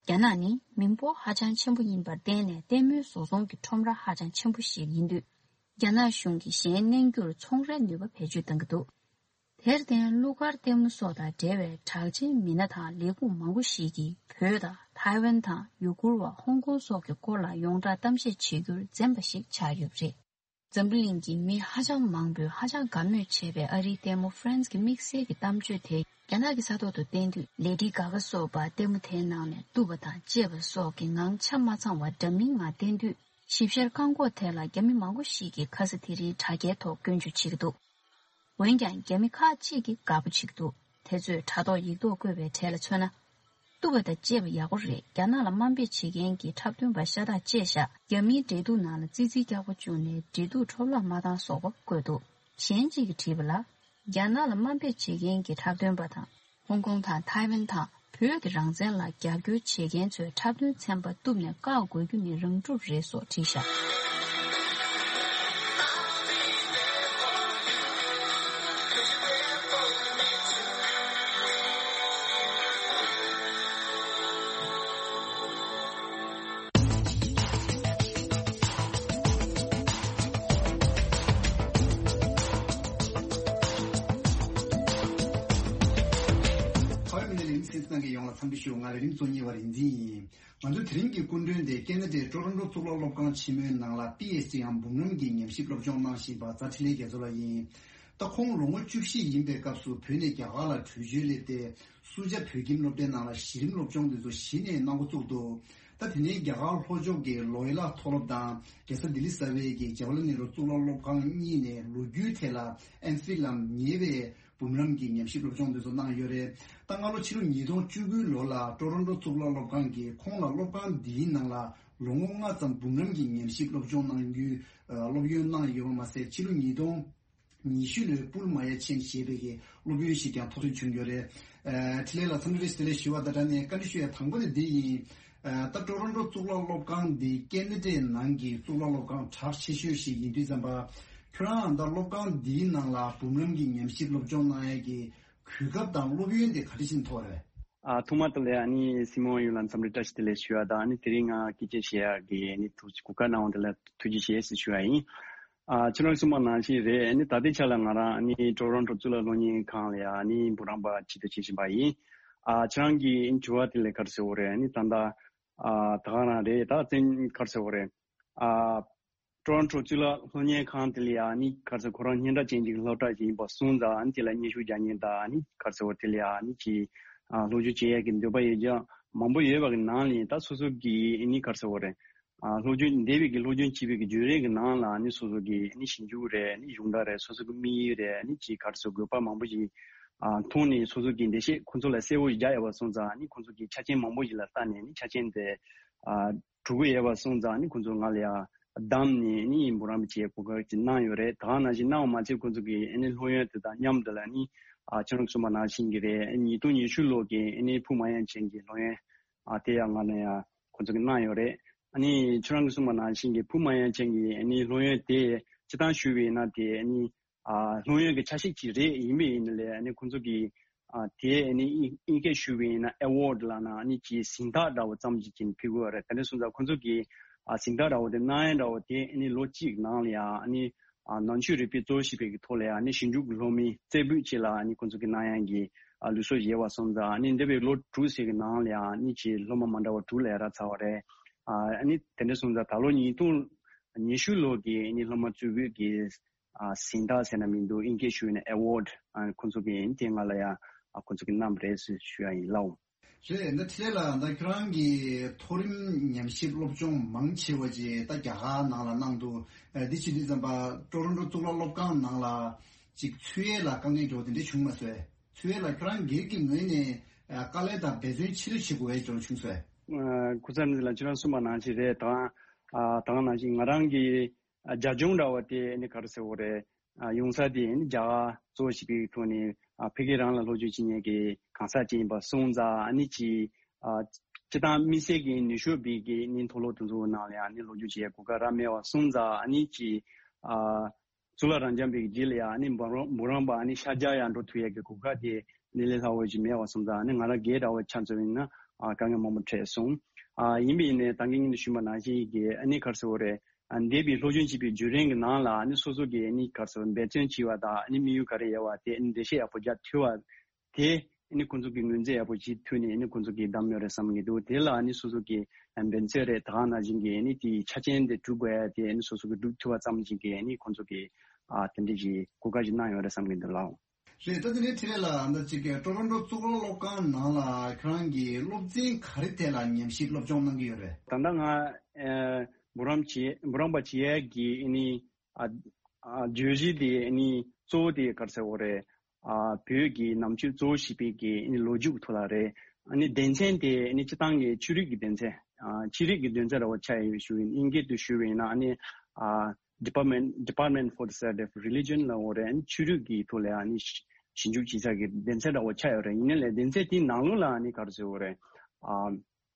རྒྱ་ནག་ནི་མི་འབོར་ཧ་ཅང་ཆེན་པོ་ཡིན་པར་བརྟེན་ནས་ལྟད་མོའི་བཟོ་ཚོང་གི་ཁྲོམ་ར་ཧ་ཅང་ཆེན་པོ་ཞིག་ཡིན་དུས། རྒྱ་ནག་གཞུང་གིས་གཞན་གནོན་རྒྱུར་ཚོང་རའི་ནུས་པ་བེད་སྤྱོད་གཏང་གི་འདུག་དེར་བརྟེན་གླུ་གར་ལྟད་མོ་སོགས་དང་འབྲེལ་བའི་གྲགས་ཅན་མི་སྣ་དང་ལས་ཁུངས་མང་པོ་ཞིག་གིས་བོད་དང་ཐའེ་ཝན་དང་ཡུ་གུར་བ་ཧོང་ཀོང་སོགས་ཀྱི་སྐོར་ལ་ཡོངས་གྲགས་གཏམ་བཤད་བྱེད་རྒྱུར་འཛེམ་པ་ཞིག་ཆགས་ཡོད་པ་རེད། འཛམ་བུ་གླིང་གི་མི་ཧ་ཅང་མང་པོས་ཧ་ཅང་དགའ་མོས་བྱེད་པའི་ཨ་རིའི་ལྟད་མོ་Friends གྱི་དམིགས་བསལ་གྱི་གཏམ་བརྗོད་དེ་རྒྱ་ནག་གི་ས་ཐོག་ཏུ་བསྟན་དུས། ལེ་ཌི་གྷ་གྷ་སོགས་པ་ལྟད་མོ་དེའི་ནང་ནས་གཏུབ་པ་དང་བཅད་པ་སོགས་ཀྱི་ངང་ཆ་མ་ཚང་བ་འདྲ་མིན་ངང་བསྟན་དུས། ཞིབ་བཤེར་བཀག་འགོག་ཐད་ལ་རྒྱ་མི་མང་པོ་ཞིག་གིས་ཁ་ས་དེ་རིང་དྲ་རྒྱའི་ཐོག་སྐྱོན་བརྗོད་བྱེད་ཀྱི་འདུག་འོན་ཀྱང་རྒྱ་མི་ཁག་ཅིག་གིས་དགའ་པོ་བྱེད་ཀྱི་འདུག་དེ་ཚོས་དྲ་ཐོག་ཡིག་ཐོག་བཀོད་པའི་གྲས་ལ་མཚོན་ན། གཏུབ་པ་དང་བཅད་པ་ཡག་པོ་རེད། རྒྱ་ནག་ལ་དམའ་འབེབས་བྱེད་མཁན་གྱི་འཁྲབ་སྟོན་པ་ཤ་སྟག་བཅད་བཞག་རྒྱ་མིའི་འབྲེལ་གཏུག་ནང་ལ་ཙི་ཙིའི་སྐྱག་པ་བཅུག་ནས་འབྲེལ་གཏུག་འཕྲོ་བརླག་མ་བཏང་སོགས་པ་བཀོད་འདུག་གཞན་གཅིག་གིས་བྲིས་པ་ལ། རྒྱ་ནག་ལ་དམའ་འབེབས་བྱེད་མཁན་གྱི་འཁྲབ་སྟོན་པ་དང་། ཧོང་ཀོང་དང་ཐའེ་ཝན་དང་བོད་ཀྱི་རང་བཙན་ལ་རྒྱབ་སྐྱོར་བྱེད་མཁན་ཚོའི་འཁྲབ་སྟོན་ཚན་པ་གཏུབ་ནས་བཀག་དགོས་རྒྱུ་ནི་རང་གྲུབ་རེད་སོགས་བྲིས་བཞག་ཧོའི་མི་ལ་ལིང་སིན་ནང་གི་ཡོངས་ལ་འཚམས་འདྲི་ཞུ། ང་ལ་རིམ་གཙོ་གཉིས་པ་རིན་འཛིན་ཡིན། ང་ཚོ་དེ་རིང་གི་སྐུ་མགྲོན་དེ་ཀེ་ན་ཌའི་ཊོ་རོན་ཊོ་གཙུག་ལག་སློབ་ཁང་ཆེན་མོའི་ནང་ལ་པི་ཨེཆ་ཌི་འམ་འབུམ་རམས་ཀྱི་ཉམས་ཞིབ་སློབ་སྦྱོང་གནང་བཞིན་པ་རྫ་འཕྲིན་ལས་རྒྱ་མཚོ་ལགས་ཡིན། ད་ཁོང་ལོ་ངོ་བཅུ་བཞི་ཡིན་པའི་སྐབས་སུ་བོད་ནས་རྒྱ་གར་ལ་བྲོས་བྱོལ་སླེབས་ཏེ། སུ་ཇཱ་བོད་ཁྱིམ་སློབ་གྲྭའི་ནང་ལ་གཞི་རིམ་སློབ་སྦྱོང་དེ་ཚོ་གཞི་ནས་གནང་འགོ་བཙུགས་འདུག་ད་དེ་ནས་རྒྱ་གར་ལྷོ་ཕྱོགས་ཀྱི་ལོ་ཡི་ལ་མཐོ་སློབ་དང་རྒྱལ་ས་ལྡི་ལི་གསར་པའི་གི་ཇ་ཝ་ལ་ནེ་རུ་གཙུག་ལག་སློབ་ཁང་གཉིས་ནས་ལོ་རྒྱུས་ཐད་ལ་ཨེམ་ཕིལ་ལམ་ཉེ་བའི་འབུམ་རམས་ཀྱི་ཉམས་ཞིབ་སློབ་སྦྱོང་དེ་ཚོ་གནང་ཡོད་རེད། ད་སྔ་ལོ་ཕྱི་ལོ་ཉིས་སྟོང་བཅུ་དགུའི་ལོ་ལ་ཊོ་རོན་ཊོ་གཙུག་ལག་སློབ་ཁང་གིས་ཁོང་ལ་སློབ་ཁང་འདིའི་ནང་ལ་ལོ་ངོ་ལྔ་ཙམ་འབུམ་རམས་ཀྱི་ཉམས་ཞིབ་སློབ་སྦྱོང་གནང་རྒྱུའི་སློབ་ཡོན་གནང་ཡོད་པ་མ་ཟད་ཕྱི་ལོ་ཉིས་སྟོང་ཉི་ཤུ་ལོའི་པུལ་མ་ཡ་ཆེན་ཞེས་པའི་གི་སློབ་ཡོན་ཞིག་ཀྱང་ཐོབ་ཐུབ་བྱུང་ཡོད་རེད། ཨ་འཕྲིན་ལས་ལགས་འཚམས་འདྲི་བཀྲ་ཤིས་བདེ་ལེགས་ཞུ་བ་དང་སྦྲགས་ནས་བཀའ་འདྲི་ཞུ་ཡ་དང་པོ་དེ་འདི་ཡིན། ཨ་ད་ཊོ་རོན་ཊོ་གཙུག་ལག་སློབ་ཁང་འདི་ཀེ་ན་ཌའི་ནང་གི་གཙུག་ལག་སློབ་ཁང་གྲགས་ཆེ་ཤོས་ཤིག་ཡིན་དུས་ཙམ་པ། ཁྱོད་རང་ད་སློབ་ཁང་འདིའི་ནང་ལ་འབུམ་རམས་ཀྱི་ཉམས་ཞིབ་སློབ་སྦྱོང་གནང་ཡ་གི་གོ་སྐབས་དང་སློབ་ཡོན་དེ་ག་འདྲ་ཞིག་ཐོབ་རེད། ཨ་ཐོག་མ་དེ་ལ་ཨ་ནི་སྲིད་སྐྱོང་ཡོངས་ལ་འཚམས་འདྲི་བཀྲ་ཤིས་བདེ་ལེགས་ཞུ་བ་དང་། ཨ་ནི་དེ་རིང་ང་སྐད་ཆ་བཤད་ཡ་གི་ཨ་ནི་ཐུགས་གོ་སྐབས་གནང་བ་དེ་ལ་ཐུགས་རྗེ་ཆེ་ཞེས་ཞུ་བ་ཡིན། ཨ་ཁྱེད་རང་གསུངས་པ་ནང་བཞིན་རེད། ཨ་ནི་ད་ལྟའི་ཆ་ལ་ང་རང་ཨ་ནི་ཊོ་རོན་ཊོ་གཙུག་ལག་སློབ་གཉེར་ཁང་ལ་ཡ་ཨ་ནི་འབུམ་རམས་པ་ཆེད་དུ་བྱེད་བཞིན་པ་ཡིན། ཨ་ཁྱེད་རང་གི་ཨ་ནི་དྲི་བ་དེ་ལ་ག་རེ་ཟེར་དགོས་རེད། ཨ་ནི་ད་ལྟ་ཨ་ད་ག་རང་རེད། ད་བཙན་ག་རེ་ཟེར་དགོས་རེད། ཨ་ཊོ་རོན་ཊོ་གཙུག་ལག་སློབ་གཉེར་ཁང་དེ་ལ་ཡ་ཨ་ནི་ག་རེ་ཟེར་ཁོ་རང་སྙན་གྲགས་ཅན་གྱི་སློབ་གྲྭ་ཞིག་ཡིན་པ་སོང་ཙང་། ཨ་ནི་དེ་ལ་སྙན་ཞུ་རྒྱག་མཁན་དང་ཨ་ནི་ག་རེ་ཟེར་དེ་ལ་ཡ་ཨ་ནི་ཅིག་ཨ་སློབ་སྦྱོང་བྱེད་ཡས་ཀྱི་འདོད་པ་ཡོད་ཀྱང་མང་པོ་ཡོད་པ་གི་ནང་ནས་ད་སོ་སོ་གི་ཨ་ནི་ག་རེ་ཟེར་དགོས་རེད། ཨ་སློབ་སྦྱོང་འདས་པའི་གི་སློབ་སྦྱོང་བྱས་པའི་གི་བརྒྱུད་རིམ་གི་ནང་ལ་ཨ་ནི་སོ་སོ་གི་ཨ་ནི་ཞིབ་འཇུག་རེད། ཨ་ནི་གཞུང་དག་རེད། སོ་སོ་གི་དམིགས་ཡུལ་རེད། ཨ་ནི་ཅིག་ག་རེ་ཟེར་དགོས་པ་མང་པོ་ཞིག་ཨ་མཐོང་ནས་སོ་སོ་གི་འགྲེལ་བཤད་ཁོང་ཚོ་ལ་གསལ་པོ་རྒྱག་ཡོད་པ་སོང་ཙང་། ཨ་ནི་ཁོང་ཚོ་གི་ཆ་རྐྱེན་མང་པོ་ཞིག་ལ་ལྟ་ནས་ཨ་ནི་ཆ་རྐྱེན་དེ་ཨ་གྲུབ་ཀྱི་ཡོད་པ་སོང་ཙང་། ཨ་ནི་ཁོང་ཚོ་ང་ལ་ཡ་བདམས་ནས་ཨ་ནི་འབུམ་རམས་པ་བྱེད་གོ་སྐབས་ཅིག་གནང་ཡོད་རེད། ད་ག་ནང་བཞིན་གནང་བ་མ་ཚད་ཁོང་ཚོ་གི་ཨ་ནི་སློབ་ཡོན་དེ་དང་མཉམ་དུ་ལ་ཨ་ནི་ཨ་ཁྱེད་རང་གསུངས་པ་ནང་བཞིན་གྱི་རེད། ཨ་ནི་ཉིས་སྟོང་ཉི་ཤུ་ལོ་གི་ཨ་ནི་ཕུ་མ་ཡན་ཆེན་གྱི་སློབ་ཡོན་ཨ་དེ་ཡང་ང་ལ་ཡ་ཁོང་ཚོ་གིས་གནང་ཡོད་རེད། ཨ་ནི་ཁྱེད་རང་གིས་གསུངས་པ་ནང་བཞིན་གྱི་ཕུ་མ་ཡན་ཆེན་གྱི་ཨ་ནི་སློབ་ཡོན་དེ་སྤྱིར་བཏང་ཞུས་པ་ཡིན་ན་དེ་ཨ་ནི་ཨ་སློབ་ཡོན་གྱི་ཆ་ཤས་ཅིག་རེད། ཡིན་པ་ཡིན་ནའི་ཨ་ནི་ཁོང་ཚོ་གིས་ཨ་དེ་ཨ་ནི་དབྱིན་དབྱིན་སྐད་ཞུས་པ་ཡིན་ན་ཨེ་ཝོཌ་ལབ་ན་ཨ་ནི་ཅིག་གཟེངས་རྟགས་འདྲ་བོ་ཙམ་ཅིག་ཅིག་ཕུལ་གྱི་ཡོད་རེད། དེ་འདྲ་སོང་ཙང་ཁོང་ཚོ་གིས་ཨ་གཟེངས་རྟགས་འདྲ་བོ་དེ་གནང་ཡ་འདྲ་བོ་དེ་ཨ་ནི་ལོ་གཅིག་ནང་ལ་ཡ་ཨ་ནི་ཨ་ནང་ཆོས་རིག་པའི་གཙོ་བོ་བྱས་པའི་གི་ཐོག་ལ་ཡ་ཨ་ནི་ཞིབ་འཇུག་གི་སློབ་མའི་རྩེ་ཕུད་ཅིག་ལ་ཨ་ནི་ཁོང་ཚོ་གིས་གནང་ཡ་གི་ཨ་ལུགས་སྲོལ་ཡོད་པ་སོང་ཙང་། ཨ་ནི་འདས་པའི་ལོ་དྲུག་ཙམ་གི་ནང་ལ་ཡ་ཨ་ནི་ཅིག་སློབ་མ་མ་འདྲ་བ་དྲུག་ལས་རག་ཚར་བ་རེད། ཨ་ཨ་ནི་དེ་འདྲ་སོང་ཙང་ད་ལོ་ཉིས་སྟོང་ ཉི་ཤུ་ལོ་གི་ཨ་ནི་སློབ་མ་གཙོས་བོད་ཀྱི་ཨ་གཟེངས་རྟགས་ཟེར་ན་མི་འདུག་ཨིན་སྐད་ཞུས་ན་ཨེ་ཝོཌ་ཨ་ཁོང་ཚོ་གིས་ཨ་ནི་དེ་ང་ལ་ཡང་ཨ་ཁོང་ཚོ་གིས་གནང་བ་རེད་ཟེར་ཞུ་ཡ་ཡིན་ལགས། རེད། ད་དེ་ལ་ད་ཁྱོད་རང་གིས་མཐོ་རིམ་ཉམས་ཞིབ་སློབ་སྦྱོང་མང་ཆེ་བ་ཅིག་ད་རྒྱ་གར་ནང་ལ་གནང་འདུག་ཨ་འདི་བྱེད་དུས་ཙམ་པ་ཀྲོ་རོན་ཀྲོ་གཙུག་ལག་སློབ་ཁང་ནང་ལ་ཅིག་འཚོལ་ཡས་ལ་དཀའ་ངལ་འགྲོ་དེ་འདྲ་བྱུང་མ་སོང་ངས། འཚོལ་ཡས་ལ་ཁྱོད་རང་སྒེར་གྱི་ངོས་ནས་ཨ་དཀའ་ལས་དང་འབད་བརྩོན་ཆེ་རུ་བྱེད་དགོས་ཡས་འགྲོ་བྱུང་སོང་ངས། ཨ་ཁུ་ཚ་ནི་ལགས་ཁྱེད་རང་གསུངས་པ་ནང་བཞིན་རེད། ད་ཨ་ད་ག་ནང་བཞིན་ང་རང་གི་ཨ་རྒྱབ་ལྗོངས་འདྲ་བ་དེ་ཨ་ནི་ག་རེ་ཟེར་དགོས་རེད། ཨ་ཡོང་ས་དེ་ཨ་ནི་རྒྱ་གར་གཙོ་བོ་བྱས་པའི་ཐོག་ནས་ཨ་ཕ་གི་རང་ལ་སློབ་སྦྱོང་བྱེད་མཁན་གྱི་གང་ཟག་ཅིག་ཡིན་པ་སོང་ཙང་ཨ་ནི་ཅིག་ཨ་སྤྱིར་བཏང་དམིགས་བསལ་གྱི་ནུས་ཤུགས་སྦིས་ཀྱི་ཨ་ནི་མཐོ་སློབ་དེ་ཚོ་ནང་ལ་ཡང་ཨ་ནི་སློབ་སྦྱོང་བྱེད་ཡའི་གོ་སྐབས་རག་མེད་པ་སོང་ཙང་ཨ་ནི་ཅིག་ཨ་གཙུག་ལག་རབ་འབྱམས་པའི་རྗེས་ལ་ཡང་ཨ་ནི་འབུམ་རམས་འབུམ་རམས་པ་ཨ་ནི་ཤར་རྒྱག་ཡང་འགྲོ་ཐུབ་ཡས་ཀྱི་གོ་སྐབས་དེ་ཨ་ནི་ལས་སླ་བོ་ཞིག་མེད་པ་སོང་ཙང་ཨ་ནི་ང་རང་སྒེར་འདྲ་བོ་ཆ་མཚོན་ཡིན་ན་ཨ་དཀའ་ངལ་མང་པོ་འཕྲད་སོང་། ཨ་ཡིན་པ་ཡིན་ནའི་ད་གིན་ངས་ཞུས་པ་ནང་བཞིན་གྱི་ཨ་ནི་ག་རེ་ཟེར་དགོས་རེད། ཨ་འདས་པའི་སློབ་སྦྱོང་བྱས་པའི་བརྒྱུད་རིམ་གྱི་ནང་ལ་ཨ་ནི་སོ་སོ་གིས་ཨ་ནི་ག་རེ་ཟེར་དགོས་རེད། འབད་བརྩོན་བྱས་པ་དང་ཨ་ནི་དམིགས་ཡུལ་ག་རེ་ཡོད་པ་དེ་ཨ་ནི་འགྲེལ་བཤད་ཡག་པོ་རྒྱག་ཐུབ་པ། དེ་ཨ་ནི་ཁོང་ཚོ་གིས་ངོས་འཛིན་ཡག་པོ་བྱེད་ཐུབ་ནས་ཨ་ནི་ཁོང་ཚོ་གིས་བདམས་ཡོད་རེད་བསམ་གྱི་འདུག་དེ་ལ་ཨ་ནི་སོ་སོ་གི་འབད་བརྩོན་རེད། ད་ག་ནང་བཞིན་གྱི་ཨ་ནི་དེའི་ཆ་རྐྱེན་དེ་སྒྲུབ་དགོས་ཡ་དེ་ཨ་ནི་སོ་སོ་གིས་སྒྲུབ་ཐུབ་པ་ཙམ་ཞིག་གིས་ཨ་ནི་ཁོང་ཚོ་གིས་ཨ་དེ་འདྲ་ཞིག་གོ་སྐབས་ཤིག་གནང་ཡོད་རེད་བསམ་གྱི་འདུག་ལགས། རེད། ད་དེ་ནས་འཕྲིན་ལས་ལགས་ད་ཅིག་ཀྲོ་རོན་ཀྲོ་གཙུག་ལག་སློབ་ཁང་ནང་ལ་ཁྱེད་རང་གིས་སློབ་ཚན་ག་རེ་ཐད་ལ་ཉམས་ཞིབ་སློབ་སྦྱོང་གནང་གི་ཡོད་རེད། ད་ལྟ་ང་ཨ་འབུམ་རམས་བྱེད་འབུམ་རམས་པ་བྱེད་ཡ་གི་ཨ་ནི་ཨ་ཨ་བརྗོད་གཞི་དེ་ཨ་ནི་གཙོ་བོ་དེ་ག་རེ་ཟེར་དགོས་རེད། ཨ་བོད་ཀྱི་ནང་ཆོས་གཙོ་བོ་བྱས་པའི་གི་ཨ་ནི་ལོ་རྒྱུས་ཐོག་ལ་རེད། ཨ་ནི་སྡེ་ཚན་དེ་ཨ་ནི་སྤྱིར་བཏང་གི་ཆོས་རིག་གི་སྡེ་ཚན་ཨ་ཆོས་རིག་གི་སྡེ་ཚན་འདྲ་བོ་ཆགས་ཡོད་ཞུ་ཡིན། ཨིན་སྐད་དུ་ཞུ་བ་ཡིན་ན་ཨ་ནི་ཨ་Department Department for the Study of Religion ལབ་དགོས་རེད། ཨ་ནི་ཆོས་རིག་གི་ཐོག་ལ་ཨ་ནི་ཞིབ་འཇུག་བྱེད་ས་གི་སྡེ་ཚན་འདྲ་བོ་ཆགས་ཡོད་རེད། ཡིན་ནའི་ལས་སྡེ་ཚན་དེའི་ནང་ལོགས་ལ་ཨ་ནི་ག་རེ་ཟེར་དགོས་རེད། ཨ་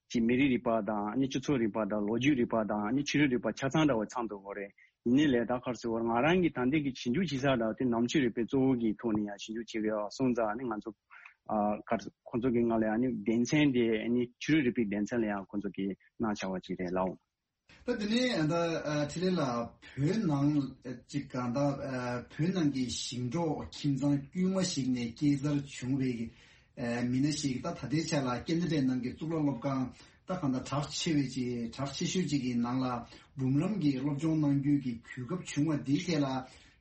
ཅིག་མི་རིགས་རིག་པ་དང་ཨ་ནི་སྤྱི་ཚོགས་རིག་པ་དང་ལོ་རྒྱུས་རིག་པ་དང་ཨ་ནི་ཆོས་རིག་རིག་པ་ཆ་ཚང་འདྲ་བོ་ཚང་འདུག་དགོས་རེད། ཡིན་ནའི་ལས་ད་ག་རེ་ཟེར་དགོས་རེད། ང་རང་གི་ད་ལྟའི་གི་ཞིབ་འཇུག་བྱེད་ས་འདྲ་བོ་དེ་ནང་ཆོས་རིག་པའི་གཙོ་བོ་གི་ཐོག་ནས་ཡང་ཞིབ་འཇུག་བྱེད་ཀྱི་ཡོད་སོང་ཙང་ཨ་ནི་ང་ཚོ་ཨ་ག་རེ་ཁོང་ཚོ་གི་ང་ལ་ཡང་ཨ་ནི་སྡེ་ཚན་དེ་ཨ་ནི་ཆོས་རིག་རིག་པའི་སྡེ་ཚན་ལ་ཡང་ཁོང་ཚོ་གིས་གནང་བཞག་པ་ཅིག་རེད་ལགས། ད་དེ་ནས་ད་ཨ་འཕྲིན་ལས་ལགས་བོད་ནང་ཅིག་ག་ད་ཨ་བོད་ནང་གི་ཞིང་འབྲོག་ཁྱིམ་ཚང་དཀྱུས་མ་ཞིག་ནས་སྐྱེས་འཚར་བྱུང་བའི་ཨ་མི་སྣ་ཞིག་ད་ད་ལྟའི་ཆ་ལ་ཀེ་ན་ཌའི་ནང་གི་གཙུག་ལག་སློབ་ཁང་ད་གང་ལྟར་གྲགས་ཆེ་བའི་ཅིག་གྲགས་ཆེ་ཤོས་ཅིག་གི་ནང་ལ་འབུམ་རམས་ཀྱི་སློབ་སྦྱོང་གནང་རྒྱུ་གི་གོ་སྐབས་བྱུང་བ་འདིའི་ཐད་ལ་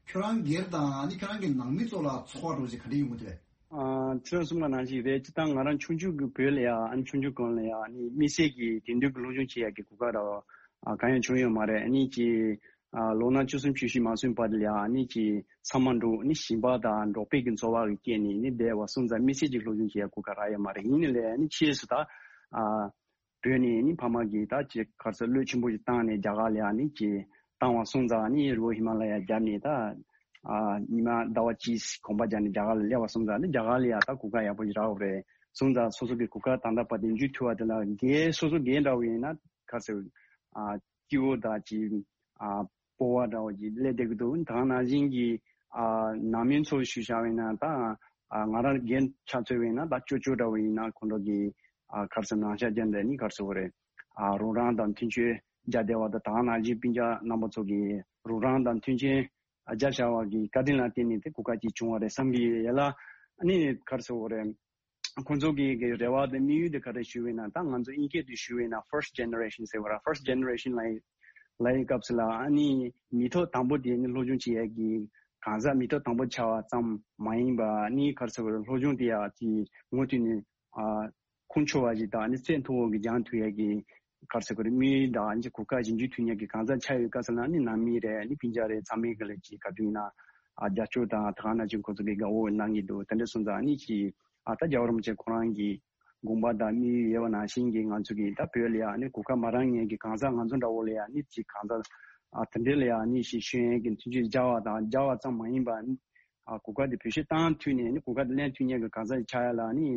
ཁྱོད་རང་སྒེར་དང་ཨ་ནི་ཁྱོད་རང་གི་ནང་མི་ཚོ་ལ་ཚོར་བ་འདྲ་བོ་ཅིག་ག་འདྲ་ཡོང་གི་འདུག་ཨ་ཁྱོད་གསུངས་པ་ནང་བཞིན་རེད། སྤྱིར་བཏང་ང་རང་ཆུང་ཆུང་གི་བོད་ལ་ཡ་ཨ་ནི་ཆུང་ཆུང་སྒང་ལ་ཡ་ཨ་ནི་དམིགས་བསལ་གྱི་དེང་དུས་ཀྱི་སློབ་སྦྱོང་བྱེད་ཡ་གི་གོ་སྐབས་ར་ཨ་གང་ཡང་བྱུང་ཡོད་མ་རེད། ཨ་ནི་ཅིག་ཨ་ལོ་ན་བཅུ་གསུམ་བཅུ་བཞི་མ་སོན་བར་དུ་ལ་ཡ་ཨ་ནི་ཅིག་ཚང་མ་འབྲོག་ཨ་ནི་ཞིང་པ་དང་འབྲོག་པའི་གི་འཚོ་བ་གི་སྐྱེས་ནས་ནི་བསྡད་པ་སོང་ཙང་དམིགས་བསལ་གྱི་སློབ་སྦྱོང་བྱེད་ཡ་གོ་སྐབས་རག་ཡོད་མ་རེད། ཡིན་ནའི་ལས་ཨ་ནི་ཕྱིས་སུ་ད་ཨ་བོད་ནས་ནི་ཕ་མ་གིས་ད་ཅིག་ག་རེ་ཟེར་བློས་ཆེན་པོ་ཞིག་བཏང་ནས་རྒྱ་གར་ལ་ཡ་ནི་ཅིག་བཏང་བ་སོང་ཙང་ནི་རི་བོ་ཧི་མ་ལ་ཡ་བརྒྱབ་ནས་ད་ཨ་ཉི་མ་ཟླ་བ་གཅིག་གོམ་པ་བརྒྱབ་ནས་རྒྱ་གར་ལ་སླེབས་པ་སོང་ཙང་ནི་རྒྱ་གར་ལ་ཡ་ད་གོ་སྐབས་ཡག་པོ་ཞིག་རག་པ་རེད། སོང་ཙང་སོ་སོ་གི་གོ་སྐབས་ད་ལྟ་བར་དུ་འཇུ་ཐུབ་པ་དེ་ལ་སྒེར་སོ་སོ་སྒེར་འདྲ་བོ་ཡིན་ན་ག་རེ་ཟེར་ཨ་སྐྱིད་པོ་དང་ཅིག་ཨ་སྤོབས་པ་འདྲ་བོ་ཅིག་སླེབས་བསྡད་ཀྱི་འདུག་ད་ག་ནང་བཞིན་གྱི་ཨ་ནང་མི་ཚོ་ཞུས་བཞག་པ་ཡིན་ན་ད་ཨ་ང་རང་སྒེར་ཆ་མཚོན་པ་ཡིན་ན་ད་ཅོ་ཅོ་འདྲ་བོ་ཡིན་ན་ཁོང་ཚོ་གི་ཨ་ག་རེ་ཟེར་ནང་ཤག་རྒྱབ་འདྲ་ནི་ག་རེ་ཟེར་དགོས་རེད། ཨ་རོགས་རམ་དང་མཐུན་རྐྱེན་རྒྱག་བསྡད་པ་དང་ད་ག་ནང་བཞིན་སྤུན་ཀྱག་རྣམ་པ་ཚོ་གི་རོགས་རམ་དང་མཐུན་རྐྱེན་རྒྱབ་བཞག་པ་གི་བཀའ་དྲིན་ལ་བརྟེན་ནས་དེ་གོ་སྐབས་ཅིག་བྱུང་བ་རེད་བསམ་གྱི་ཡོད་ལ། ཨ་ནི་ག་རེ་ཟེར་དགོས་རེད། ཁོང་ཚོ་གི་གི་རེ་བ་དང་དམིགས་ཡུལ་དེ་ག་རེ་ཞུ་བས་ན་ད་ང་ཚོ་དབྱིན་སྐད་དུ་ཞུ་བས་ན་first generation ཟེར་བ་ར་first generation ལ་ལ་ཡི་སྐབས་སུ་ལ་ཨ་ནི་མི་ཐོག་དང་པོ་དེ་ནི་སློབ་སྦྱོང་བྱེད་ཡས་ཀྱི་གང་ཟག་མི་ཐོག་དང་པོ་ཆགས་པ་ཙམ་མ་ཡིན་པ་ཨ་ནི་ག་རེ་ཟེར་དགོས་རེད། སློབ་སྦྱོང་དེ་ཡ་ཅིག་མུ་མཐུད་ནས་ཨ་ཁུངས་འཁྱོལ་བ་ཞིག་དང་ཨ་ནི་ཚད་མཐོ་བོ་གི་སྦྱང་ཐུབ་ཡས་ཀྱི་ག་རེ་ཟེར་དགོས་རེད། དམིགས་ཡུལ་དང་ཨ་ནི་གོ་སྐབས་ཞིག་འཇུ་ཐུབ་མཁན་གྱི་གང་ཟག་ཆགས་ཡོད་སྐབས་སུ་ལ་ཨ་ནི་ནང་མི་རེད། ཨ་ནི་སྤུན་ཀྱག་རེད། ཚང་མས་ག་ལ་ཅིག་ག་དུས་ཡིན་ན་ཨ་རྒྱབ་སྐྱོར་དང་ད་ག་ནང་བཞིན་ཁོང་ཚོ་གི་དགའ་བོ་གནང་གི་འདུག་དེ་འདྲ་སོང་ཙང་ཨ་ནི་ཅིག་ཨ་ད་རྒྱལ་བ་རིན་པོ་ཆེ་ཁོ་རང་གི་དགོངས་པ་དང་དམིགས་ཡུལ་ཡོད་པ་ནང་བཞིན་གྱི་ང་ཚོ་གི་ད་བོད་ལ་ཡ་ཨ་ནི་གོ་སྐབས་མ་རག་མཁན་གྱི་གང་ཟག་ང་ཚོ་འདྲ་བོ་ལ་ཡ་ཨ་ནི་ཅིག་གང་ཟག་ཨ་དེ་འདྲ་ལ་ཡ་ཨ་ནི་ཞིག་ཤེས་ཡོན་གྱི་མཐུན་རྐྱེན་སྦྱར་བ་དང་སྦྱར་བ་ཙམ་མ་ཡིན་པ་ཨ་ནི་ཨ་གོ་སྐབས་དེ་བེད་སྤྱོད་བཏང་ཐུབ་ནས་ཨ་ནི་གོ་སྐབས་དེ་ལེན་ཐུབ་མཁན་གྱི་གང་ཟག་ཅིག་ཆགས་ཡ་ལ་ཨ་ནི་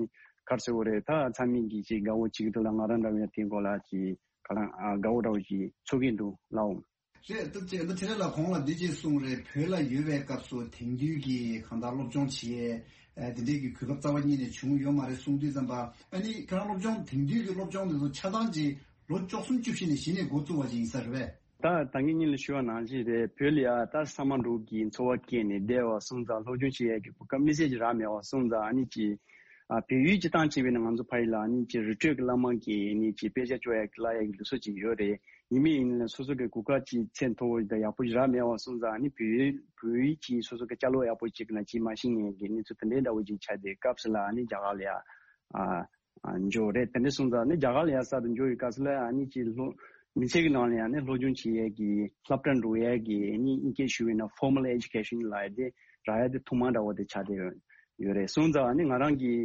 ག་རེ་ཟེར་དགོས་རེད། ད་ཚང་མས་ཀྱིས་ཅིག་དགའ་བོ་བྱེད་ཀྱི་འདུག་ལ། ང་རང་འདྲ་བོ་ཡང་དེའི་སྐོར་ལ་ཅིག་ག་ལ་ཨ་དགའ་བོ་འདྲ་བོ་ཅིག་ཚོར་གྱི་འདུག་ལགས། རེད། ད་ཅེ་ད་ཁྲི་ལས་ལགས་གོང་ལ་འདི་ཅེས་གསུངས་རེད། བོད་ལ་ཡོད་པའི་སྐབས་སུ་དེང་དུས་ཀྱི་གང་ལྟར་སློབ་སྦྱོང་བྱེད་ཨ་འདི་འདྲའི་གི་གོ་སྐབས་རྩ་བ་ཉིད་ནས་བྱུང་ཡོད་མ་རེད་གསུངས་དུས་ཙམ་པ་ཨ་ནི་ཁྱེད་རང་སློབ་སྦྱོང་དེང་དུས་ཀྱི་སློབ་སྦྱོང་འདི་ཚོ་ཆ་ཚང་ཅིག་ལོ་བཅུ་གསུམ་བཅུ་བཞི་ནས་གཞི་ནས་འགོ་བཙུགས་པ་ཅིག་ཡིན་ས་རེད་པས། ད་ད་གིན་སྔོན་ལ་ཞུས་པ་ནང་བཞིན་རེད། བོད་ལ་ཡ་ད་ས་མ་འབྲོག་གི་འཚོ་བ་སྐྱེལ་ནས་བསྡད་པ་སོང་ཙང་སློབ་སྦྱོང་བྱེད་ཡས་ཀྱི་གོ་སྐབས་དམིགས་བསལ་ཅིག་རག་མེད་པ་སོང་ཙང་ཨ་ནི་ཅིག་ཨ་བལ་ཡུལ་སྤྱིར་བཏང་བྱས་པས་ན་ང་ཚོ་ཕ་ཡུལ་ལ་ཨ་ནི་ཅིག་རི་ཁྲོད་ཀྱི་བླ་མ་གི་ཨ་ནི་ཅིག་དཔེ་ཆ་ཅོག་ཡ་གི་བསླབ་ཡ་གི་ལུགས་སྲོལ་ཅིག་ཡོད་རེད། ཡིན་མིན་ཡིན་ན་སོ་སོ་གི་གོ་སྐབས་ཅིག་ཚད་མཐོ་བོ་དང་ཡག་པོ་རག་མེད་པ་སོང་ཙང་ཨ་ནི་བོད་ཡིག་བོད་ཡིག་ཅིག་སོ་སོ་གི་ཅ་ལག་ཡག་པོ་ཅིག་ན་ཅིག་མ་ཤེས་མཁན་གྱི་གནས་ཚུལ་དེ་འདྲའི་འདྲ་བོ་ཅིག་ཆགས་ཏེ་སྐབས་སུ་ལ་ཨ་ནི་རྒྱ་གར་ལ་ཡ་ཨ་ཨ་འབྱོར་རེད། དེ་འདྲ་སོང་ཙང་ཨ་ནི་རྒྱ་གར་ལ་ཡ་གསར་དུ་འབྱོར་བའི་སྐབས་སུ་ལ་ཨ་ནི་ཅིག་སློབ་མི་ཚེ་གི་ནང་ལ་ཡ་ཨ་ནི་སློབ་སྦྱོང་བྱེད་ཡས་ཀྱི་སློབ་གྲྭ་འགྲོ་ཡས་ཀྱི་ཨ་ནི་དབྱིན་སྐད་ཞུ་བས་ན་formal education ལབ་ཡ་དེ་རག་ཡ་དེ་ཐོག་མ་འདྲ་བོ་དེ་ཆགས་བསྡད་ཡོད་རེད། སོང་ཙང་ཨ་ནི་ང་རང་གི་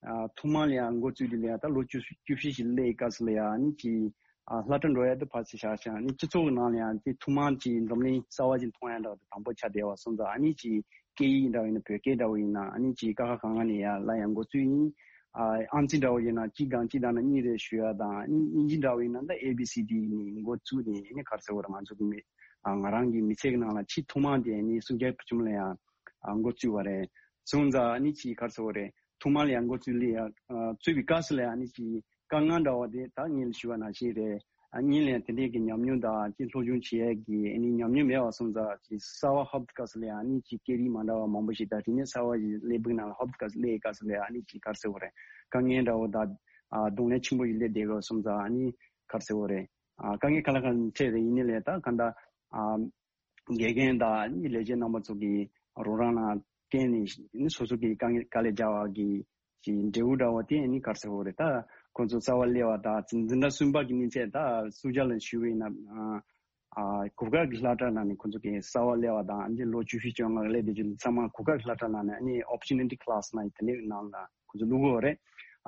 ཨ་ཐོག་མར་ལ་ཡང་འགོ་བཙུགས་དེ་ལ་ཡང་ད་ལོ་བཅུ་བཅུ་བཞི་ཞིག་སླེབས་སྐབས་སུ་ལ་ཡང་ཨ་ནི་ཅིག་ཨ་སློབ་གྲྭ་འགྲོ་ཡ་དེ་ཕར་ཕྱིན་བཞག་ཅིང་ཨ་ནི་སྤྱི་ཚོགས་ཀྱི་ནང་ལ་ཡང་དེ་ཐོག་མར་ཅིག་འཛམ་གླིང་གསར་བ་ཅིག་མཐོང་ཡ་འདྲ་བ་དེ་དང་པོ་ཆགས་བསྡད་པ་སོང་ཙང་ཨ་ནི་ཅིག་སྐད་ཡིག་འདྲ་བ་ཡིན་ན་བོད་སྐད་འདྲ་བ་ཡིན་ན་ཨ་ནི་ཅིག་ཀ་ཁ་ག་ང་ནས་ཡང་སློབ་ཡ་འགོ་བཙུགས་ཡིན། ཨ་ཨང་རྩིས་འདྲ་བ་ཡིན་ན་གཅིག་དང་གཅིག་དང་ན་གཉིས་རེ་ཞུ་ཡ་དང་ཨ་ནི་དབྱིན་ཇི་འདྲ་བ་ཡིན་ན་ད་A B C D ནས་འགོ་བཙུགས་ནས་ཨ་ནི་ག་རེ་ཟེར་དགོས་རེད། ང་ཚོ་གི་མི་ཨ་ང་རང་གི་མི་ཚེ་གི་ནང་ལ་ཆེས་ཐོག་མ་དེ་ཨ་ནི་སུམ་བརྒྱ་བརྒྱད་ཅུ་ལ་ཡང་ཨ་འགོ་བཙུགས་པ་རེད། སོང་ཙང་ཨ་ནི་ཅིག་ག་རེ་ཟེར་དགོས་རེད། ཐོག་མར་ལ་ཡང་འགོ་བཙུགས་ལས་ཡ་ཨ་བཙུགས་པའི་སྐབས་སུ་ལ་ཡང་ཨ་ནི་ཅིག་དཀའ་ངལ་འདྲ་བ་དེ་ད་ངས་ཞུ་བ་ནང་བཞིན་རེད། ཨ་ངས་ལ་ཡང་དེ་འདྲའི་གི་ཉམས་མྱོང་དང་ཅིག་སློབ་སྦྱོང་བྱེད་ཡས་ཀྱི་ཨ་ནི་ཉམས་མྱོང་མེད་པ་སོང་ཙང་ཅིག་གསར་བ་ཧོབ་སྐབས་སུ་ལ་ཡང་ཨ་ནི་ཅིག་སྐད་རིགས་མ་འདྲ་བ་མང་པོ་ཞིག་དང་དེ་ནས་གསར་བ་ཞིག་སླེབས་པའི་ནང་ལ་ཧོབ་སྐབས་སུ་སླེབས་སྐབས་སུ་ལ་ཡང་ཨ་ནི་ཅིག་ག་རེ་ཟེར་དགོས་རེད། དཀའ་ངལ་འདྲ་བོ་དང་ཨ་གདོང་ལེན་ཆེན་པོ་ཞིག་སླེབས་བསྡད་པ་སོང་ཙང་ཨ་ནི་ག་རེ་ཟེར་དགོས་རེད། ཨ་དཀའ་ངལ་ག་ལ་གང་འཕྲད་རེད། ཡིན་ནའི་ལས་ད་གང་ལྟར་ཨ། དགེ་རྒན་དང་ལས་བྱེད་རྣམ་པ་ཚོ་གིས་རོགས་རམ་ལ་བརྟེན་ནས་སོ་སོ་གི་དཀའ་ངལ་དཀའ་ལས་རྒྱག་པ་གི་ཅིག་འབྲས་བུ་འདྲ་བ་དེ་ནི་ག་རེ་ཟེར་དགོས་རེད། ད་ཁོང་ཚོ་གསར་པ་སླེབས་པ་དང་འཛིན་གྲྭ་གསུམ་པ་གི་གནས་ཚད་ད་སུ་ཇཱ་ལ་ཞུས་པ་ཡིན་ན་ཨ་གོ་སྐབས་ཀྱི་སློབ་གྲྭ་ནང་ནས་ཁོང་ཚོ་གི་གསར་པ་སླེབས་པ་དང་འདི་ལོ་བཅུ་བཞི་བཅོ་ལྔ་སླེབས་དེ་ཚོ་ཚང་མ་གོ་སྐབས་ཀྱི་སློབ་གྲྭ་ནང་ནས་ཨ་ནི་opportunity class ནང་དེ་འདྲའི་ནང་ལ་ཁོང་ཚོ་བླུག་གི་ཡོད་རེད།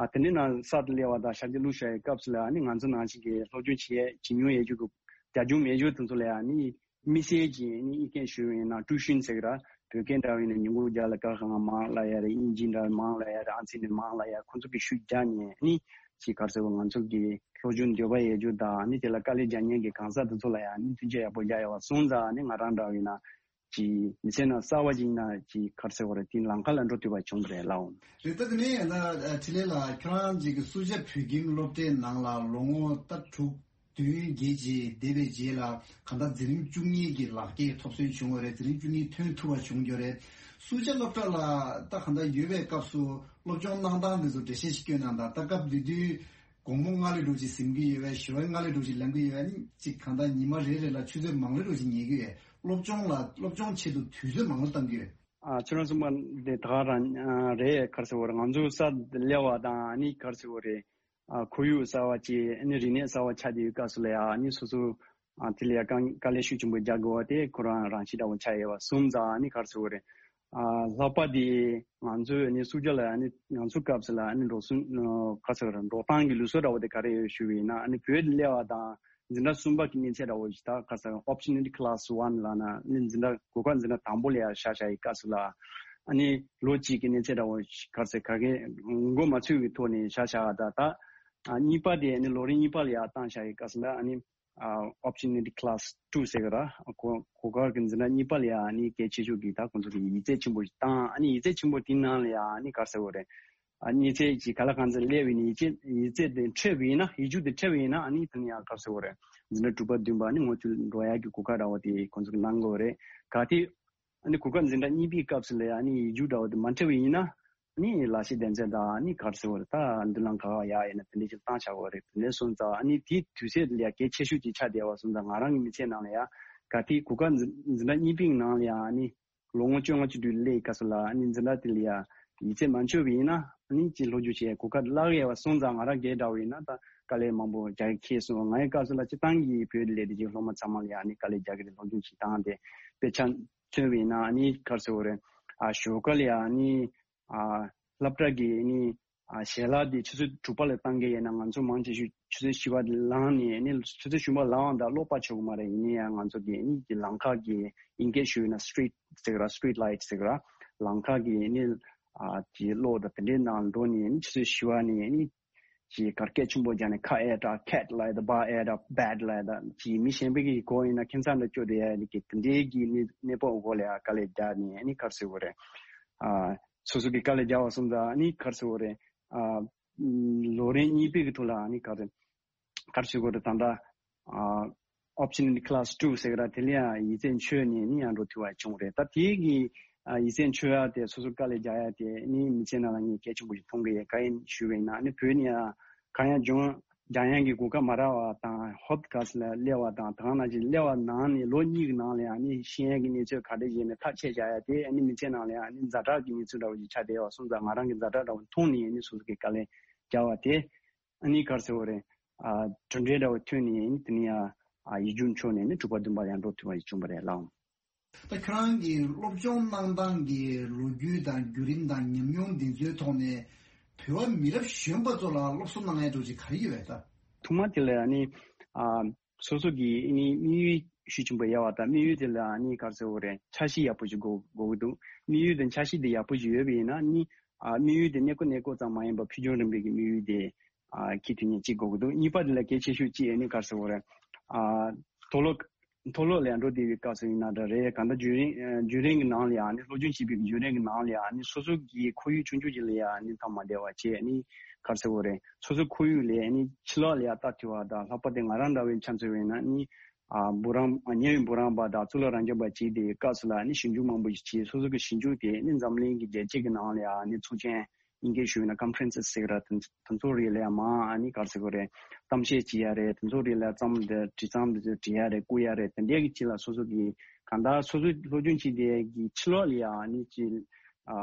ཨ་དེ་འདྲའི་ནང་གསར་དུ་སླེབས་པ་དང་ཞབས་ཕྱི་བླུགས་བཞག་པའི་སྐབས་སུ་ལ་ཨ་ནི་ང་ཚོ་ནང་བཞིན་གི་སློབ་སྦྱོང་བྱེད་ཡས་བྱེད་མྱོང་ཡོད་རྒྱུ་གི་རྒྱ་ཁྱོན་མེད་རྒྱུ་དེ་ཚོ་ལ་ཨ་ནི། དམིགས་བསལ་གྱི་ཨ་ནི་ཨི་སྐད་ཞུ་བ་ཡིན་ན་ཀྲུའུ་ཤིན་ཟེར་གི་ར། བོད་སྐད་འདྲ་བ་ཡིན་ན་ཉིན་གུང་རྒྱབ་ལ་ཀ་ཁ་ང་མང་ལ་ཡ་རེད། དབྱིན་ཇི་འདྲ་བ་མང་ལ་ཡ་རེད། ཨང་རྩིས་ནས་མང་ལ་ཡ། ཁོང་ཚོ་གིས་ཤུགས་རྒྱག་ནས་ཨ་ནི་ཅིག་ག་རེ་ཟེར་བ། ང་ཚོ་གི་སློབ་སྦྱོང་འདོད་པ་ཡོད་རྒྱུ་དང་ཨ་ནི་དེ་ལ་དཀའ་ལས་རྒྱག་མཁན་གྱི་གང་ཟག་དེ་ཚོ་ལ་ཡ་ཨ་ནི་མཐུན་རྐྱེན་ཡག་པོ་རྒྱག་ཡོད་པ་སོང་ཙང་ཨ་ནི་ང་རང་འདྲ་བ་ཡིན་ན་ཅིག་མི་ཚེ་ནང་གསར་པ་ཅིག་ཡིན་ན་ཅིག་ག་རེ་ཟེར་བ་རེད། དེ་ལམ་ཁ་ལ་འགྲོ་ཐུབ་པ་བྱུང་བ་རེད་ལགས། རེད། ད་དེ་ནས་ཡང་ན་འཕྲིན་ལས་ལགས། ཁྱོད་རང་ཅིག་གི་སུ་ཇཱ་བོད་ཁྱིམ་སློབ་གྲྭའི་ནང་ལ་ལོ་ངོ་ད་དྲུག་བདུན་བརྒྱད་ཅིག་བསྡད་པའི་རྗེས་ལ་གང་ལྟར་འཛིན་རིམ་བཅུ་གཉིས་ཀྱི་ལག་འཁྱེར་ཐོབ་སོན་བྱུང་བ་རེད། འཛིན་རིམ་བཅུ་གཉིས་ཐོན་ཐུབ་པ་བྱུང་རྒྱུ་རེད། སུ་ཇཱ་སློབ་གྲྭ་ལ་ད་གང་ལྟར་ཡོད་པའི་སྐབས་སུ་སློབ་སྦྱོང་གནང་སྟངས་དེ་ཚོ་འགྲེལ་བཤད་ཞིག་སྐྱོན་གནང་དང་། ད་སྐབས་དེ་དུས་དགོང་མོ་སྔ་ལས་འགྲོ་ཅིག་གཟིམ་གྱི་ཡོད་པས། ཞོགས་པ་སྔ་ལས་འགྲོ་ཅིག་ལངས་ཀྱི་ཡོད་པས། ཨ་ནི་ཅིག་གང་ལྟར་ཉི་མ་རེ་རེ་ལ་ཆུ་ཚོད་མང་ལས་འགྲོ་ཅིག་ཉལ་གྱི་ཡོད་པས། སློབ་སྦྱོང་ལ་སློབ་སྦྱོང་ཆེད་དུ་དུས་ཚོད་མང་ལོས་གཏང་གི་ཡོད། ཨ་ཁྱོད་རང་གསུངས་པ་འདི་ད་ག་རང་ཨ་རེད། ག་རེ་ཟེར་བ་རེད། ང་ཚོ་གསར་སླེབས་པ་དང་ཨ་ནི་ག་རེ་ཟེར་བ་རེད། ཨ་ཁོར་ཡུག་གསར་བ་ཅིག་ཨ་ནི་རིག་གནས་གསར་བ་ཆགས་བསྡད་ཡོད་སྐབས་སུ་ལ་ཡ་ཨ་ནི་སོ་སོ་ཨ་དེ་ལ་ཡ་དཀའ་དཀའ་ལས་ཤུགས་ཆེན་པོ་རྒྱག་དགོས་པ་དེ་ཁོ་རང་རང་བཞིན་འདྲ་བོ་ཆགས་ཡོད་པ་སོང་ཙང་ཨ་ནི་ག་རེ་ཟེར་བ་རེད། ཨ་ལྷག་པར་དེ་ང་ཚོས་ཨ་ནི་སུ་ཇཱ་ལ་ཨ་ནི་ང་ཚོ་སྐབས་སུ་ལ་ཨ་ནི་འགྲོ་སོང་ཨ་ག་རེ་ཟེར་བ་རེད། འགྲོ་སྟངས་ཀྱི་ལུགས་སྲོལ་འདྲ་བོ་དེ་ག་རེ་ཡོད་ཞུས་པ་ཡིན་ན་ཨ་ནི་བོད་ལ་སླེབས་པ་དང་། འཛིན་གྲྭ་གསུམ་པ་གི་གནས་ཚད་འདྲ་བོ་ཞིག་ད་ག་རེ་ཟེར། opportunity class one ལབ་ན་ནི་འཛིན་གྲྭ་གོ་སྐབས་འཛིན་གྲྭ་དང་པོ་ལ་ཡ་བཞག་བཞག་ཡི་སྐབས་སུ་ལ་ཨ་ནི་ལོ་གཅིག་གི་གནས་ཚད་འདྲ་བོ་ཞིག་ག་རེ་ཟེར། ག་གེ་མགོ་མ་ཚོས་ཀྱི་ཐོག་ནས་བཞག་བཞག་ད་ད་ཨ་གཉིས་པ་དེ་ཨ་ནི་ལོ་རིམ་གཉིས་པ་ལ་ཡ་བཏང་བཞག་ཡི་སྐབས་སུ་ལ་ཨ་ནི་ཨ་opportunity class two ཟེར་གི་ར། གོ་གོ་སྐབས་ཀྱི་འཛིན་གྲྭ་གཉིས་པ་ལ་ཡ་ཨ་ནི་གལ་ཆེ་ཤོས་ཀྱི་ད་ཁོང་ཚོ་གི་ཡིག་ཚད་ཆེན་པོ་ཞིག་བཏང་། ཨ་ནི་ཡིག་ཚད་ཆེན་པོ་དེའི་ནང་ལ་ཡ་ཨ་ནི་ག་རེ་ཟེར་དགོས་རེད། ཨ་གནས་ཚད་ཀྱི་ག་ལ་གང་འཚམ་སླེབས་པ་ཡིན་ན་ཡིག་ཚད་ཡིག་ཚད་དེ་འཕྲོད་པ་ཡིན་ན། ཡིག་རྒྱུགས་དེ་འཕྲོད་པ་ཡིན་ན་ཨ་ནི་དེ་ནི་ཡང་ག་རེ་ཟེར་དགོས་རེད། འཛིན་གྲྭ་དྲུག་པ་བདུན་པ་ཨ་ནི་ངོ་བཅུ་འགྲོ་ཡག་གི་གོ་སྐབས་འདྲ་བོ་དེ་ཁོང་ཚོ་གིས་གནང་གི་ཡོད་རེད། གལ་ཏེ་ཨ་ནི་གོ་སྐབས་འཛིན་གྲྭ་གཉིས་པའི་སྐབས་སུ་ལ་ཡང་ཨ་ནི་ཡིག་རྒྱུགས་འདྲ་བོ་དེ་མ་འཕྲོད་པ་ཡིན་ན་ཨ་ནི་ལག་ཤེས་ལྡན་ཚད་དང་ཨ་ནི་ག་རེ་ཟེར་དགོས་རེད། ད་མདུན་ལམ་ག་པར་ཡག་ཡིན་ན་དེ་འདྲ་ཅིག་བཏང་བཞག་གི་ཡོད་རེད། དེ་འདྲ་སོང་ཙང་ཨ་ནི་དེའི་དུས་ཚོད་ལ་ཡང་གལ་ཆེ་ཤོས་ཅིག་ཆགས་བསྡད་པ་སོང་ཙང་ང་རང་གི་མི་ཚེ་ནང་ལ་ཡང་གལ་ཏེ་གོ་སྐབས་འཛིན་འཛིན་གྲྭ་གཉིས་པའི་ནང་ལ་ཡང་ཨ་ནི། ལོ་ངོ་བཅོ་ལྔ་བཅུ་དྲུག་སླེབས་སྐབས་སུ་ལ་ཨ་ནི་འཛིན་གྲྭ་དེ་ལ་ཡ་ཡིག་ཚད་མ་འཕྲོད་པ་ཡིན་ན་ཨ་ནི་ཅིག་སློབ་སྦྱོང་བྱེད་གོ་སྐབས་བརླག་ཡས་པ་སོང་ཙང་ང་རང་སྒེར་འདྲ་བོ་ཡིན་ན་ད་དཀའ་ལས་མང་པོ་རྒྱག་གི་ཁེལ་སོང་། ང་ཡི་སྐབས་སུ་ལ་སྤྱིར་བཏང་གི་བོད་དུ་སླེབས་དུས་ཀྱི་སློབ་མ་ཚང་མ་ལ་ཡ་ཨ་ནི་དཀའ་ལས་རྒྱག་གི་རེད། སློབ་སྦྱོང་བྱེད་སྟངས་དེ་དཔེ་ཆ་མཚོན་པ་ཡིན་ན་ཨ་ནི་ག་རེ་ཟེར་དགོས་རེད། ཨ་ཞོགས་ཀ་ལ་ཡ་ཨ་ནི། ཨ་སློབ་གྲྭ་གི་ཨ་ནི་ཨ་ཞལ་ལག་དེ་ཆུ་ཚོད་དྲུག་པ་ལ་བཏང་གི་ཡིན་ན་ང་ཚོ་མང་ཆེ་ཤོས་ཆུ་ཚོད་བཞི་པ་ལངས་ནས་ཨ་ནི་ཆུ་ཚོད་བཞི་པ་ལངས་དང་ཀློག་པ་ཆོག་གི་མ་རེད། ཡིན་ན་ཡང་ང་ཚོ་གི་ཨ་ནི་གི་ལམ་ཁ་གི་ཨིན་སྐད་ཞུས་ན་street ཟེར་གི་ར། street light ཟེར་གི་ར། ལམ་ཁ་གི་ཨ་ནི་ཨ་གི་གློག་དང་དེ་འདྲའི་ནང་འགྲོ་ནས་ཨ་ནི་ཆུ་ཚོད་བཞི་པ་ནས་ཨ་ནི་གི་གར་སྐད་ཆེན་པོ་རྒྱག་ནས་ཁ་ཨེ་ད་cat ལབ་ཡ་ད་བ་ཨེ་ད་bat ལབ་ཡ་ད་གི་མི་གཞན་པའི་གི་གོ་ཡིན་ན་ཁྱིམ་ཚང་འདྲ་སྐྱོ་བསྡད་ཡ་ནི་གི་དེ་འདྲའི་གི་གནས་གནས་བབ་འོག་ལ་ཡ་དཀའ་ལས་རྒྱག་ནས་ཨ་ནི་ག་རེ་ཟེར་དགོས་རེད། ཨ། སོ་སོ་གི་དཀའ་ལས་རྒྱག་པ་སོང་ཙང་ཨ་ནི་ག་རེ་ཟེར་དགོས་རེད། ཨ་ལོ་རིམ་གཉིས་པའི་གི་ཐོག་ལ་ཨ་ནི་ག་རེ་ག་རེ་ཟེར་དགོས་རེད། ད་ལྟ་ཨ་option in class two ཟེར་གི་ར། དེ་ལ་ཡང་ཡིག་ཚད་འཕྲོད་ནས་ཨ་ནི་ཡང་འགྲོ་ཐུབ་པ་བྱུང་རེད། ད་དེའི་གི་ཨ་ཡིག་ཚད་འཕྲོད་ཡ་དེ་སོ་སོ་དཀའ་ལས་རྒྱག་ཡ་དེ་ཨ་ནི་མི་ཚེ་ནང་ལ་ངས་གལ་ཆེན་པོ་ཞིག་མཐོང་གི་ཡོད། གང་ཡིན་ཞུས་པ་ཡིན་ན་ཨ་ནི་བོད་ནས་ཡང་གང་ཡང་སྦྱོང་ འཇམ་དབྱངས་ཀྱི་གོ་སྐབས་མ་རག་པ་དང་ཧོབ་ཁ་སི་ལ་སླེབས་པ་དང་དེ་ག་ནང་བཞིན་སླེབས་པ་ནང་ནས་ལོ་གཉིས་ཀྱི་ནང་ལ་ཨ་ནི་ཤེས་ཡོན་གྱི་གནས་ཚུལ་ག་རེ་བྱས་ནས་ཐག་བཅད་བཞག་ཡ་དེ་ཨ་ནི་མི་ཚེ་ནང་ལ་ཨ་ནི་ཛ་དྲག་གི་གནས་ཚུལ་འདྲ་བོ་ཞིག་ཆགས་བསྡད་པ་སོང་ཙང་ང་རང་གི་ཛ་དྲག་འདྲ་བོ་མཐོང་ནས་ཨ་ནི་སོ་སོ་གི་དཀའ་ལས་བརྒྱབ་པ་དེ་ཨ་ནི་ག་རེ་ཟེར་དགོས་རེད། ཨ་གྲུབ་འབྲས་འདྲ་བོ་ཐོན་ནས་ཨ་ནི་དེ་ནས་ཡ་ཨ་ཡིག་རྒྱུགས་འཕྱོག་ནས་ཨ་ནི་དྲུག་པ་བདུན་པ་ལ་ཡང་འགྲོ་ཐུབ་པ་ཞིག་བྱུང་བ་རེད་ལགས། ད་ཁྱོད་རང་གིས་སློབ་སྦྱོང་གནང་སྟངས་ཀྱི་ལོ་རྒྱུས་དང་བརྒྱུད་རིམ་དང་ཉམས་མྱོང་འདི་ཚོའི་ཐོག་ནས་བོད་པ་མི་རབས་གཞོན་པ་ཚོ་ལ་སློབ་གསོ་གནང་ཡ་འདྲ་ཅིག་ག་རེ་ཡོད་པས་ད། ཐོག་མ་དེ་ལ་ཨ་ནི་ཨ་སོ་སོ་གི་ཨ་ནི་དམིགས་ཡུལ་ཤུགས་ཆེན་པོ་ཡོད་པ་དང་དམིགས་ཡུལ་དེ་ལ་ཨ་ནི་ག་རེ་ཟེར་དགོས་རེད། འཆར་གཞི་ཡག་པོ་ཞིག་དགོས་དགོས་ཀྱི་འདུག་དམིགས་ཡུལ་དང་འཆར་གཞི་དེ་ཡག་པོ་ཞིག་ཡོད་པ་ཡིན་ན་ཨ་ནི་ཨ་དམིགས་ཡུལ་དེ་གནས་སྐོར་གནས་སྐོར་ཙམ་མ་ཡིན་པར་ཕུལ་བྱུང་རིམ་པའི་གི་དམིགས་ཡུལ་དེ་ཨ་འཁྱེར་ཐུབ་མཁན་གཅིག་དགོས་ཀྱི་འདུག་གཉིས་པ་དེ་ལ་གལ་ཆེ་ཤོས་གཅིག་ཨ་ནི་ག་རེ་ཟེར་དགོས་རེད། ཨ་མཐོ་སློབ་མཐོ་སློབ་ལ་འགྲོ་བསྡད་པའི་སྐབས་སུ་ཡིན་ན་འདྲ་རེད། གང་ལྟར་བརྒྱུད་རིམ་ཨ་བརྒྱུད་རིམ་གྱི་ནང་ལ་ཡང་ནི་སློབ་སྦྱོང་བྱེད་པའི་བརྒྱུད་རིམ་གྱི་ནང་ལ་ཡང་ནི་སོ་སོ་གི་ཁོར་ཡུག་ཆུང་ཆུང་ཅིག་ལ་ཡང་ནི་ཐག་མ་བདེ་བ་བྱས་ནི་ག་རེ་ཟེར་དགོས་རེད། སོ་སོ་ཁོར་ཡུག་ལས་ནི་ཕྱི་ལོགས་ལ་ཡང་ལྟ་ཐུབ་པ་དང་ལྷག་པར་དུ་ང་རང་འདྲ་བའི་ཆ་མཚོན་པ་ཡིན་ན་ནི་ཨ་འབུམ་རམས་ཉེ་བའི་འབུམ་རམས་པ་དང་གཙུག་ལག་རབ་འབྱམས་པ་བྱས་ཏེ་སྐབས་སུ་ལ་ནི་ཞིབ་འཇུག་མང་པོ་ཞིག་བྱས། སོ་སོ་གི་ཞིབ་འཇུག་དེ་ནི་འཛམ་གླིང་གི་རྒྱལ་སྤྱི་གི་ནང་ལ་ཡང་ནི་ཚོགས་ཆེན་དབྱིན་སྐད་ཞུས་ན་ཀོན་ཕ་རན་སི་ཟེར་གི་ར། དེ་དེ་ཚོ་རིགས་ལ་ཡང་མང་ཨ་ནི་ག་རེ་ཟེར་དགོས་རེད། གཏམ་བཤད་བྱེད་ཡ་རེད། དེ་ཚོ་རིགས་ལ་རྩོམ་འདི་བྲིས་རྩོམ་འདི་ཚོ་འབྲི་ཡ་རེད། བསྐུར་ཡ་རེད། དེ་འདྲའི་གི་ཅིག་ལ་སོ་སོ་གི་གང་ལྟར་སོ་སོའི་སློབ་སྦྱོང་བྱེད་དེ་གི་ཕྱི་ལོགས་ལ་ཡང་ཨ་ནི་ཅིག་ཨ་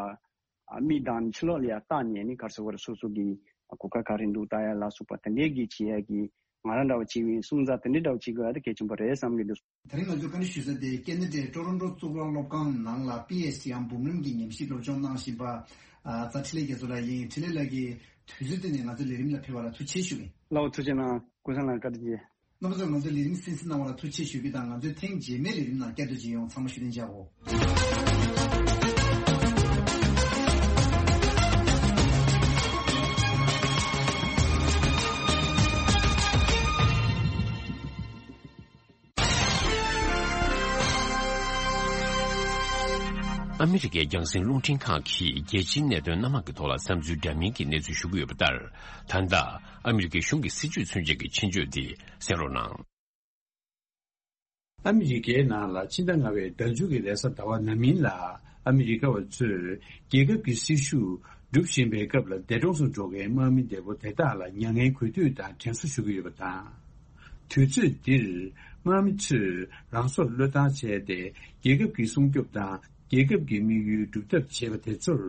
ཨ་མིག་དང་ཕྱི་ལོགས་ལ་ཡང་བལྟས་ནས་ཨ་ནི་ག་རེ་ཟེར་དགོས་རེད། སོ་སོ་གི་གོ་སྐབས་ག་རེ་འདུག་ལྟ་ཡ་ལ་སོགས་པ་དེ་འདྲའི་གི་བྱེད་ཡ་གི་ང་རང་འདྲ་བ་བྱེད་པའི་སོང་ཙང་དེ་འདྲའི་འདྲ་བ་བྱེད་དགོས་ཡ་དེ་གལ་ཆེན་པོ་རེད་བསམ་གི་འདུག་དེ་རིང་ང་ཚོས་བཀའ་འདྲི་ཞུ་ས་དེ་ཀེ་ན་ཌའི་ཀྲོ་རོན་ཀྲོ་གཙུག་ལག་སློབ་ཁང་ནང་ལ་པི་ཨེཆ་ཌི་འམ་འབུམ་རམས་ཀྱི་ཉམས་ཞིབ་སློབ་སྦྱོང་གནང་བཞིན་པ་ཨ་རྫ་འཕྲིན་ལས་རྒྱ་མཚོ་ལགས་ཡིན། འཕྲིན་ལས་ལགས་ཀྱིས་དུས་ཚོད་བཏོན་ནས་ང་ཚོའི་ལས་རིམ་ལ་ཕེབས་པ་ལ་ཐུགས་རྗེ་ཆེ་ཞུ་གི་ཡིན། ལགས་འོ་ཐུགས་རྗེ་གནང་། ཀུན་བཟང་ལགས་བཀའ་དྲིན་ཆེ། རྣམ་པ་ཚོས་ང་ཚོའི་ལས་རིམ་གསན་གཟིགས་གནང་བ་ལ་ཐུགས་རྗེ་ཆེ་ཞུ་གི་དང་། ང་ཚོས་ཐེངས་རྗེས་མའི་ལས་རིམ་ནང་བསྐྱར་དུ་མཇལ་ཡོང་། ཚང་མ་བཞུགས་གདན་འཇགས་གོ། ཨ་མི་རི་ཀའི་རྒྱང་སྲིང་རླུང་འཕྲིན་ཁང་གིས་རྒྱལ་སྤྱིའི་གནད་དོན་སྣ་མང་གི་ཐོག་ལ་བསམ་ཚུལ་འདྲ་མིན་གྱི་གནས་ཚུལ་ཞུ་གི་ཡོད་པ་ལྟར། ད་ལྟ་ཨ་མི་རི་ཀའི་གཞུང་གི་སྲིད་བྱུས་མཚོན་བྱེད་ཀྱི་ཆེད་བརྗོད་འདི་གསན་རོགས་གནང་། ཨ་མི་རི་ཀའི་ནང་ལ་ཕྱི་ཟླ་ལྔ་པའི་ཟླ་མཇུག་གི་རེས་གཟའ་ཟླ་བ་ནམ་ཡིན་ལ་ཨ་མི་རི་ཀ་བ་ཚོས་རྒྱལ་ཁབ་ཀྱི་སྲིད་ཞུགས་སྒྲུབ་བཞིན་པའི་སྐབས་ལ་འདས་གྲོངས་སུ་འགྲོ་མཁན་དམག་མི་འདས་པོ་དེ་དག་ལ་མྱ་ངན་གུས་འདུད་དང་དྲན་གསོ་ཞུ་གི་ཡོད་པ་དང་། དུས་ཚོད་འདིར་དམག་མི་ཚོས་རང་སྲོག་བློས་བཏང་བྱས་ཏེ་རྒྱལ་ཁབ་ཀྱི་སྲུང་སྐྱོབ་དང་། རྒྱལ་ཁབ་ཀྱི་དམིགས་ཡུལ་སྒྲུབ་ཐབས་བྱེད་པ་དེ་ཚོར་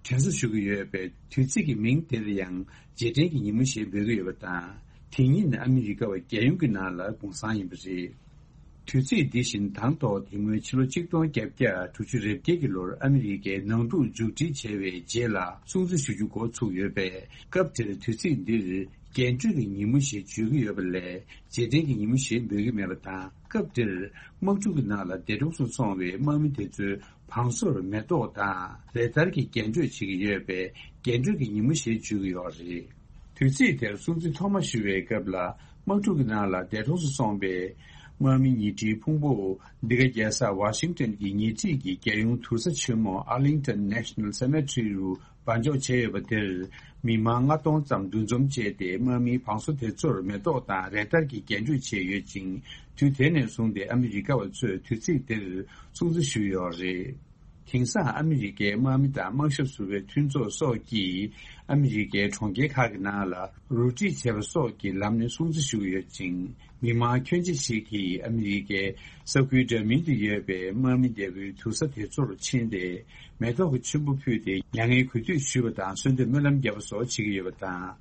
དྲན་གསོ་ཞུ་གི་ཡོད་པའི་དུས་ཚིགས་ཀྱི་མིང་དེར་ཡང་རྗེས་དྲན་གྱི་ཉིན་མོ་ཞེས་འབོད་ཀྱི་ཡོད་པ་དང་། དེ་ཉིན་ཨ་མི་རི་ཀ་བ་རྒྱལ་ཡོངས་ཀྱི་ནང་ལ་དགུང་སྲང་ཡིན་པ་རེད། དུས་ཚིགས་འདི་བཞིན་དང་ཐོག་དེ་སྔོན་ཕྱི་ལོ་ཆིག་སྟོང་བརྒྱད་བརྒྱ་དྲུག་ཅུ་རེ་བརྒྱད་ཀྱི་ལོར་ཨ་མི་རི་ཀའི་ནང་འཁྲུག་མཇུག་སྒྲིལ་བྱས་པའི་རྗེས་ལ་སྲུང་བརྩི་ཞུ་རྒྱུ་འགོ་ཚུགས་ཡོད་པས། སྐབས་དེར་དུས་ཚིགས་འདིར་རྒྱན་སྤྲོས་ཀྱི་ཉིན་མོ་ཞེས་བརྗོད་ཀྱི་ཡོད་པ་ལས། རྗེས་དྲན་གྱི་ཉིན་མོ་ཞེས་འབོད་ཀྱི་མེད་པ་དང་། སྐབས་དེར་དམག་འཁྲུག་གི་ནང་ལ་འདས་གྲོངས་སུ་སོང་བའི་དམག་མི་དེ་ཚོའི་བང་སོར་མེ་ཏོག་དང་རེ་ལྟར་གྱི་རྒྱན་སྤྲོས་བྱེད་ཀྱི་ཡོད་པས་རྒྱན་སྤྲོས་ཀྱི་ཉིན་མོ་ཞེས་བརྗོད་ཀྱི་ཡོད་རེད། དུས་ཚིགས་དེར་སྲུང་བརྩི་ཐོག་མ་ཞུ་བའི་སྐབས་ལ་དམག་འཁྲུག་གི་ནང་ལ་འདས་གྲོངས་སུ་སོང་བའི་དམག་མི་ཉེ་འབྲེལ་ཕུང་པོ་འདི་ག་རྒྱལ་ས་ཝ་ཤིང་ཏོན་གྱི་ཉེ་འཁྲིས་ཀྱི་རྒྱལ་ཡོངས་དུར་ས་ཆེན་མོ་Arlington National Cemetery རུ་སྦ་འཇོག་བྱས་ཡོད་པ་དེར་མི་མང་ལྔ་སྟོང་ཙམ་འདུ་འཛོམས་བྱས་ཏེ་དམག་མིའི་བང་སོ་དེ་ཚོར་མེ་ཏོག་དང་རེ་ལྟར་གྱི་རྒྱན་སྤྲོས་བྱས་ཡོད་ཅིང་། དུས་དེ་ནས་བཟུང་སྟེ་ཨ་མི་རི་ཀ་བ་ཚོས་དུས་ཚིགས་དེར་སྲུང་བརྩི་ཞུས་ཡོད་རེད། དེང་སང་ཨ་མི་རི་ཀའི་དམག་མི་དང་དམག་ཞབས་ཟུར་པའི་མཐུན་ཚོགས་སོགས་ཀྱིས་ཨ་མི་རི་ཀའི་གྲོང་ཁྱེར་ཁག་གི་ནང་ལ་རོལ་དྲིས་བྱས་པ་སོགས་ཀྱི་ལམ་ནས་སྲུང་བརྩི་ཞུ་གི་ཡོད་ཅིང་། མི་མང་ཁྱོན་ཆེ་ཞིག་གིས་ཨ་མི་རི་ཀའི་ས་ཁུལ་འདྲ་མིན་དུ་ཡོད་པའི་དམག་མི་འདས་པོའི་དུར་ས་དེ་ཚོར་ཕྱིན་ཏེ། མེ་ཏོག་གི་ཆུན་པོ་ཕུལ་ཏེ་མྱ་ངན་གུས་འདུད་ཞུས་པ་དང་གསོལ་འདེབས་སྨོན་ལམ་བརྒྱབ་པ་སོགས་བྱེད་ཀྱི་ཡོད་པ་དང་།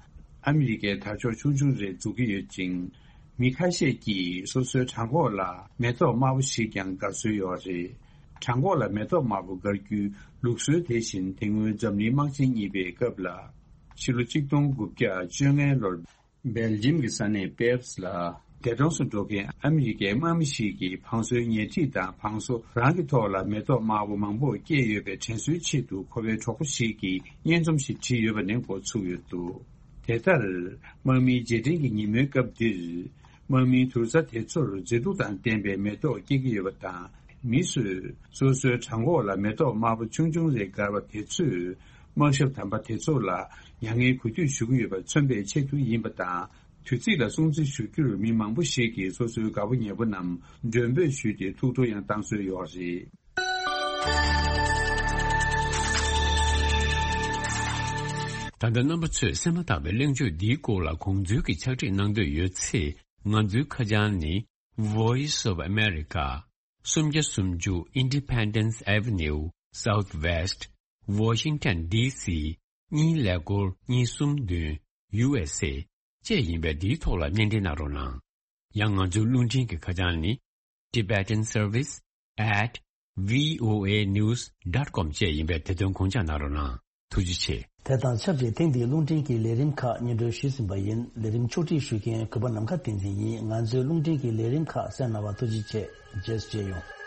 ཨ་མི་རི་ཀའི་དར་ལྕོག་ཆུང་ཆུང་རེ་འཛུགས་ཀྱི་ཡོད་ཅིང་། མི་ཁ་ཤས་ཀྱིས་སོ་སོའི་བྲང་ཁོག་ལ་མེ་ཏོག་དམར་པོ་ཞིག་ཀྱང་དགར་སྲོལ་ཡོད་རེད། བྲང་ཁོག་ལ་མེ་ཏོག་དམར་པོ་དགར་རྒྱུའི་ལུགས་སྲོལ་དེ་བཞིན་དེ་སྔོན་འཛམ་གླིང་དམག་ཆེན་གཉིས་པའི་སྐབས་ལ། ཕྱི་ལོ་ཆིག་སྟོང་དགུ་བརྒྱ་བཅོ་ལྔ་ལོར། སྦེལ་ཇིམ་གྱི་ས་གནས་པེབས་ལ་འདས་གྲོངས་སུ་འགྲོ་མཁན་ཨ་མི་རི་ཀའི་དམག་མི་ཞིག་གིས་བང་སོའི་ཉལ་ཁྲི་དང་བང་སོ་རང་གི་ཐོག་ལ་མེ་ཏོག་དམར་པོ་མང་པོ་སྐྱེས་ཡོད་པའི་དྲན་གསོའི་ཆེད་དུ་ཁོ་པའི་གྲོགས་པོ་ཞིག་གིས་སྙན་རྩོམ་ཞིག་བྲིས་ཡོད་པ་ནས་འགོ་ཚུགས་ཡོད་འདུག་དེ་ལྟར། དམག་མིའི་རྗེས་དྲན་གྱི་ཉིན་མོའི་སྐབས་འདིར། དམག་མིའི་དུར་རྩ་དེ་ཚོར་མཛེས་སྡུག་དང་ལྡན་པའི་མེ་ཏོག་སྐྱེ་གི་ཡོད་པ་དང་། མི་ཚོས་སོ་སོའི་བྲང་ཁོག་ལ་མེ་ཏོག་དམར་པོ་ཆུང་ཆུང་རེ་དགར་བ་དེ་ཚོས་དམག་ཞབས་དམ་པ་དེ་ཚོ་ལ་མྱ་ངན་གུས་འདུད་ཞུ་གི་ཡོད་པ་མཚོན་པའི་ཆེད་དུ་ཡིན་པ་དང་། དུས་ཚིགས་ལ་སྲུང་བརྩི་ཞུ་རྒྱུར་མི་མང་པོ་ཞིག་གིས་སོ་སོའི་དགའ་པོ་ཉེ་པོ་རྣམས་མགྲོན་འབོད་ཞུས་ཏེ་ཐུགས་སྤྲོ་ཡང་བཏང་སྲོལ་ཡོད་རེད། ད་ལྟ་རྣམ་པ་ཚོས་གསན་མ་ཐག་པའི་གླེང་བརྗོད་འདིའི་སྐོར་ལ་དགོངས་ཚུལ་གྱི་ཕྱག་བྲིས་གནང་འདོད་ཡོད་ཚེ། ང་ཚོའི་ཁ་བྱང་ནི། Voice of America། སུམ་བརྒྱ་སུམ་ཅུ། Independence Avenue Southwest, Washington D C གཉིས་ཀླད་ཀོར་གཉིས་གསུམ་བདུན། U S A བཅས་ཡིན་པས། འདིའི་ཐོག་ལ་སྙན་འབྲེལ་གནང་རོགས་གནང་། ཡང་ང་ཚོའི་རླུང་འཕྲིན་གྱི་ཁ་བྱང་ནི། Tibetan Service at V O A news dot com བཅས་ཡིན་པས། དེ་དོན་དགོངས་འཇགས་གནང་རོགས་གནང་། ཐུགས་རྗེ་ཆེ། དེ་དང་ཆབས་ཅིག་ཐེངས་འདིའི་རླུང་འཕྲིན་གྱི་ལས་རིམ་ཁག་སྙན་སྒྲོན་ཞུས་ཟིན་པ་ཡིན། ལས་རིམ་ཕྱོགས་སྒྲིག་ཞུ་མཁན་གུས་པ་ནམ་མཁའ་བསྟན་འཛིན་ཡིན། ང་ཚོའི་རླུང་འཕྲིན་གྱི་ལས་རིམ་ཁག་གསན་གནང་བར་ཐུགས་རྗེ་ཆེ། རྗེས་སུ་མཇལ་ཡོང་།